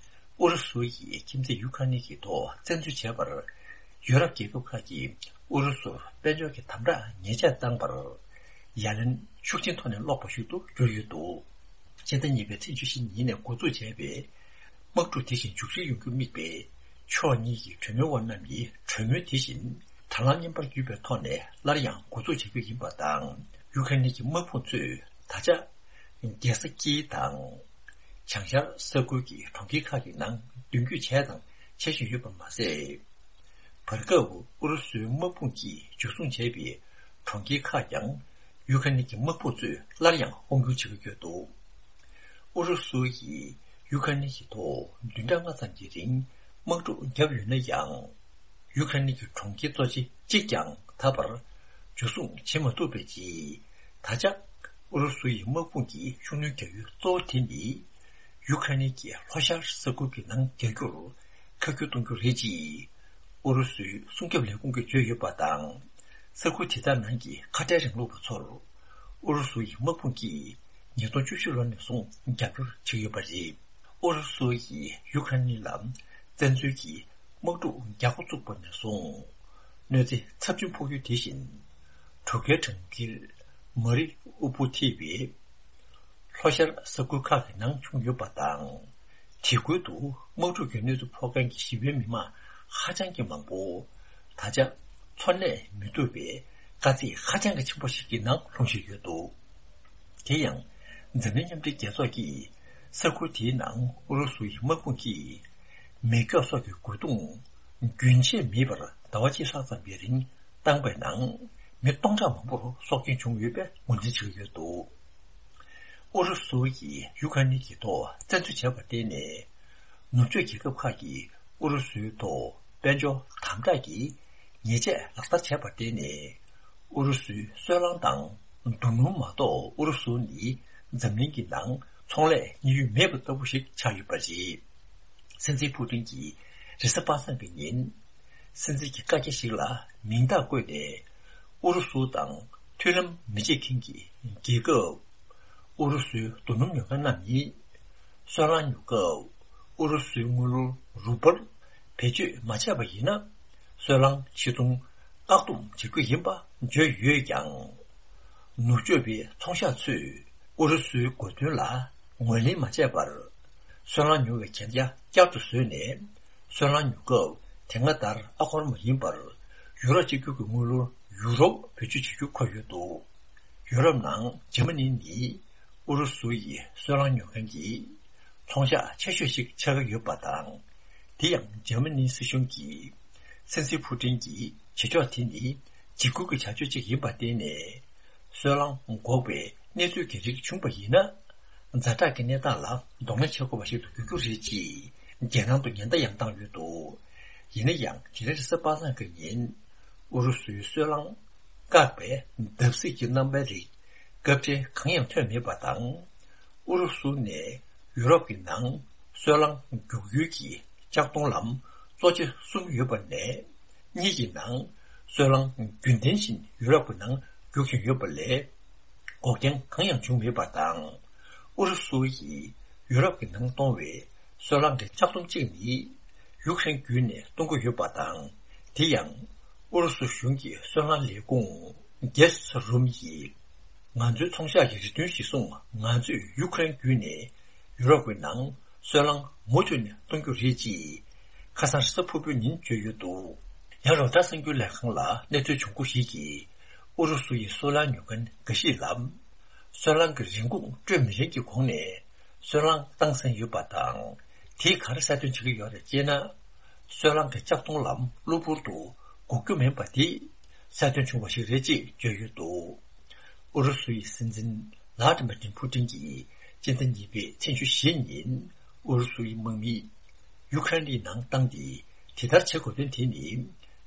ཨུ་རུ་སུ་ཡིས་ཁྱིམ་མཚེས་ཡུ་ཁ་ནི་གི་ཐོག་བཙན་འཛུལ་བྱས་པར། ཡུ་རོབ་རྒྱལ་ཁབ་ཁག་གིས་ཨུ་རུ་སུར་དཔལ་འབྱོར་གྱི་དམ་དྲག་ཉེས་ཆད་བཏང་བར། ཡ་ལན་ཤུགས་ཆེན་ཐོག་ནས་སློག་པ་ཞིག་ཏུ་གྱུར་ཡོད་འདུག་སྤྱི་ཟླ་གཉིས་པའི་ཚེས་བཅུ་བཞི་ཉིན་ནས་འགོ་འཛུགས་བྱས་པའི་དམག་འཁྲུག་དེ་བཞིན་མཇུག་སྒྲིལ་ཡོང་རྒྱུ་དམིགས་པའི་ཕྱོགས་གཉིས་ཀྱི་གྲོས་མོལ་བ་རྣམས་ཀྱི་གྲོས་མོལ་དེ་བཞིན་དྲ་ལམ་རྙིང་པར་བརྒྱུད་པའི་ཐོག་ནས་སླར་ཡང་འགོ་འཛུགས་བྱེད་རྒྱུ་ཡིན་པ་དང་། ཡུ་ཁ་ནི་གྱི་དམག་དཔུང་ཚོས་ད་ཆ་རྒྱལ་ས་ཀིའི་དང་། བྱང་ཤར་ས་ཁུལ་གྱི་གྲོང་ཁྱེར་ཁག་གི་ནང་མདུན་སྐྱོད་བྱས་དང་བྱེད་བཞིན་ཡོད་པ་མ་ཟད། བར་སྐབས་ཨུ་རུ་སུའི་དམག་དཔུང་གིས་འཇུ་བཟུང་བྱས་པའི་གྲོང་ཁྱེར་ཁག་ཀྱང་ཡུ་ཁ་ནི་གྱི་དམག་དཔུང་ཚོས་སླར་ཡང་དབང་སྒྱུར་བྱེད་ཀྱི་ཡོད་འདུག་ཨུ་རུ་སུ་ཡིས་ཡུ་ཁ་ནི་གྱི་ཐོག་བདུན་ཕྲག་ལྔ་ཙམ་གྱི་རིང་དམག་འཁྲུག་བརྒྱབ་ཡོད་ན་ཡང་། ཡུ་ཁ་ནི་གྱི་གྲོང་ཁྱེར་གཙོ་ཆེ་གཅིག་ཀྱང་ད་བར་འཇུ་བཟུང་བྱེད་མ་ཐུབ་པའི་རྗེས། ད་ཆ་ཨུ་རུ་སུ་ཡི་དམག་དཔུང་གི་ཤུགས་སྣོན་རྒྱག་ཡུལ་གཙོ་བོ་དེ་ནི། ཡུ་ཁ་ནི་གྱི་ལྷོ་ཤར་ས་ཁུལ་གྱི་ནང་རྒྱག་རྒྱུར་ཁ་བསྒྱུར་གཏོང་རྒྱུ་རེད་ཅེས། ཨུ་རུ་སུའི་སྲུང་སྐྱོབ་ལས་ཁུངས་ཀྱིས་བརྗོད་ཡོད་པ་དང་། ས་ཁུལ་དེ་དག་ནང་གི་ཁ་བྲལ་རིང་ལུགས་པ་ཚོར། ཨུ་རུ་སུ་ཡི་དམག་དཔུང་གིས་ཉིས་སྟོང་བཅུ་བཞི་ལོ་ནས་བཟུང་རྒྱབ་སྐྱོར་བྱེད་ཀྱི་ཡོད་པ་རེད། ཨུ་རུ་སུ་ཡིས་ཡུ་ཁ་ནི་ལ་བཙན་འཛུལ་གྱིས་དམག་འཁྲུག་རྒྱག་འགོ་བཙུགས་པ་ནས་བཟུང་། གནོད་འཚེ་ཚབས་ཆེན་ཕོག་རྒྱུ་དེ་བཞིན། གྲོས་ཁའི་གྲོང་ཁྱེར་མ་རི་ཨུ་པུ་ཐི་བའི་ལྷོ་ཤར་ས་ཁུལ་ཁག་གི་ནང་བྱུང་ཡོད་པ་དང་། དེ་ཁུལ་དུ་དམག་འཁྲུག་གི་གནོད་འཚེ་ཕོག་མཁན་གྱི་ཞི་བའི་མི་མང་ཧ་ཅང་གི་མང་པོ། ད་ཆ་འཚོ་གནས་མི་ཐུབ་པའི་དཀའ་ཚེགས་ཧ་ཅང་གི་ཆེན་པོ་ཞིག་གི་ནང་ལྷུང་བཞིན་ཡོད་འདུག་དེ་ཡང་། འཛམ་གླིང་མཉམ་འབྲེལ་རྒྱལ་ཚོགས་ཀྱིས་ས་ཁུལ་དེའི་ནང་ཨུ་རུ་སུ་ཡི་དམག་དཔུང་གིས་མེ་སྒྱོགས་སོགས་ཀྱི་རྒོལ་རྡུང་རྒྱུན་ཆད་མེད་པར་ཟླ་བ་གཅིག་ལྷག་ཙམ་པའི་རིང་བཏང་པའི་ནང་མི་སྟོང་ཕྲག་མང་པོར་སྲོག་སྐྱོན་བྱུང་ཡོད་པའི་ངོས་འཛིན་བྱེད་ཀྱི་ཡོད་འདུག་ཨུ་རུ་སུ་ཡིས་ཡུ་ཁ་ནི་གི་ཐོག་བཙན་འཛུལ་བྱས་པར་བརྟེན་ནས། ནུབ་ཕྱོགས་རྒྱལ་ཁབ་ཁག་གིས་ཨུ་རུ་སུའི་ཐོག་དཔལ་འབྱོར་དམ་དྲག་གི་ཉེས་ཆད་ལག་བསྟར་བྱས་པར་བརྟེན་ནས། ཨུ་རུ་སུའི་སོལ་རླངས་དང་རྡོ་སྣུམ་མ་གཏོགས་ཨུ་རུ་སུ་ནི་འཛམ་གླིང་གི་ནང་ཚོང་ལས་གཉེར་ཡུལ་མེད་པ་ལྟ་བུ་ཞིག་ཆགས་ཡོད་པ་རེད། སྲིད་འཛིན་ཕུ་ཏིན་གྱིས་རེས་གཟའ་པ་སངས་ཀྱི་ཉིན། སྲིད་འཛིན་གྱི་བཀའ་རྒྱ་ཞིག་ལ་མིང་རྟགས་བཀོད་ནས། ཨུ་རུ་སུ་དང་མཐུན་ལམ་མི་བྱེད་མཁན་གྱི་རྒྱལ་ཁབ། ཨུ་རུ་སུའི་རྡོ་སྣུམ་ཉོ་མཁན་རྣམས་ནི། སོལ་རླངས་ཉོ་སྐབས་ཨུ་རུ་སུའི་དངུལ་ལོར་རུ་པལ་བེད་སྤྱོད་མ་བྱས་པ་ཡིན་ན། སོལ་རླངས་ཕྱིར་ཚོང་བཀག་སྡོམ་བྱེད་རྒྱུ་ཡིན་པ་བརྗོད་ཡོད་ཀྱང་། ནུབ་ཕྱོགས་པའི་ཚོང་ཤག་ཚོས་ཨུ་རུ་སུའི་དགོས་འདུན་ལ་ངོས་ལེན་མ་བྱས་པར། སོལ་རླངས་ཉོ་བའི་གན་རྒྱ་བསྐྱར་དུ་བཟོས་ནས། སོལ་རླངས་ཉོ་སྐབས་དེ་སྔ་ལྟར་ཨ་སྒོར་མ་ཡིན་པར། ཡུ་རོ་གཅིག་གྱུར་གྱི་དངུལ་ལོར་ཡུ་རོ་བེད་སྤྱོད་བྱེད་རྒྱུ་འཁོད་ཡོད་འདུག་ཡུ་རོབ་ནང་འཇར་མ་ནི་ནི་ཨུ་རུ་སུ་ཡི་སོལ་རླངས་ཉོ་མཁན་གྱི་ ཚོང་ཤག་ཆེ་ཤོས་ཤིག་ཆགས་ཀྱི་ཡོད་པ་དང་། དེ་ཡང་འཇར་མ་ནིའི་སྲིད་གཞུང་གིས་སྲིད་འཛིན་ཕུ་ཀྲིན་གྱི་བྱེད་ཕྱོགས་དེ་ནི་འཇིགས་སྐུལ་གྱི་བྱ་སྤྱོད་ཅིག་ཡིན་པ་བརྟེན་ནས། སོལ་རླངས་འགོག་པའི་གནས་ཚུལ་གྱི་རིགས་བྱུང་བ་ཡིན་ན། ཛ་དྲག་གི་གནས་སྟངས་ལ་གདོང་ལེན་བྱེད་དགོས་པ་ཞིག་ཏུ་འགྱུར་རྒྱུ་རེད་ཅེས་རྒྱལ་ནང་དུ་ཉེན་བརྡ་ཡང་བཏང་ཡོད་འདུག་ཡིན་ན་ཡང་། དེ་རིང་རེས་གཟའ་པ་སངས་ཀྱི་ཉིན་ཨུ་རུ་སུའི་སོལ་རླངས་བཀག་པའི་བརྡབ་གསིག་གི་རྣམ་པའི་རིགས་སྐབས་འཕྲལ་གང་ཡང་ཐོན་མེད་པ་དང་། ཨུ་རུ་སུ་ནས་ཡུ་རོབ་ཀྱི་ནང་སོལ་རླངས་རྒྱུག་ཡུལ་གྱི་ལྕགས་མཐོང་ལམ་གཙོ་ཆེ་གསུམ་ཡོད་པ་ནས། གཉིས་ཀྱི་ནང་སོལ་རླངས་རྒྱུན་ལྡན་བཞིན་ཡུ་རོབ་ཀྱི་ནང་རྒྱུག་བཞིན་ཡོད་པ་ལས། འགོག་རྐྱེན་གང་ཡང་བྱུང་མེད་པ་དང་། ཨུ་རུ་སུ་ཡིས་ཡུ་རོབ་ཀྱི་ནང་གཏོང་བའི་སོལ་རླངས་ཀྱི་ལྕགས་མཐོང་གཅིག་ནི་ཡུཀ་རེན་བརྒྱུད་ནས་གཏོང་གི་ཡོད་པ་དང་། དེ་ཡང་ཨུ་རུ་སུ་གཞུང་གི་སོལ་རླངས་ལས་ཁུངས་གེ་སི་རུམ་ཡིས། ང་ཚོའི་ཚོང་ཤག་གི་རེ་འདུན་གཞིར་བཟུང་ང་ཚོས་ཡུཀ་རེན་བརྒྱུད་ནས་ཡུ་རོབ་ཀྱི་ནང་སོལ་རླངས་མུ་མཐུད་ནས་གཏོང་རྒྱུ་རེད་ཅེས་ཁ་སང་རེས་གཟའ་ཕུར་བུའི་ཉིན་བརྗོད་ཡོད་འདུག་ཡང་རོའི་ཊར་གསར་འགྱུར་ལས་ཁང་ལ་གནས་ཚུལ་བྱུང་མཁན་ཞིག་གིས་ཨུ་རུ་སུ་ཡི་སོལ་རླངས་ཉོ་མཁན་འགའ་ཞིག་ལ། སོལ་རླངས་ཀྱི་རིན་གོང་སྤྲོད་མི་རན་གྱི་གོང་ནས་སོལ་རླངས་བཏང་ཟིན་ཡོད་པ་དང་། དེས་ག་རེ་གསལ་སྟོན་བྱེད་ཀྱི་ཡོད་རེད་ཅེ་ན། སོལ་རླངས་ཀྱི་ལྕགས་མཐོང་ལམ་གློ་བུར་དུ་འགོག་རྒྱུ་མིན་པ་དེ་གསལ་སྟོན་བྱུང་བ་ཞིག་རེད་ཅེས་བརྗོད་ཡོད་འདུག་ཨུ་རུ་སུ་ཡི་སྲིད་འཛིན་ལྷ་ཌི་མི་ཏྲིན་ཕུ་ཀྲིན་གྱིས་སྤྱི་ཟླ་གཉིས་པའི་ཚེས་བཅུ་བཞི་ཉིན་ཨུ་རུ་སུ་ཡི་དམག་མི་ཡུ་ཁ་རེན་ནང་བཏང་སྟེ། དེ་ལྟར་བྱེད་དགོས་དོན་དེ་ནི་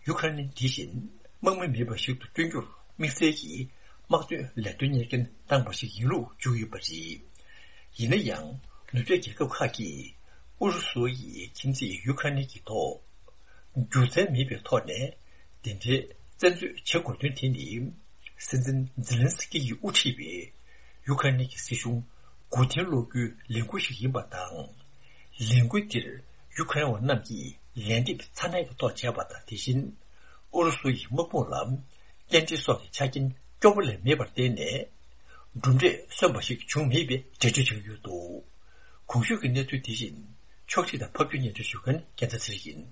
ཡུ་ཁ་རེན་དེ་བཞིན་དམག་མི་མེད་པ་ཞིག་ཏུ་བསྐྲུན་རྒྱུར་དམིགས་བསལ་གྱི་དམག་དོན་ལས་དོན་གཉེར་མཁན་བཏང་པ་ཞིག་ཡིན་ལུགས་བརྗོད་ཡོད་པ་རེད། ཡིན་ན་ཡང་ནུབ་ཕྱོགས་རྒྱལ་ཁབ་ཁག་གིས་ཨུ་རུ་སུ་ཡི་ཁྱིམ་མཚེས་ཡུ་ཁ་རེན་གྱི་ཐོག་རྒྱུ་མཚན་མེད་པའི་ཐོག་ནས་དེ་འདྲའི་བཙན་འཛུལ་བྱེད་དགོས་དོན་དེ་ནི། སྲིད་འཛིན་ཛེ་ལན་སི་ཀི་ཡིས་དབུ་ཁྲིད་པའི་ཡུ་ཁ་རེན་གྱི་སྲིད་གཞུང་མགོ་རྟིང་སློག་རྒྱུའི་ལས་འགུལ་ཞིག་ཡིན་པ་དང་། ལས་འགུལ་འདིར་ཡུ་ཁ་རེན་བ་རྣམས་ཀྱིས་ལན་འདེབས་ཚ་ནན་གྱི་ཐོག་བྱས་པ་དང་། དེ་བཞིན་ཨུ་རུ་སུ་ཡི་དམག་དཔུང་ལ་སྐྱེལ་འདྲེན་སོགས་ཀྱི་ཆ་རྐྱེན་སྐྱོ་པོ་ལས་མེད་པར་བརྟེན་ནས། གྲུབ་འབྲས་སོན་པ་ཞིག་བྱུང་མེད་པའི་འགྲེལ་བརྗོད་བྱས་ཡོད་འདུག་གོང་ཞུས་ཀྱི་གནས་ཚུལ་དེ་བཞིན་ཕྱོགས་སྒྲིག་དང་ཕབ་སྒྱུར་སྙན་སྒྲོན་ཞུ་མཁན་རྒྱལ་མཚན་ཚེ་རིང་ཡིན།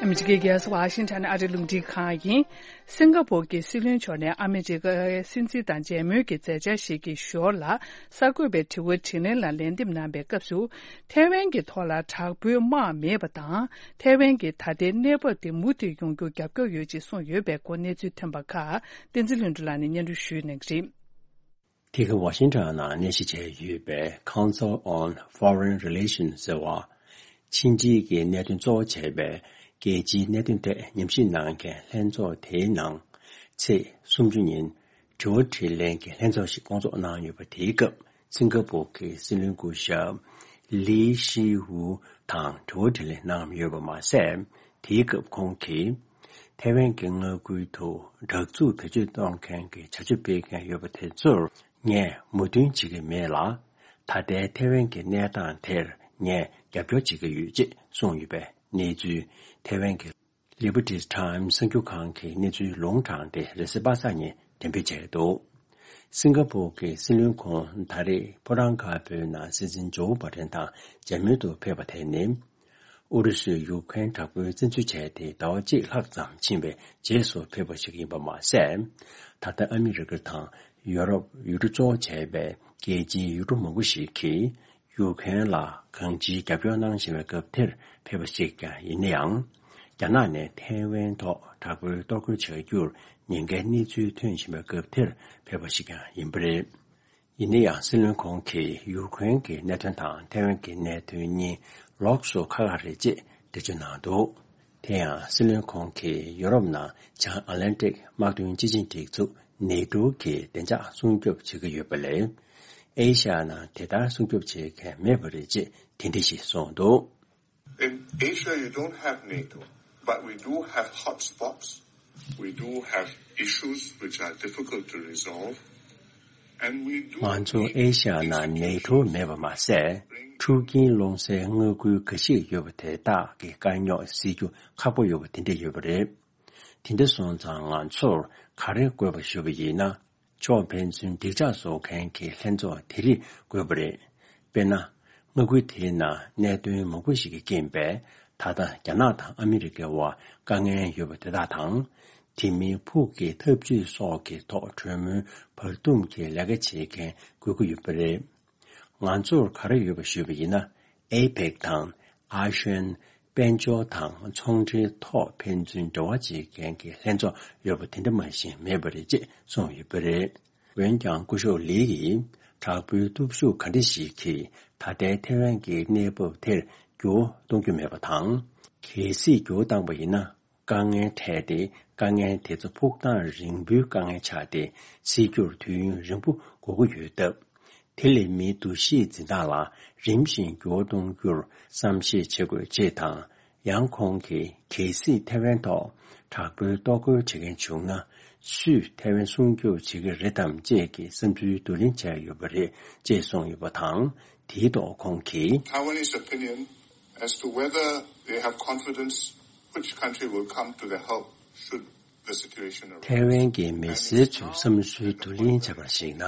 ཨ་མི་རི་ཀའི་རྒྱལ་ས་ཝ་ཤིང་ཊོན་ཨ་རིའི་རླུང་འཕྲིན་ཁང་ཡིན། སིང་ག་པོར་གྱི་སྲིད་བློན་མཆོག་ནས་ཨ་མི་རི་ཀའི་སྲིད་འཛིན་དང་མཇལ་མོལ་གྱི་མཛད་འཆར་ཞིག་གི་ཞོར་ལ། གསར་འགོད་པའི་དྲི་བ་དྲིས་ལན་ལ་ལན་འདེབས་གནང་བའི་སྐབས་སུ། ཐའེ་ཝན་གྱི་ཐོག་ལ་དྲག་པོའི་དམག་མེད་པ་དང་། ཐའེ་ཝན་གྱི་ད་ལྟའི་གནས་བབ་དེ་མུ་མཐུད་ཡོང་རྒྱུར་རྒྱབ་སྐྱོར་ཡོད་ཅེས་གསུངས་ཡོད་པའི་སྐོར་གནས་ཚུལ་ཐོན་པ་ཁག་བསྟན་འཛིན་ལྷུན་གྲུབ་ལགས་ནས་སྙན་སྒྲོན་ཞུ་གནང་གི་རེད། དེ་ག་ཝ་ཤིང་ཊོན་ནང་གནས་གཞི་བྱས་ཡོད་པའི་Council on Foreign Relations ཟེར་བ། ཕྱི་འབྲེལ་གྱི་གནད་དོན་གཙོ་བོ་བྱས་པའི་རྒྱལ་སྤྱིའི་གནད་དོན་ཐད་ཉམས་ཞིབ་གནང་མཁན་ལྷན་ཚོགས་དེའི་ནང་ཚེས་སུམ་ཅུ་ཉིན་དྲི་བ་དྲིས་ལན་གྱི་ལྷན་ཚོགས་ཤིག་བསྐོང་ཚོགས་གནང་ཡོད་པ། དེའི་སྐབས་སིང་ག་པོར་གྱི་སྲིད་བློན་སྐུ་ཞབས་ལི་ཤི་ཝུ་དང་དྲི་བ་དྲིས་ལན་གནང་ཡོད་པ་མ་ཟད། དེའི་སྐབས་ཁོང་གིས་ཐའེ་ཝན་གྱི་མངའ་ཁུལ་དུ་དྲག་རྩུབ་བེད་སྤྱོད་གཏོང་མཁན་གྱི་བྱ་སྤྱོད་སྤེལ་མཁན་ཡོད་པ་དེ་ཚོར་ངས་མོས་མཐུན་བྱེད་ཀྱི་མེད་ལ། ད་ལྟའི་ཐའེ་ཝན་གྱི་གནས་སྟངས་དེར་ངས་རྒྱབ་སྐྱོར་བྱེད་ཀྱི་ཡོད་ཅེས་གསུངས་ཡོད་པའི་གནས་ཚུལ་ཐའེ་ཝན་གྱི་Liberty Times གསར་འགྱུར་ཁང་གི་གནས་ཚུལ་ལུང་དྲངས་ཏེ། རེས་གཟའ་པ་སངས་ཉིན་འགྲེམས་སྤེལ་བྱས་འདུག་སིང་ག་པོར་གྱི་སྲིད་བློན་ཁོང་ད་རེས་ཕོ་བྲང་དཀར་པོའི་ནང་སྲིད་འཛིན་ཇོ་བྷ་ཌེན་དང་མཇལ་མོལ་དུ་ཕེབས་པ་དེ་ནི། ཨུ་རུ་སུས་ཡུཀ་རེན་དྲག་པོའི་བཙན་འཛུལ་བྱས་ཏེ་ཟླ་བ་གཅིག་ལྷག་ཙམ་ཕྱིན་པའི་རྗེས་སུ་ཕེབས་པ་ཞིག་ཡིན་པ་མ་ཟད། ད་ལྟ་ཨ་མི་རི་ཀ་དང་ཡོ་རོབ་ཡུལ་གྲུ་གཙོ་བོ་བྱས་པའི་རྒྱལ་སྤྱིའི་ཡུལ་གྲུ་མང་པོ་ཞིག་གིས་ཡུཀ་རེན་ལ་གང་ཅིའི་རྒྱབ་སྐྱོར་གནང་བཞིན་པའི་སྐབས་དེར་ཕེབས་པ་ཞིག་ཀྱང་ཡིན་ན་ཡང་། རྒྱ་ནག་ནས་ཐའེ་ཝན་ཐོག་དྲག་པོའི་གཏོར་རྒོལ་བྱ་རྒྱུར་ཉེན་ཁའི་གནས་ཚུལ་ཐོན་བཞིན་པའི་སྐབས་དེར་ཕེབས་པ་ཞིག་ཀྱང་ཡིན་པ་རེད། ཡིན་ན་ཡང་། སྲིད་བློན་ཁོང་གིས་ཡུཀ་རེན་གྱི་གནད་དོན་དང་ཐའེ་ཝན་གྱི་གནད་དོན་གཉིས་ལོགས་སུ་ཁག་ཁག་རེད་ཅེས་འགྲེལ་བརྗོད་གནང་འདུག་དེ་ཡང་། སྲིད་བློན་ཁོང་གིས་ཡོ་རོབ་ནང་བྱང་ཨ་ལན་ཏིག་དམག་དོན་སྤྱི་ཆིངས་སྒྲིག་འཛུགས་ནེ་ཏོ་གི་བདེ་འཇགས་སྲུང་སྐྱོབ་བྱེད་ཀྱི་ཡོད་པ་ལས། ཨེ་ཤ་ཡ་ནང་དེ་ལྟར་སྲུང་སྐྱོབ་བྱེད་མཁན་མེད་པ་རེད་ཅེས་དེ་འདྲ་ཞིག་གསུངས་འདུག In Asia, you don't have NATO, but we do have hotspots. We do have issues which are difficult to resolve. And we do ང་ཚོ་ཨེ་ཤ་ཡ་ནང་ནེ་ཏོ་མེད་པ་མ་ཟད། འཁྲུག་རྐྱེན་སློང་སའི་མངའ་ཁུལ་འགའ་ཞིག་ཡོད་པ་དེ་དག་གི་དཀའ་རྙོག་སེལ་རྒྱུ་ཁག་པོ་ཡོད་པ་དེ་འདྲ་ཡོད་པ་རེད། དེ་འདྲ་སོང་ཙང་ང་ཚོར་ག་རེ་དགོས་པ་ཞུ་བ་ཡིན་ན། ཕྱོགས་ཕན་ཚུན་འགྲིག་ཆགས་བཟོ་མཁན་གྱི་ལྷན་ཚོགས་དེ་རིགས་དགོས་པ་རེད། དཔེར་ན། མངའ་ཁུལ་དེའི་ནང་གནད་དོན་མང་པོ་ཞིག་གི་རྐྱེན་པས། ད་ལྟ་རྒྱ་ནག་དང་ཨ་མི་རི་ཀའི་དབར་དཀའ་ངལ་ཡོད་པ་དེ་དག་དང་། དེ་མིན་ཕུགས་ཀྱི་འཐབ་ཇུས་སོགས་ཀྱི་ཐོག་གྲོས་མོལ་བར་འདུམ་གྱི་ལས་ཀ་བྱེད་མཁན་དགོས་ཀྱི་ཡོད་པ་རེད། ང་ཚོར་ག་རེ་ཡོད་པ་ཞུས་པ་ཡིན་ན། ཨེ་པེག་དང་ཨ་ཤོན། དཔལ་འབྱོར་དང་ཚོང་འབྲེལ་ཐོག་ཕན་ཚུན་འབྲེལ་བ་བྱེད་མཁན་གྱི་ལྷན་ཚོགས་ཡོད་པ་དེ་འདྲ་མ་གཞི་མེད་པ་རེད་ཅེས་གསུངས་ཡོད་པ་རེད། འོན་ཀྱང་སྐུ་ཞབས་ལི་ཡིས་དྲག་པོའི་སྟོབས་ཤུགས་ག་འདྲ་ཞིག་གིས་ད་ལྟའི་ཐེ་ཝན་གྱི་གནས་བབ་དེར་འགྱུར་བ་གཏོང་རྒྱུ་མེད་པ་དང་། གལ་སྲིད་འགྱུར་བ་བཏང་པ་ཡིན་ན། དཀའ་ངལ་འཕྲད་དེ། དཀའ་ངལ་དེ་ཚོ་ཕུགས་ཐང་རིང་པོའི་དཀའ་ངལ་ཆགས་ཏེ། སེལ་རྒྱུར་དུས་ཡུན་རིང་པོ་འགོར་གྱི་ཡོད་སྟབས། དེ་ལས་མིའི་འདུ་ཤེས་འཛིན་སྟངས་ལ་རིམ་བཞིན་འགྱུར་བ་གཏོང་རྒྱུར་བསམ་ཤེས་བྱེད་དགོས་ཅེས་དང་། ཡང་ཁོང་གིས་གལ་སྲིད་ཐེ་ཝན་ཐོག་དྲག་པོའི་གཏོར་རྒོལ་བྱེད་མཁན་བྱུང་ན། སུས་ཐེ་ཝན་སྲུང་སྐྱོབ་བྱེད་ཀྱི་རེད་དམ་ཅེས་ཀྱི་བསམ་ཚུལ་བསྡུ་ལེན་བྱས་ཡོད་པ་རེད་ཅེས་གསུངས་ཡོད་པ་དང་། དེའི་ཐོག་ཁོང་གིས། Taiwanese opinion as to whether they have confidence which country will come to their help should the situation arise. ཐའེ་ཝན་གྱི་མི་སེར་ཚོའི་བསམ་ཚུལ་བསྡུ་ལེན་བྱས་པར་གཞིགས་ན།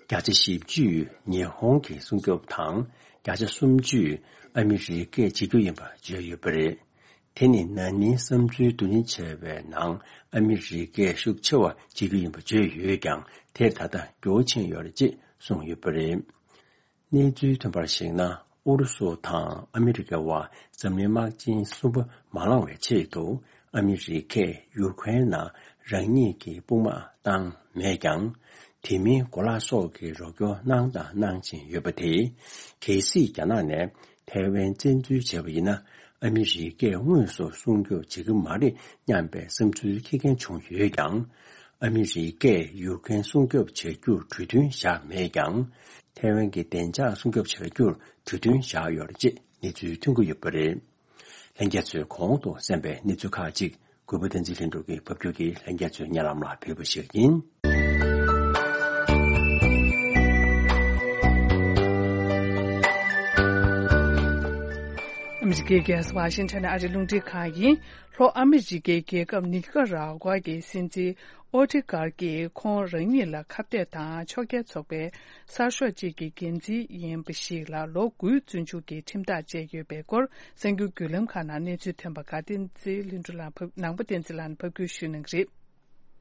བརྒྱ་ཆ་བཞི་བཅུས་ཉི་ཧོང་གི་སྲུང་སྐྱོབ་དང་། བརྒྱ་ཆ་སུམ་ཅུས་ཨ་མི་རི་ཀས་བྱེད་རྒྱུ་ཡིན་པ་བརྗོད་ཡོད་པ་རེད། དེ་ནི་ན་ནིང་བསམ་ཚུལ་བསྡུ་ལེན་བྱས་པའི་ནང་ཨ་མི་རི་ཀས་ཤུགས་ཆེ་བ་བྱེད་རྒྱུ་ཡིན་པ་བརྗོད་ཡོད་ཀྱང་། དེར་ད་ལྟ་འགྱུར་བ་ཕྱིན་ཡོད་རེད་ཅེས་གསུངས་ཡོད་པ་རེད། གནས་ཚུལ་ཐོན་པར་གཞིགས་ན། ཨུ་རུ་སུ་དང་ཨ་མི་རི་ཀའི་དབར་འཛམ་གླིང་དམག་ཆེན་གསུམ་པ་མ་ལངས་བའི་ཆེད་དུ། ཨ་མི་རི་ཀས་ཡུ་ཁུ་རེན་ནང་རང་ཉིད་ཀྱི་དཔུང་དམག་བཏང་མེད་ཀྱང་། དེ་མིན་གོ་ལག་སོགས་ཀྱི་རོགས་སྐྱོར་གནང་དང་གནང་བཞིན་ཡོད་པ་དེས། གལ་སྲིད་རྒྱ་ནག་ནས་ཐའེ་ཝན་བཙན་འཛུལ་བྱས་པ་ཡིན་ན། ཨ་མི་རི་ཀས་དངོས་སུ་སྲུང་སྐྱོབ་བྱེད་ཀྱི་མ་རེད་སྙམ་པའི་བསམ་ཚུལ་འཁྱེར་མཁན་བྱུང་ཡོད་ཀྱང་། ཨ་མི་རི་ཀས་ཡུ་ཀེན་སྲུང་སྐྱོབ་བྱ་རྒྱུར་གྲོས་མཐུན་བཞག་མེད་ཀྱང་། ཐའེ་ཝན་གྱི་བདེ་འཇགས་སྲུང་སྐྱོབ་བྱ་རྒྱུར་གྲོས་མཐུན་བཞག་ཡོད་རེད་ཅེས་གནས་ཚུལ་ཐོན་གྱི་ཡོད་པ་རེད། ལྷན་རྒྱས་ཚོས་གོང་དུ་གསན་པའི་གནས་ཚུལ་ཁག་ཅིག་གུས་པ་བསྟན་འཛིན་ལྷུན་གྲུབ་ཀྱིས་ཕབ་སྒྱུར་གྱིས་ལྷན་རྒྱས་ཚོའི་སྙན་ལམ་ལ་ཕུལ་བ་ཞིག་ཡིན། ཨ་མི་རི་ཀའི་རྒྱལ་ས་ཝ་ཤིང་ཊོན་ནས་ཨ་རིའི་རླུང་འཕྲིན་ཁང་ཡིན། ལྷོ་ཨ་མི་རི་ཀའི་རྒྱལ་ཁབ་ནི་ཀ་ར་ཀ་ཝ་གི་སྲིད་འཛིན་ཨོ་ཏི་ཀར་གྱིས་ཁོང་རང་ཉིད་ལ་ཁ་གཏད་དང་ཕྱོགས་འགལ་ཚོགས་པའི་གསར་ཤོག་ཅིག་གི་འགན་འཛིན་ཡིན་པ་ཞིག་ལ་ལོ་དགུའི་བཙོན་འཇུག་གི་ཁྲིམས་ཐག་བཅད་ཡོད་པའི་སྐོར། གསར་འགྱུར་བརྒྱུད་ལམ་ཁག་ནང་གནས་ཚུལ་ཐོན་པ་ག་བསྟན་འཛིན་ལྷུན་གྲུབ་ལགས་ཕབ། ནང་པ་བསྟན་འཛིན་ལགས་ནས་ཕབ་སྒྱུར་ཞུ་གནང་གི་རེད།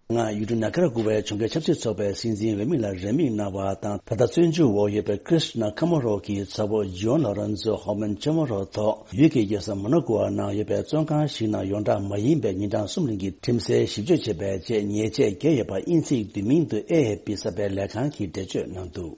ང་ཡུལ་གྲུ་ནཱ་ཀ་ར་གུ་ཝའི་གྱོང་གུན་ཆབ་སྲིད་ཚོགས་པའི་སྲིད་འཛིན་འོས་མི་ལ་རན་མིང་གནང་བ་དང་། ད་ལྟ་བཙོན་འཇུག་འོག་ཡོད་པའི་ཀྲིས་ན་ཁ་མ་རོ་གི་ཚ་བོ་ཇོན་ལོ་རན་ཛོ་ཧོ་མན་ཆ་མ་རོ་ཐོག་ཡུལ་གྱི་རྒྱལ་ས་མོ་ན་ཀོ་ནང་ཡོད་པའི་བཙོན་ཁང་ཞིག་ནང་ཡོངས་གྲགས་མ་ཡིན་པའི་ཉིན་གྲངས་གསུམ་རིང་གི་ཁྲིམས་སེལ་ཞིབ་དཔྱོད་བྱས་པའི་རྗེས་ཉེས་ཆད་བཀལ་ཡོད་པ་དབྱིན་ཚིག་བསྡུས་མིང་དུ་ཨེ་ཨེ་ཕི་གསར་སྤེལ་ལས་ཁང་གིས་འགྲེལ་བརྗོད་གནང་འདུག་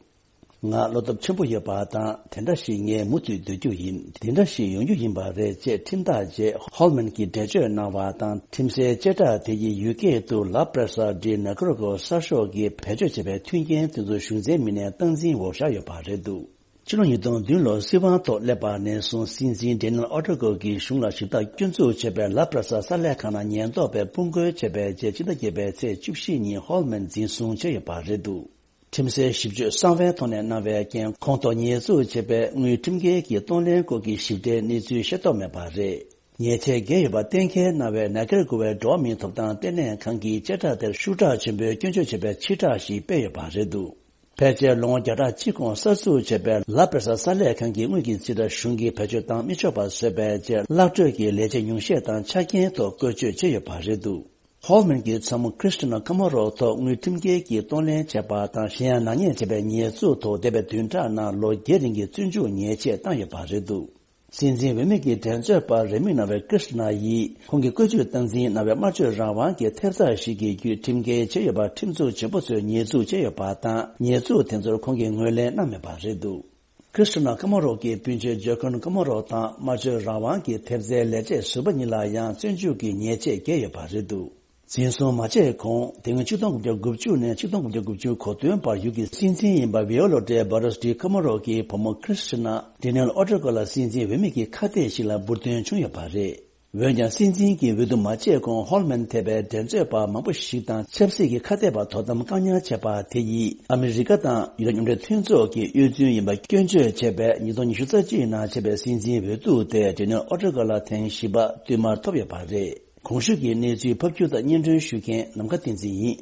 ང་བློ་སྟོབས་ཆེན་པོ་ཡོད་པ་དང་། དེ་འདྲ་ཞིག་ངས་མུ་མཐུད་སྡོད་རྒྱུ་ཡིན། དེ་འདྲ་ཞིག་ཡོང་རྒྱུ་ཡིན་པ་རེད་ཅེས་ཁྲིམས་ཐག་བཅད། ཧོལ་མན་གྱིས་འགྲེལ་བརྗོད་གནང་བ་དང་། ཁྲིམས་སའི་བཅད་ཁྲ་དེ་ཡིས་ཡུལ་སྐད་དུ་ལ་པྲ་ས་ཌི་ན་ཀ་རོ་ཀོ་གསར་ཤོག་གིས་བེད་སྤྱོད་བྱས་པའི་མཐུན་རྐྱེན་དེ་ཚོ་གཞུང་འཛིན་མི་སྣའི་སྟངས་འཛིན་འོག་བཞག་ཡོད་པ་རེད་འདུག་ཕྱི་ལོ་ཉིས་སྟོང་བདུན་ལོར་སྲིད་དབང་ཐོག་སླེབས་པ་ནས་བཟུང་སྲིད་འཛིན་ཌེ་ནེལ་ཨོ་ཏྲ་ཀོ་གིས་གཞུང་ལ་ཞིབ་ལྟ་སྐྱོན་འཛུགས་བྱས་པའི་ལ་པྲ་ས་གསར་ལས་ཁང་ནང་ཉེན་རྟོག་པས་དཔུང་རྒོལ་བྱས་པའི་རྗེས། ཕྱི་ཟླ་བརྒྱད་པའི་ཚེས་བཅུ་བཞི་ཉིན་ཧོལ་མན་འཛིན་བཟུང་བྱས་ཡོད་པ་རེད་འདུག་ཁྲིམས་སའི་ཞིབ་དཔྱོད་གསང་བའི་ཐོག་ནས་གནང་བའི་རྐྱེན། ཁོང་ཐོག་ཉེས་འཛུགས་བྱས་པའི་དངུལ་ཁྲིམས་འགལ་གྱི་གཏོང་ལེན་སྐོར་གྱི་ཞིབ་ཕྲའི་གནས་ཚུལ་ཤེས་རྟོགས་མེད་པ་རེད། ཉེས་ཆད་བཀལ་ཡོད་པ་གཏན་འཁེལ་གནང་བའི་ནཱ་ཀེར་གུ་ཝའི་འགྲོ་བ་མིའི་ཐོབ་ཐང་ལྟེ་གནས་ཁང་གིས་བཅད་ཁྲ་དེར་ཤུགས་དྲག་ཆེན་པོས་སྐྱོན་བརྗོད་བྱས་པའི་ཕྱིར་བསྒྲགས་ཤིག་སྤེལ་ཡོད་པ་རེད་འདུག་ཕལ་ཆེར་ལོ་ངོ་བརྒྱ་ཕྲག་གཅིག་གོང་གསར་འཛུགས་བྱས་པའི་ལ་པྲ་ས་གསར་ལས་ཁང་གི་དངུལ་གྱི་རྩིས་ཁྲ་གཞུང་གིས་བེད་སྤྱོད་བཏང་མི་ཆོག་པ་བཟོས་པའི་རྗེས། གླག་སྤྲོད་ཀྱི་ལས་བྱེད་ཉུང་ཤས་དང་ཆ་རྐྱེན་ཐོག་བཀོལ་སྤྱོད་བྱས་ཡོད་པ་རེད་འདུག་ཧོལ་མན་གྱི་ཚ་མོ་ཁྲིས་ཏི་ན་ཁ་མ་རོ་ཐོག་དངུལ་ཁྲིམས་འགལ་གྱིས་གཏོང་ལེན་བྱས་པ་དང་། གཞན་ཡང་ནག་ཉེས་བྱས་པའི་ཉེས་འཛུགས་ཐོག་འདས་པའི་བདུན་ཕྲག་ནང་ལོ་བརྒྱད་རིང་གི་བཙོན་འཇུག་ཉེས་ཆད་བཏང་ཡོད་པ་རེད་འདུག་སྲིད་འཛིན་འོས་མི་གི་འགྲན་རྩོད་པ་རེད་མིང་གནང་བའི་ཀྲིས་ཏི་ན་ཡིས་ཁོང་གི་བཀོལ་སྤྱོད་སྟངས་འཛིན་གནང་བའི་སྨྲ་བརྗོད་རང་དབང་གི་ཐེབས་རྩ་ཞིག་གི་བརྒྱུད་ཁྲིམས་འགལ་བྱས་ཡོད་པར་ཁྲིམས་འཛུགས་ཆེན་པོ་ཚོས་ཉེས་འཛུགས་བྱས་ཡོད་པ་དང་། ཉེས་འཛུགས་དེ་ཚོར་ཁོང་གིས་ངོས་ལེན་གནང་མེད་པ་རེད་འདུག་ཁྲིས་ཏི་ན་ཀ་མ་རོ་གི་སྤུན་མཆེད་ཇོ་ཁོན་ཀ་མ་རོ་དང་སྨྲ་བརྗོད་རང་དབང་གི་ཐེབས་རྩའི་ལས་བྱེད་ཟུར་པ་གཉིས་ལ་ཡང་བཙོན་འཇུག་གི་ཉེས་ཆད་བཀལ་ཡོད་པ་རེད་འདུག་འཛིན་བཟུང་མ་བྱས་གོང་། དེ་སྔོན་ཆིག་སྟོང་དགུ་བརྒྱ་དགུ་བཅུ་ནས་ཆིག་སྟོང་དགུ་བརྒྱ་དགུ་བཅུ་གོ་བདུན་བར་ཡུལ་གྱི་སྲིད་འཛིན་ཡིན་པ་ཝི་ཡོ་ལོ་ཏེ་བྷ་རོས་ཏི་ཀ་མ་རོ་གི་བུ་མོ་ཁྲིས་ཏི་ན། ཌེ་ནེལ་ཨོ་ཏྲ་ཀོ་ལ་སྲིད་འཛིན་འོས་མི་གི་ཁ་གཏད་ཞིག་ལ་འབུར་ཐོན་བྱུང་ཡོད་པ་རེད། འོན་ཀྱང་སྲིད་འཛིན་གྱི་འོས་བསྡུ་མ་བྱས་གོང་ཧོལ་མན་ཐེ་བའི་འགྲན་རྩོད་པ་མང་པོ་ཞིག་དང་ཆབ་སྲིད་ཀྱི་ཁ་གཏད་པ་དོ་དམ་བཀག་ཉར་བྱས་པ་དེ་ཡིས་ཨ་མི་རི་ཀ་དང་ཡུ་རོབ་མཉམ་འབྲེལ་མཐུན་ཚོགས་ཀྱི་གཡོ་རྫུན་ཡིན་པ་སྐྱོན་བརྗོད་བྱས་པའི་ཉིས་སྟོང་ཉི་ཤུ་རྩ་གཅིག་ནང་བྱས་པའི་སྲིད་འཛིན་འོས་བསྡུ་དེ་ཌེ་ནེལ་ཨོ་ཏྲ་ཀོ་ལ་ཐེངས་བཞི་པ་བསྟུད་མར་ཐོབ་ཡོད་པ་རེད། གོང་ཞུས་ཀྱི་གནས་ཚུལ་ཕབ་སྒྱུར་དང་སྙན་སྒྲོན་ཞུ་མཁན་ནམ་མཁའ་བསྟན་འཛིན་ཡིན།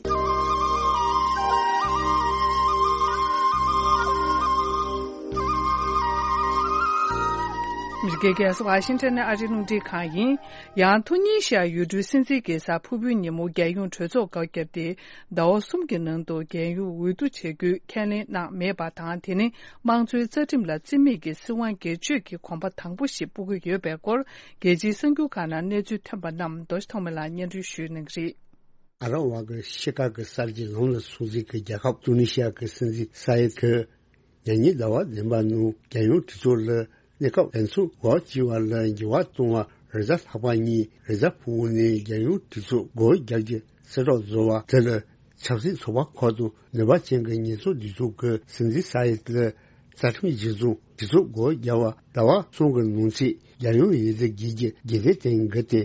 ཨ་མི་ འདི་ག་ཝ་ཤིང་ཊོན་ནས་ཨ་རིའི་རླུང་འཕྲིན་ཁང་ཡིན། ཡང་ཐུ་ནི་ཤི་ཡ་ཡུལ་གྲུའི་སྲིད་འཛིན་གྱི་སར་ཕུར་བུའི་ཉིན་མོ་རྒྱལ་ཡོངས་གྲོས་ཚོགས་སྒོ་བརྒྱབ་སྟེ། ཟླ་བ་གསུམ་གྱི་ནང་དུ་རྒྱལ་ཡོངས་འོས་བསྡུ་བྱེད་རྒྱུའི་ཁས་ལེན་གནང་མེད་པ་དང་། དེ་ནི་དམངས་གཙོའི་རྩ་ཁྲིམས་ལ་བརྩི་མེད་ཀྱི་སྲིད་དབང་སྒེར་གཅོད་ཀྱི་གོམ་པ་དང་པོ་ཞིག་སྤོ་གི་ཡོད་པའི་སྐོར། རྒྱལ་སྤྱིའི་གསར་འགྱུར་ཁག་ནང་གནས་ཚུལ་ཐོན་པ་རྣམས་རྡོ་རྗེ་ཐོགས་མེད་ལགས་སྙན་སྒྲོན་ཞུ་གནང་གི་རེད། ཨ་ར་བ་གི་ཤི་ཁ་གི་གསར་བརྗེ་ལམ་ལ་སོང་ཟིག་གི་རྒྱལ་ཁབ་ཏུ་ནི་ཤི་ཡ་གི་སྲིད་འཛིན་ས་ཡེད་གི་ཉེ་ཉིན་ཟླ་བ་བདུན་པ་ནང་རྒྱལ་ཡོངས་གྲོས་ཚོགས་ལ་གནས་སྐབས་ལན་ཚོགས་སྒོ་བྱས་པ་ལ་འགྱུར་བ་གཏོང་བ། རེས་གཟའ་ལྷག་པ་ཉིན་རེས་གཟའ་ཕུར་བུ་ནས་རྒྱལ་ཡོངས་གྲོས་ཚོགས་སྒོ་རྒྱག་རྒྱུ་གསལ་བསྒྲགས་བཟོ་བ་དེ་ལ་ཆབ་སྲིད་ཚོགས་པ་ཁག་དང་ནུས་པ་ཅན་གྱི་ཉེན་ཚབས་སྡེ་ཚོགས་ཀྱི་སྲིད་འཛིན་ས་ཡེད་ལ་རྩ་ཁྲིམས་གཞིར་བཟུང་གྲོས་ཚོགས་སྒོ་རྒྱག་པ་ཟླ་བ་གསུམ་གྱི་ནང་ཚུད་རྒྱལ་ཡོངས་འོས་བསྡུ་བརྒྱུད་རྒྱུ་རྒྱུན་ལྡན་བསྟན་དགོས་ཏེ།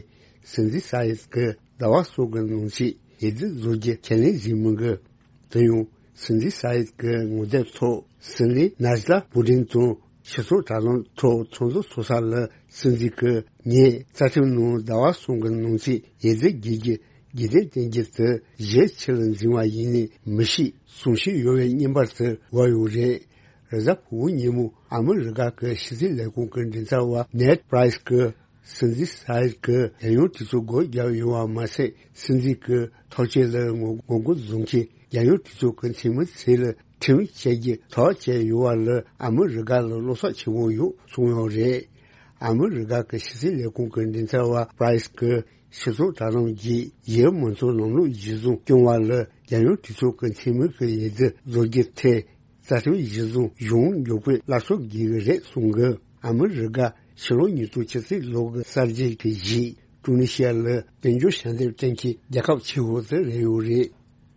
སྲིད་འཛིན་ས་ཡེད་ཀྱིས་ཟླ་བ་གསུམ་གྱི་ནང་ཚུད་འོས་བསྡུ་བཟོ་རྒྱུ་ཁས་ལེན་བྱས་མི་འགི། དེ་ཡང་སྲིད་འཛིན་ས་ཡེད་ཀྱི་ངོ་དེབ་ཐོག་སྲིད་བློན་ནཱ་ཇི་ལ་པུ་ཏིན་དང་སྤྱི་ཚོགས་དྲ་ལམ་ཐོག་ཚོགས་འཛུལ་ཚོགས་ས་ལ་སྲིད་འཛིན་གྱིས་ངས་རྩ་ཁྲིམས་ནང་ཟླ་བ་གསུམ་གྱི་ནང་ཚུད་འོས་བསྡུ་བརྒྱུད་རྒྱུ་རྒྱུན་ལྡན་བསྟན་རྒྱུ་དེ་གཞི་ཆེ་ལ་འཛིན་པ་ཡིན་ནི་མི་ཤེས་གསུང་བཤད་ཡོད་པའི་བརྙན་པར་དེ་འགོད་ཡོད་རེད། རེས་གཟའ་ཕུར་བུ་ཉིན་མོ་ཨ་མི་རི་ཀ་གི་ཕྱི་སྲིད་ལས་ཁུངས་ཀྱི་མགྲིན་ཚབ་པ་ནེད་པྲའི་སི་ཀྱིས་སྲིད་འཛིན་ས་ཡེད་ཀྱིས་རྒྱལ་ཡོངས་གྲོས་ཚོགས་སྒོ་བརྒྱབ་ཡོད་པ་མ་ཟད། སྲིད་འཛིན་གྱི་ཐག་གཅོད་ལ་ངོ་ངོ་རྒོལ་བཟོ་མཁན་རྒྱལ་ཡོངས་གྲོས་ཚོགས་ཀྱི་འཐུས་མི་ཚོ་ལ་ཁྲིམས་བཅད་རྒྱུ་ཐག་བཅད་ཡོད་པ་ལ་ཨ་མི་རི་ཀ་ལ་བློ་འཚབ་ཆེན་པོ་ཡོད་གསུངས་ཡོད་རེད། ཨ་མི་རི་ཀ་གི་ཕྱི་སྲིད་ལས་ཁུངས་ཀྱི་མགྲིན་ཚབ་པ་པྲའི་སི་ཀྱིས་སྤྱི་ཚོགས་དྲ་ལམ་བརྒྱུད་ཡུལ་མང་གཙོའི་ལམ་ལུགས་གཞིར་བཟུང་སྐྱོང་བ་ལ་རྒྱལ་ཡོངས་གྲོས་ཚོགས་ཀྱི་འཐུས་མི་གི་འོས་བསྡུ་བཟོ་རྒྱུ་དེ། རྩ་ཁྲིམས་གཞིར་བཟུང་གཞུང་འགྱུར་བཀོད་སླར་གསོ་དགོས་ཀྱི་རེད་གསུངས་གི། ཨ་མི་རི་ཀ་ཕྱི་ལོ་ཉིས་སྟོང་ཆིག་ལོ་གི་གསར་བརྗེ་གི་གཞི་ཀྲུ་ནི་ཤི་ཡ་ལ་དཔལ་འབྱོར་ཞབས་འདེགས་སྤྲད་མཁན་རྒྱལ་ཁབ་ཆེ་བོ་དེ་རེད་ཡོད་རེད།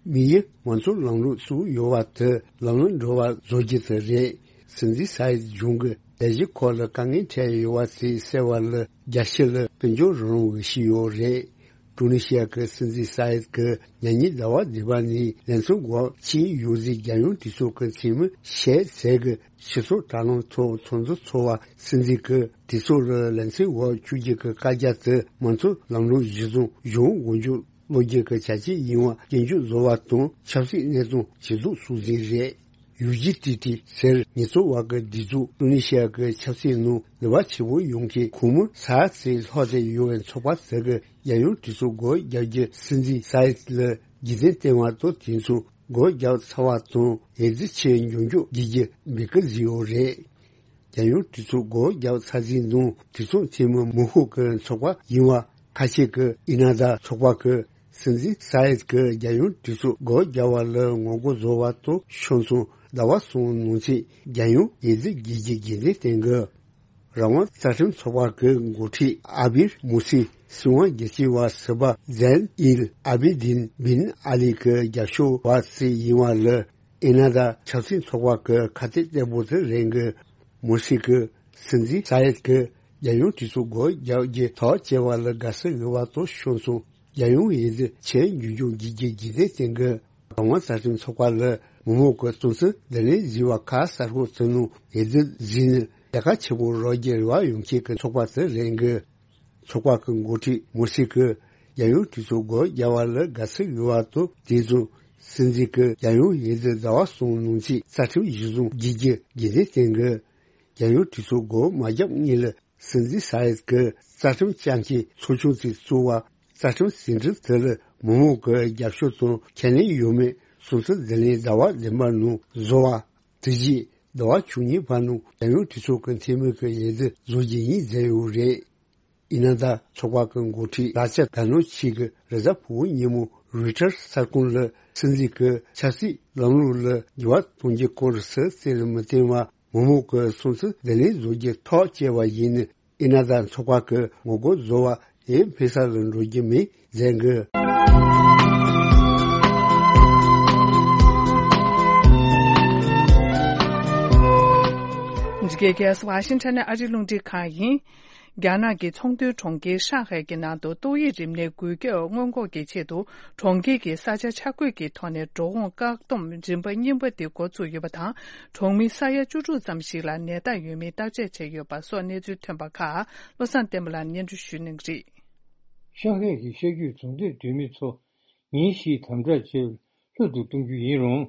དམིགས་ཡུལ་མང་གཙོའི་ལམ་ལུགས་བཙུགས་ཡོད་པ་དེ་ལམ་ལྷོང་འགྲོ་བ་བཟོ་རྒྱུ་དེ་རེད། སྲིད་འཛིན་ས་ཡེད་གཞུང་གི་ལས་གཞི་ཁག་ལ་དཀའ་ངལ་འཕྲད་ཡོད་པ་དེ་སེལ་བ་ལ་རྒྱལ་སྤྱི་ལ་དཔལ་འབྱོར་རང་དབང་གི་ཞུས་ཡོད་རེད། ཀྲུ་ནི་ཤི་ཡ་གི་སྲིད་འཛིན་ས་ཡེད་ཀྱིས་ཉེ་ཉིན་ཟླ་བ་བདུན་པ་ནས་ལན་ཚོགས་སྒོ་ཕྱེས་ཡོད་ཟིག་རྒྱལ་ཡོངས་གྲོས་ཚོགས་ཀྱི་འཐུས་མི་ཞེས་ཟེར་གི་སྤྱི་ཚོགས་དྲ་ལམ་ཐོག་ཚོགས་འཛུལ་ཚོགས་པ་སྲིད་འཛིན་གྱིས་གྲོས་ཚོགས་ལ་ལན་ཚོགས་སྒོ་བཅུག་རྒྱུ་གི་བཀའ་རྒྱ་དེ་མང་གཙོ་ལམ་ལུགས་གཞིར་བཟུང་གཞུང་མགོ་མཇུག་སློག་རྒྱུ་གི་བྱ་སྤྱོད་ཡིན་པ་སྐྱོན་བརྗོད་བཟོ་བ་དང་ཆབ་སྲིད་གནས་སྟངས་ཇེ་སྡུག་སོང་ཟིན་རེད། ཡུ་ཇི་ཏི་ཏི་ཟེར་ཉེས་གསོག་པ་གི་སྒྲིག་འཛུགས་ཀྲུ་ནི་ཤི་ཡ་གི་ཆབ་སྲིད་ནང་ནུས་པ་ཆེན་པོ་ཡོང་མཁན་ཁོངས་མི་ས་ཡ་ཙམ་ལྷག་བསྡད་ཡོད་པའི་ཚོགས་པ་དེ་གི་རྒྱལ་ཡོངས་གྲོས་ཚོགས་སྒོ་རྒྱག་རྒྱུ་སྲིད་འཛིན་ས་ཡེད་ལ་རྒྱུན་ལྡན་བསྟན་པ་དང་དེ་ཚོ་སྒོ་རྒྱག་ཚར་བ་དང་འོས་བསྡུ་ཆེད་མགྱོགས་མགྱོགས་བགྱི་རྒྱུ་འབོད་སྐུལ་བཟོས་ཡོད་རེད། རྒྱལ་ཡོངས་གྲོས་ཚོགས་སྒོ་རྒྱག་ཚར་ཟིན་ནང་གྲོས་ཚོགས་འཐུས་མི་མང་ཤོས་ཀྱི་ཚོགས་པ་ཡིན་པ་ཁ་ཆེ་གི་ཨི་ན་ད་ཚོགས་པ་གི་སྲིད་འཛིན་ས་ཡེད་ཀྱིས་རྒྱལ་ཡོངས་གྲོས་ཚོགས་སྒོ་རྒྱག་པ་ལ་ངོ་རྒོལ་བཟོ་བ་དང་ཕྱོགས་མཚུངས་ཟླ་བ་གསུམ་ནང་ཚུད་རྒྱལ་ཡོངས་འོས་བསྡུ་བགྱི་རྒྱུ་རྒྱུན་ལྡན་བསྟན་དགོས། རང་དབང་རྩ་ཁྲིམས་ཚོགས་པ་གི་འགོ་ཁྲིད་ཨ་བིར་མུ་སི་སྲིད་དབང་སྒེར་གཅོད་པ་ཟུར་པ་ཛན་ཨིལ་ཨ་བི་དིན་བིན་ཨ་ལི་གི་རྒྱབ་སྐྱོར་བ་ཞིག་ཡིན་པ་ལ་ཨི་ན་ད་ཆབ་སྲིད་ཚོགས་པ་གི་ཁ་གཏད་བརྟན་པོ་དེ་རེད་གི། མུ་སི་གི་སྲིད་འཛིན་ས་ཡེད་ཀྱིས་རྒྱལ་ཡོངས་གྲོས་ཚོགས་སྒོ་རྒྱག་རྒྱུ་ཐག་བཅད་པ་ལ་དགའ་བསུ་ཡོད་པ་དང་ཕྱོགས་མཚུངས་རྒྱལ་ཡོངས་འོས་བསྡུ་ཆེད་མགྱོགས་མགྱོགས་བགྱི་རྒྱུ་རྒྱུན་ལྡན་བསྟན་དགོས། རང་དབང་རྩ་ཁྲིམས་ཚོགས་པ་ལ་མི་མང་གི་སྲུང་བརྩི་བདེ་ལེགས་བཟོས་པ་ཁ་གསལ་པོ་བྱུང་ནས་འོས་བསྡུ་བྱས་ནས་ལས་ཀ་ཆེན་པོ་རག་རྒྱུ་རེ་བ་ཡོང་མཁན་གྱི་ཚོགས་པ་དེ་རེད་གི། ཚོགས་པ་གི་འགོ་ཁྲིད་མུ་སི་གིས་རྒྱལ་ཡོངས་གྲོས་ཚོགས་སྒོ་རྒྱག་པ་ལ་དགའ་བསུ་ཡོད་པ་དང་དེ་བཞིན་སྲིད་འཛིན་གྱིས་རྒྱལ་ཡོངས་འོས་བསྡུ་ཟླ་བ་གསུམ་ནང་ཚུད་རྩ་ཁྲིམས་གཞིར་བཟུང་བགྱི་རྒྱུ་རྒྱུན་ལྡན་བསྟན་དགོས། རྒྱལ་ཡོངས་གྲོས་ཚོགས་སྒོ་མ་བརྒྱབ་སྔོན་ལ་སྲིད་འཛིན་ས་ཡེད་ཀྱིས་རྩ་ཁྲིམས་བསྐྱར་མཁན་ཚོགས་ཆུང་ཞིག་བཙུགས་པ། རྩ་ཁྲིམས་ཟིན་བྲིས་དེ་ལ་མི་མང་གི་རྒྱབ་སྐྱོར་དང་ཁས་ལེན་ཡོད་མེད་སྲུང་བརྩི་བདེ་ལེགས་ཟླ་བ་བདུན་པ་ནང་བཟོ་བ། དེ་རྗེས་ཟླ་བ་བཅུ་གཉིས་པ་ནང་རྒྱལ་ཡོངས་གྲོས་ཚོགས་ཀྱི་འཐུས་མི་གི་འོས་བསྡུ་བཟོ་རྒྱུ་ཡིན་ཟེར་ཡོད་རེད། ཡིན་ན་ད་ཚོགས་པ་གི་འགོ་ཁྲིད་ལ་ཅ་ག་ནོ་ཆི་གིས་རེས་གཟའ་ཕུར་བུ་ཉིན་མོ་རུའི་ཊར་གསར་ཁང་ལ་སྲིད་འཛིན་གྱི་ཆབ་སྲིད་ལམ་ལུགས་ལ་འགྱུར་བ་གཏོང་རྒྱུ་སྐོར་སུ་རྩིས་ལ་མི་བརྟེན་པར་མི་མང་གི་སྲུང་བརྩི་བདེ་ལེགས་བཟོ་རྒྱུ་ཐག་བཅད་པ་ཡིན་ནི། ཨི་ན་ད་ཚོགས་པ་གི་ངོ་རྒོལ་བཟོ་བ་ཡིན་ཕེ་ས་ལ་འགྲོ་རྒྱུ་མིན་ཟེར་གི། འདི་གའི་ཁ་སང་ཝ་ཤིང་ཊོན་ནས་ཨ་རིའི་རླུང་འཕྲིན་ཁང་ཡིན། རྒྱ་ནག་གི་ཚོང་དོན་གྲོང་ཁྱེར་ཧྲང་ཧའེ་གྱི་ནང་དུ་ཏོག་དབྱིབས་རིམས་ནད་འགོས་ཁྱབ་སྔོན་འགོག་གི་ཆེད་དུ་གྲོང་ཁྱེར་གྱི་ས་ཆ་ཆ་བགོས་ཀྱི་ཐོག་ནས་འགྲོ་འོང་བཀག་སྡོམ་རིམ་པ་གཉིས་པ་དེ་འགོ་ཚུགས་ཡོད་པ་དང་། གྲོང་མི་ས་ཡ་བཅུ་དྲུག་ཙམ་ཞིག་ལ་ནད་རྟགས་ཡོད་མེད་བརྟག་དཔྱད་བྱས་ཡོད་པ་སོགས་གནས་ཚུལ་ཐོན་པ་ཁག་བློ་བཟང་བསྟན་པ་ལགས་སྙན་སྒྲོན་ཞུ་གནང་གི་རེད། ཤང་ཧའེ་གི་ཤར་རྒྱུད་རྫོང་སྡེའི་སྡོད་མི་ཚོ་ཉིན་བཞིའི་དམ་དྲག་བྱས་པར་ལྷོད་དུ་གཏོང་རྒྱུ་ཡིན་རུང་།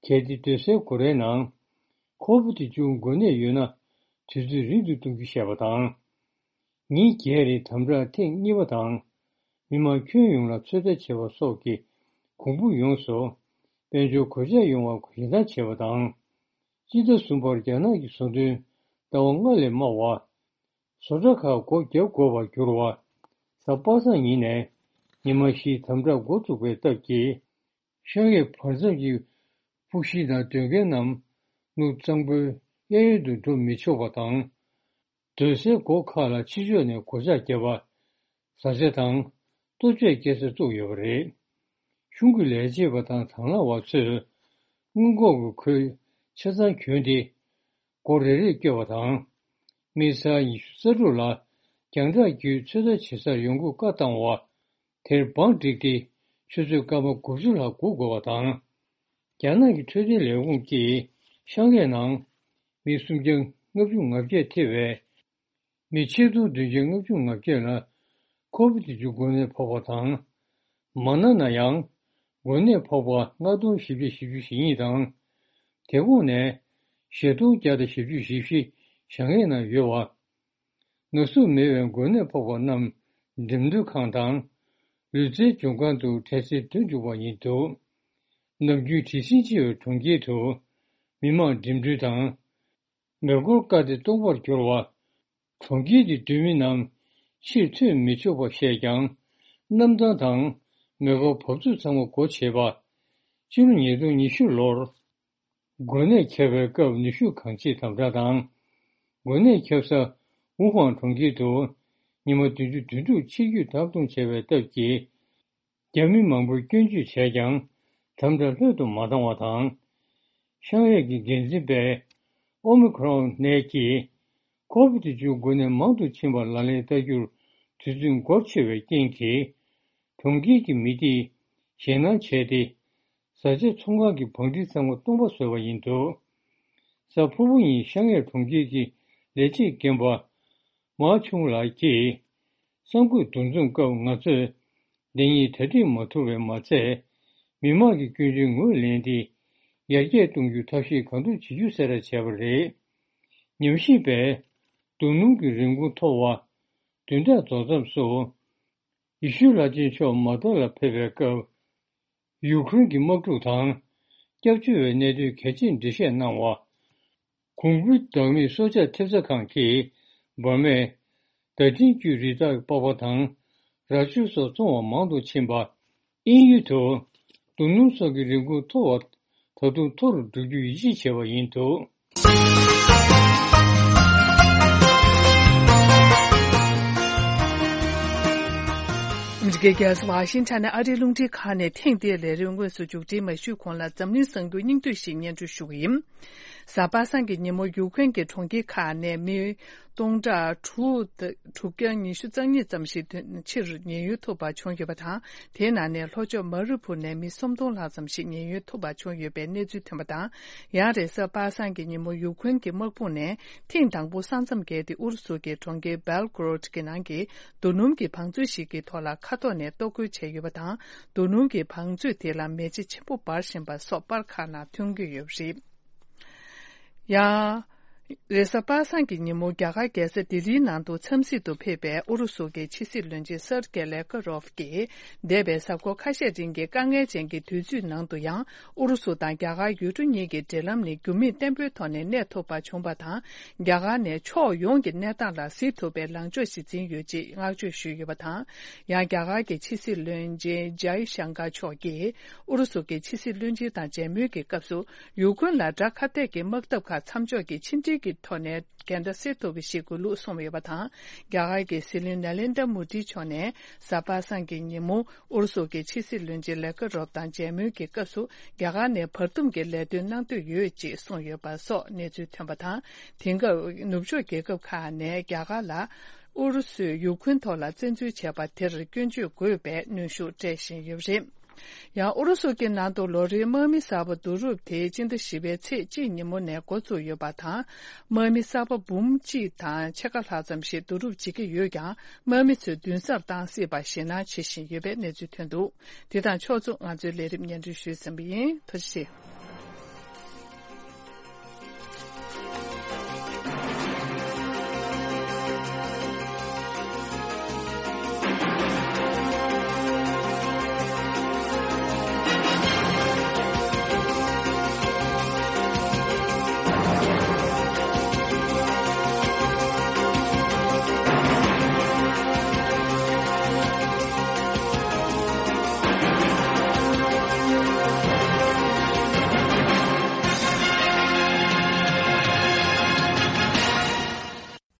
གལ་ཏེ་སྡོད་སའི་སྒོ་རའི་ནང་ཁོ་བོ་དེ་ཅུང་འགོས་ནད་ཡོད་ན། དུས་ཚོད་རིང་དུ་གཏོང་རྒྱུ་བཤད་པ་དང་། ཉིན་བརྒྱད་རིང་དམ་དྲག་ཐེངས་གཉིས་པ་དང་། མི་མང་ཁྱོན་ཡོངས་ལ་ཚོད་ལྟ་བྱེད་པ་སོགས་ཀྱི་གོང་བུ་ཡོངས་སུ་དཔལ་འབྱོར་གོད་ཆག་ཡོང་བར་ཞེ་སྡང་བྱེད་པ་དང་། སྤྱི་ཟླ་གསུམ་པར་རྒྱ་ནག་གི་ཟོ་འདྲེན་ཟླ་བ་ལྔ་ལས་དམའ་བ། བཟོ་གྲྭ་ཁག་སྒོ་བརྒྱབ་དགོས་པར་གྱུར་བ། གཟའ་པ་སངས་ཉིན་ནས་ཉི་མ་བཞིའི་དམ་དྲག་འགོ་བཙུགས་པའི་སྟབས་ཀྱིས། ཤང་ཡའི་བར་མཚམས་ཀྱི་ཕུག་ཤིང་དང་སྡོད་མཁན་རྣམས་ནུབ་གཙང་པོའི་གཡས་གཡོན་དུ་འགྲོ་མི་ཆོག་པ་དང་། སྡོད་སའི་སྒོ་ཁག་ལ་ཕྱི་ཕྱོགས་ནས་སྒོ་ལྕགས་བརྒྱབ་པ། བཟའ་བཅའ་དང་ལྟོ་ཆས་སྐྱེལ་ས་བཙུགས་ཡོད་པ་རེད། གཞུང་གི་ལས་བྱེད་པ་དང་དང་བླངས་པ་ཚོས་སྔོན་འགོག་གི་གོས་ཆ་ཚང་གྱོན་ཏེ། སྒོ་རེ་རེར་བསྐྱོད་པ་དང་། དམིགས་བསལ་ཉི་ཤུ་རྩ་དྲུག་ལ་རྒྱང་བསྒྲགས་བརྒྱུད་ཚོད་ལྟ་བྱེད་སར་ཡོང་སྒོ་བཀག་བཏང་བ། དེར་བང་བསྒྲིགས་ཏེ་ཆུ་ཚོད་སྐར་མ་དགུ་བཅུ་ལྷག་སྒུག་དགོས་པ་དང་། རྒྱ་ནག་གི་འཕྲོད་བསྟེན་ལས་ཁུངས་ཀྱིས་ཤང་ཡའི་ནང་མི་སུམ་བརྒྱ་ལྔ་བཅུ་ང་བརྒྱད་ཐེ་བའི་མི་ཆིག་སྟོང་བདུན་བརྒྱ་ལྔ་བཅུ་ང་བརྒྱད་ལ་ཁོ་བིད་བཅུ་འགོས་ནད་ཕོག་པ་དང་། མ་ན་ན་ཡང་འགོས་ནད་ཕོག་པ་ལྔ་སྟོང་བཞི་བརྒྱ་བཞི་བཅུ་ཞེ་གཉིས་དང་། དེ་འགོས་ནད་བཞི་སྟོང་བརྒྱ་དང་བཞི་བཅུ་ཞེ་བཞི་ཤང་ཡའི་ནང་ཡོད་པ། ན་ཟུག་མེད་པའི་འགོས་ནད་ཕོག་པ་རྣམས་འགྲིམ་འགྲུལ་ཁང་དང་ལུས་རྩལ་སྦྱོང་ཁང་དུ་འཕྲལ་སེལ་སྡོད་འཇུག་པ་ཡིན་འདུག་ནམ་རྒྱུན་དྲི་ཞིམ་ཆེ་བའི་གྲོང་ཁྱེར་དུ་མི་མང་འགྲིམ་འགྲུལ་དང་། མེ་འཁོར་བཀག་སྟེ་སྟོང་པར་གྱུར་བ། གྲོང་ཁྱེར་གྱི་སྡོད་མི་རྣམས་ཕྱིར་ཐོན་མི་ཆོག་པ་བཤད་ཀྱང་། གནམ་ཐང་དང་མེ་འཁོར་བབས་ཚུགས་ཚང་མ་སྒོ་ཕྱེ་བ། ཕྱི་ལོ་ཉིས་སྟོང་ཉི་ཤུ་ལོར། འགོས་ནད་ཁྱབ་པའི་སྐབས་ནུས་ཤུགས་གང་ཆེ་དམ་དྲག་དང་། འགོས་ནད་ཁྱབ་ས་ཝུ་ཧན་གྲོང་ཁྱེར་དུ་ཉི་མ་བདུན་ཅུ་དོན་དྲུག་ཕྱིར་སྐྱོད་བརྡབ་གཏོང་བྱས་པའི་སྟབས་ཀྱིས། རྒྱ་མི་མང་པོས་སྐྱོན་བརྗོད་བྱས་ཀྱང་དམ་དྲག་ལྷོད་དུ་མ་བཏང་བ་དང་། ཤང་ཡའི་གི་འགན་འཛིན་པས་ཨོ་མི་ཁྲོན་ནད་ཀྱིས་ཁོ་བིད་བཅུ་འགོས་ནད་མང་དུ་ཕྱིན་པར་ལག་ལེན་བསྟར་རྒྱུར་དུས་ཚོད་འགོར་ཆེ་བའི་རྐྱེན་གྱིས། གྲོང་ཁྱེར་གྱི་མི་སྡེས་ཞེད་སྣང་བྱས་ཏེ། བཟའ་བཅའ་ཚོང་ཁང་གི་བང་སྒྲིག་ཚང་མ་སྟོང་པ་བཟོས་པ་ཡིན་འདུག་གཟའ་ཕུར་བུ་ཉིན་ཤང་ཡའི་གྲོང་ཁྱེར་གྱི་ལས་བྱེད་རྒན་པ་མཱ་ཆུང་ལགས་ཀྱིས། གསར་འགོད་འདུ་འཛོམས་སྐབས་ང་ཚོས་འདི་ཉིད་གྲ་སྒྲིག་མ་ཐུབ་པས་མ་ཚད། མི་མང་གི་སྐྱོན་བརྗོད་ངོས་ལེན་ཏེ། ཡར་རྒྱས་གཏོང་རྒྱུའི་ཐབས་ཤེས་གང་ཐུབ་བྱེད་རྒྱུ་གསལ་བསྒྲགས་བྱས་པ་རེད། ཉམས་ཞིབ་པས། རྡོ་སྣུམ་གྱི་རིན་གོང་མཐོ་བ། བདུན་ཕྲག་རྫོགས་མཚམས་སུ། ཡེ་ཤུའི་བླ་ཆེན་མཆོག་མ་ཏཱ་ལ་ཕེབས་པའི་སྐབས། ཡུཀ་རེན་གྱི་དམག་འཁྲུག་དང་། སྐྱབས་བཅོལ་བའི་གནད་དོན་གལ་ཆེར་འགྲེལ་བཤད་གནང་བ། གོང་བུའི་བདག་མེད་སྲོག་ཆགས་ཐེབས་རྩ་ཁང་གིས་འབར་མའི་བརྡ་འཕྲིན་བརྒྱུད་རི་དྭགས་པགས་པ་དང་ར་ཅོ་སོགས་བཙོང་བ་མང་དུ་ཕྱིན་པ། དབྱིན་ཡུལ་དུ་རྡོ་སྣུམ་སོགས་ཀྱི་རིན་གོང་མཐོ་བ་ད་དུང་མཐོ་རུ་འགྲོ་རྒྱུ་ཡིད་ཆེས་བྱས་པ་ཡིན་འདུག་ཨ་མི་རི་ཀའི་རྒྱལ་ས་ཝ་ཤིང་ཊོན་ནས་ཨ་རིའི་རླུང་འཕྲིན་ཁང་ནས་ཐེངས་འདིའི་ལས་རིམ་དངོས་སུ་མཇུག་སྒྲིལ་མ་ཞུས་གོང་ལ་འཛམ་གླིང་གསར་འགྱུར་སྙིང་བསྡུས་ཤིག་སྙན་སྒྲོན་ཞུ་གི་ཡིན། གཟའ་པ་སངས་ཀྱི་ཉིན་མོ་ཡུཀ་རེན་གྱི་གྲོང་ཁྱེར་ཁག་ནས་མི་སྟོང་ཕྲག་དྲུག་དྲུག་བརྒྱ་ཉི་ཤུ་རྩ་གཉིས་ཙམ་ཞིག་ཕྱིར་ཉེན་གཡོལ་ཐུབ་པ་བྱུང་ཡོད་པ་དང་། དེའི་ནང་ནས་ལྷོ་ཕྱོགས་མ་རི་ཕུར་ནས་མི་སུམ་སྟོང་ལྷག་ཙམ་ཞིག་ཉེན་གཡོལ་ཐུབ་པ་བྱུང་ཡོད་པའི་གནས་ཚུལ་ཐོན་པ་དང་། ཡང་རེས་གཟའ་པ་སངས་ཀྱི་ཉིན་མོ་ཡུཀ་རེན་གྱི་དམག་དཔུང་ནས་ཐེངས་དང་པོ་ས་མཚམས་བརྒལ་ཏེ་ཨུ་རུ་སུ་གྱི་གྲོང་ཁྱེར་སྦེལ་གོ་རོད་ཀྱི་ནང་གི་རྡོ་སྣུམ་གྱི་བང་མཛོད་ཞིག་གི་ཐོག་ལ་མཁའ་ཐོག་ནས་གཏོར་རྒོལ་བྱས་ཡོད་པ་དང་། རྡོ་སྣུམ་གྱི་བང་མཛོད་དེ་ལ་མེ་ལྕེ་ཆེན་པོ་འབར་བཞིན་པ་སོགས་པར་ཁག་ནང་ཐོན་གྱི་ཡོད་པ་རེད། ཡང་། རེས་གཟའ་པ་སངས་ཀྱི་ཉིན་མོ་རྒྱ་གར་རྒྱལ་ས་ལྡི་ལིའི་ནང་དུ་འཚམས་གཟིགས་དུ་ཕེབས་པའི་ཨུ་རུ་སུ་གྱི་ཕྱི་སྲིད་བློན་ཆེན་སར་ཀེ་ལེ་ཀ་རོབ་ཀྱིས། འདས་པའི་གཟའ་འཁོར་ཁ་ཤས་རིང་གི་དཀའ་ངལ་ཅན་གྱི་དུས་ཚོད་ནང་དུ་ཡང་། ཨུ་རུ་སུ་དང་རྒྱ་གར་ཡུལ་གྲུ་གཉིས་ཀྱི་འབྲེལ་ལམ་ནི་འགྱུར་མེད་བརྟན་པོའི་ཐོག་ནས་གནས་ཐུབ་པ་བྱུང་བ་དང་། རྒྱ་གར་ནས་ཕྱོགས་ཡོངས་ཀྱི་གནས་སྟངས་ལ་གཟིགས་ཐུབ་པའི་ལངས་ཕྱོགས་ཤིག་འཛིན་ཡོད་ཅེས་བསྔགས་བརྗོད་ཞུས་ཡོད་པ་དང་། ཡང་རྒྱ་གར་གྱི་ཕྱི་སྲིད་བློན་ཆེན་ཇའི་ཤང་ཀར་མཆོག་གིས། ཨུ་རུ་སུ་གྱི་ཕྱི་སྲིད་བློན་ཆེན་དང་མཇལ་མོལ་གྱི་སྐབས་སུ། ཡུ་ཁུན་ལ་དགྲ་ཁ་གཏད་ཀྱི་དམག་འཐབ་ཁག་མཚམས་འཇོག་གི་ཕྱི་འབྲེལ་གྱི་ཐོག་ནས་འགལ་ཟླ་སེལ་ཐུབ་པ་ཞིག་དགོས་ལུགས་གསུངས་ཡོད་པ་དང་། རྒྱ་གར་གྱི་སྲིད་བློན་ནཱ་ལེནྡྲ་མོ་དི་མཆོག་ནས་གཟའ་པ་སངས་ཀྱི་ཉིན་མོ་ཨུ་རུ་སུ་གྱི་ཕྱི་སྲིད་བློན་ཆེན་ལེ་ཀ་རོབ་དང་མཇལ་མོལ་གྱི་སྐབས་སུ། རྒྱ་གར་ནས་བར་འདུམ་གྱི་ལས་དོན་གནང་འདོད་ཡོད་ཅེས་གསུངས་ཡོད་པ་སོགས་གནས་ཚུལ་ཐོན་པ་དང་། དེང་སྐབས་ནུབ་ཕྱོགས་རྒྱལ་ཁབ་ཁག་ནས་རྒྱ་གར་ལ། ཨུ་རུ་སུས་ཡུ་ཁུན་ཐོག་ལ་བཙན་འཛུལ་བྱས་པ་དེར་སྐྱོན་བརྗོད་དགོས་པའི་གནོན་ཤུགས་སྤྲད་བཞིན་ཡོད་པ་རེད། ཡང་ཨུ་རུ་སུ་གྱི་ནང་དུ་ལོ་རེའི་དམག་མི་གསར་པ་བསྡུ་རུབ་དེ་སྤྱི་ཟླ་བཞི་པའི་ཚེས་གཅིག་ཉིན་མོ་ནས་འགོ་བཙུགས་ཡོད་པ་དང་། དམག་མི་གསར་པ་འབུམ་གཅིག་དང་ཕྱེད་ཀ་ལྷག་ཙམ་ཞིག་བསྡུ་རུབ་བྱེད་ཀྱི་ཡོད་ཀྱང་། དམག་མི་ཚོས་འདུན་སར་བཏང་སྲིད་པར་ཞེད་སྣང་བྱེད་བཞིན་ཡོད་པའི་གནས་ཚུལ་ཐོན་འདུག་དེ་དང་ཕྱོགས་མཚུངས་ང་ཚོའི་ལས་རིམ་སྙན་སྒྲོན་ཞུས་ཟིན་པ་ཡིན། ཐུགས་རྗེ་ཆེ།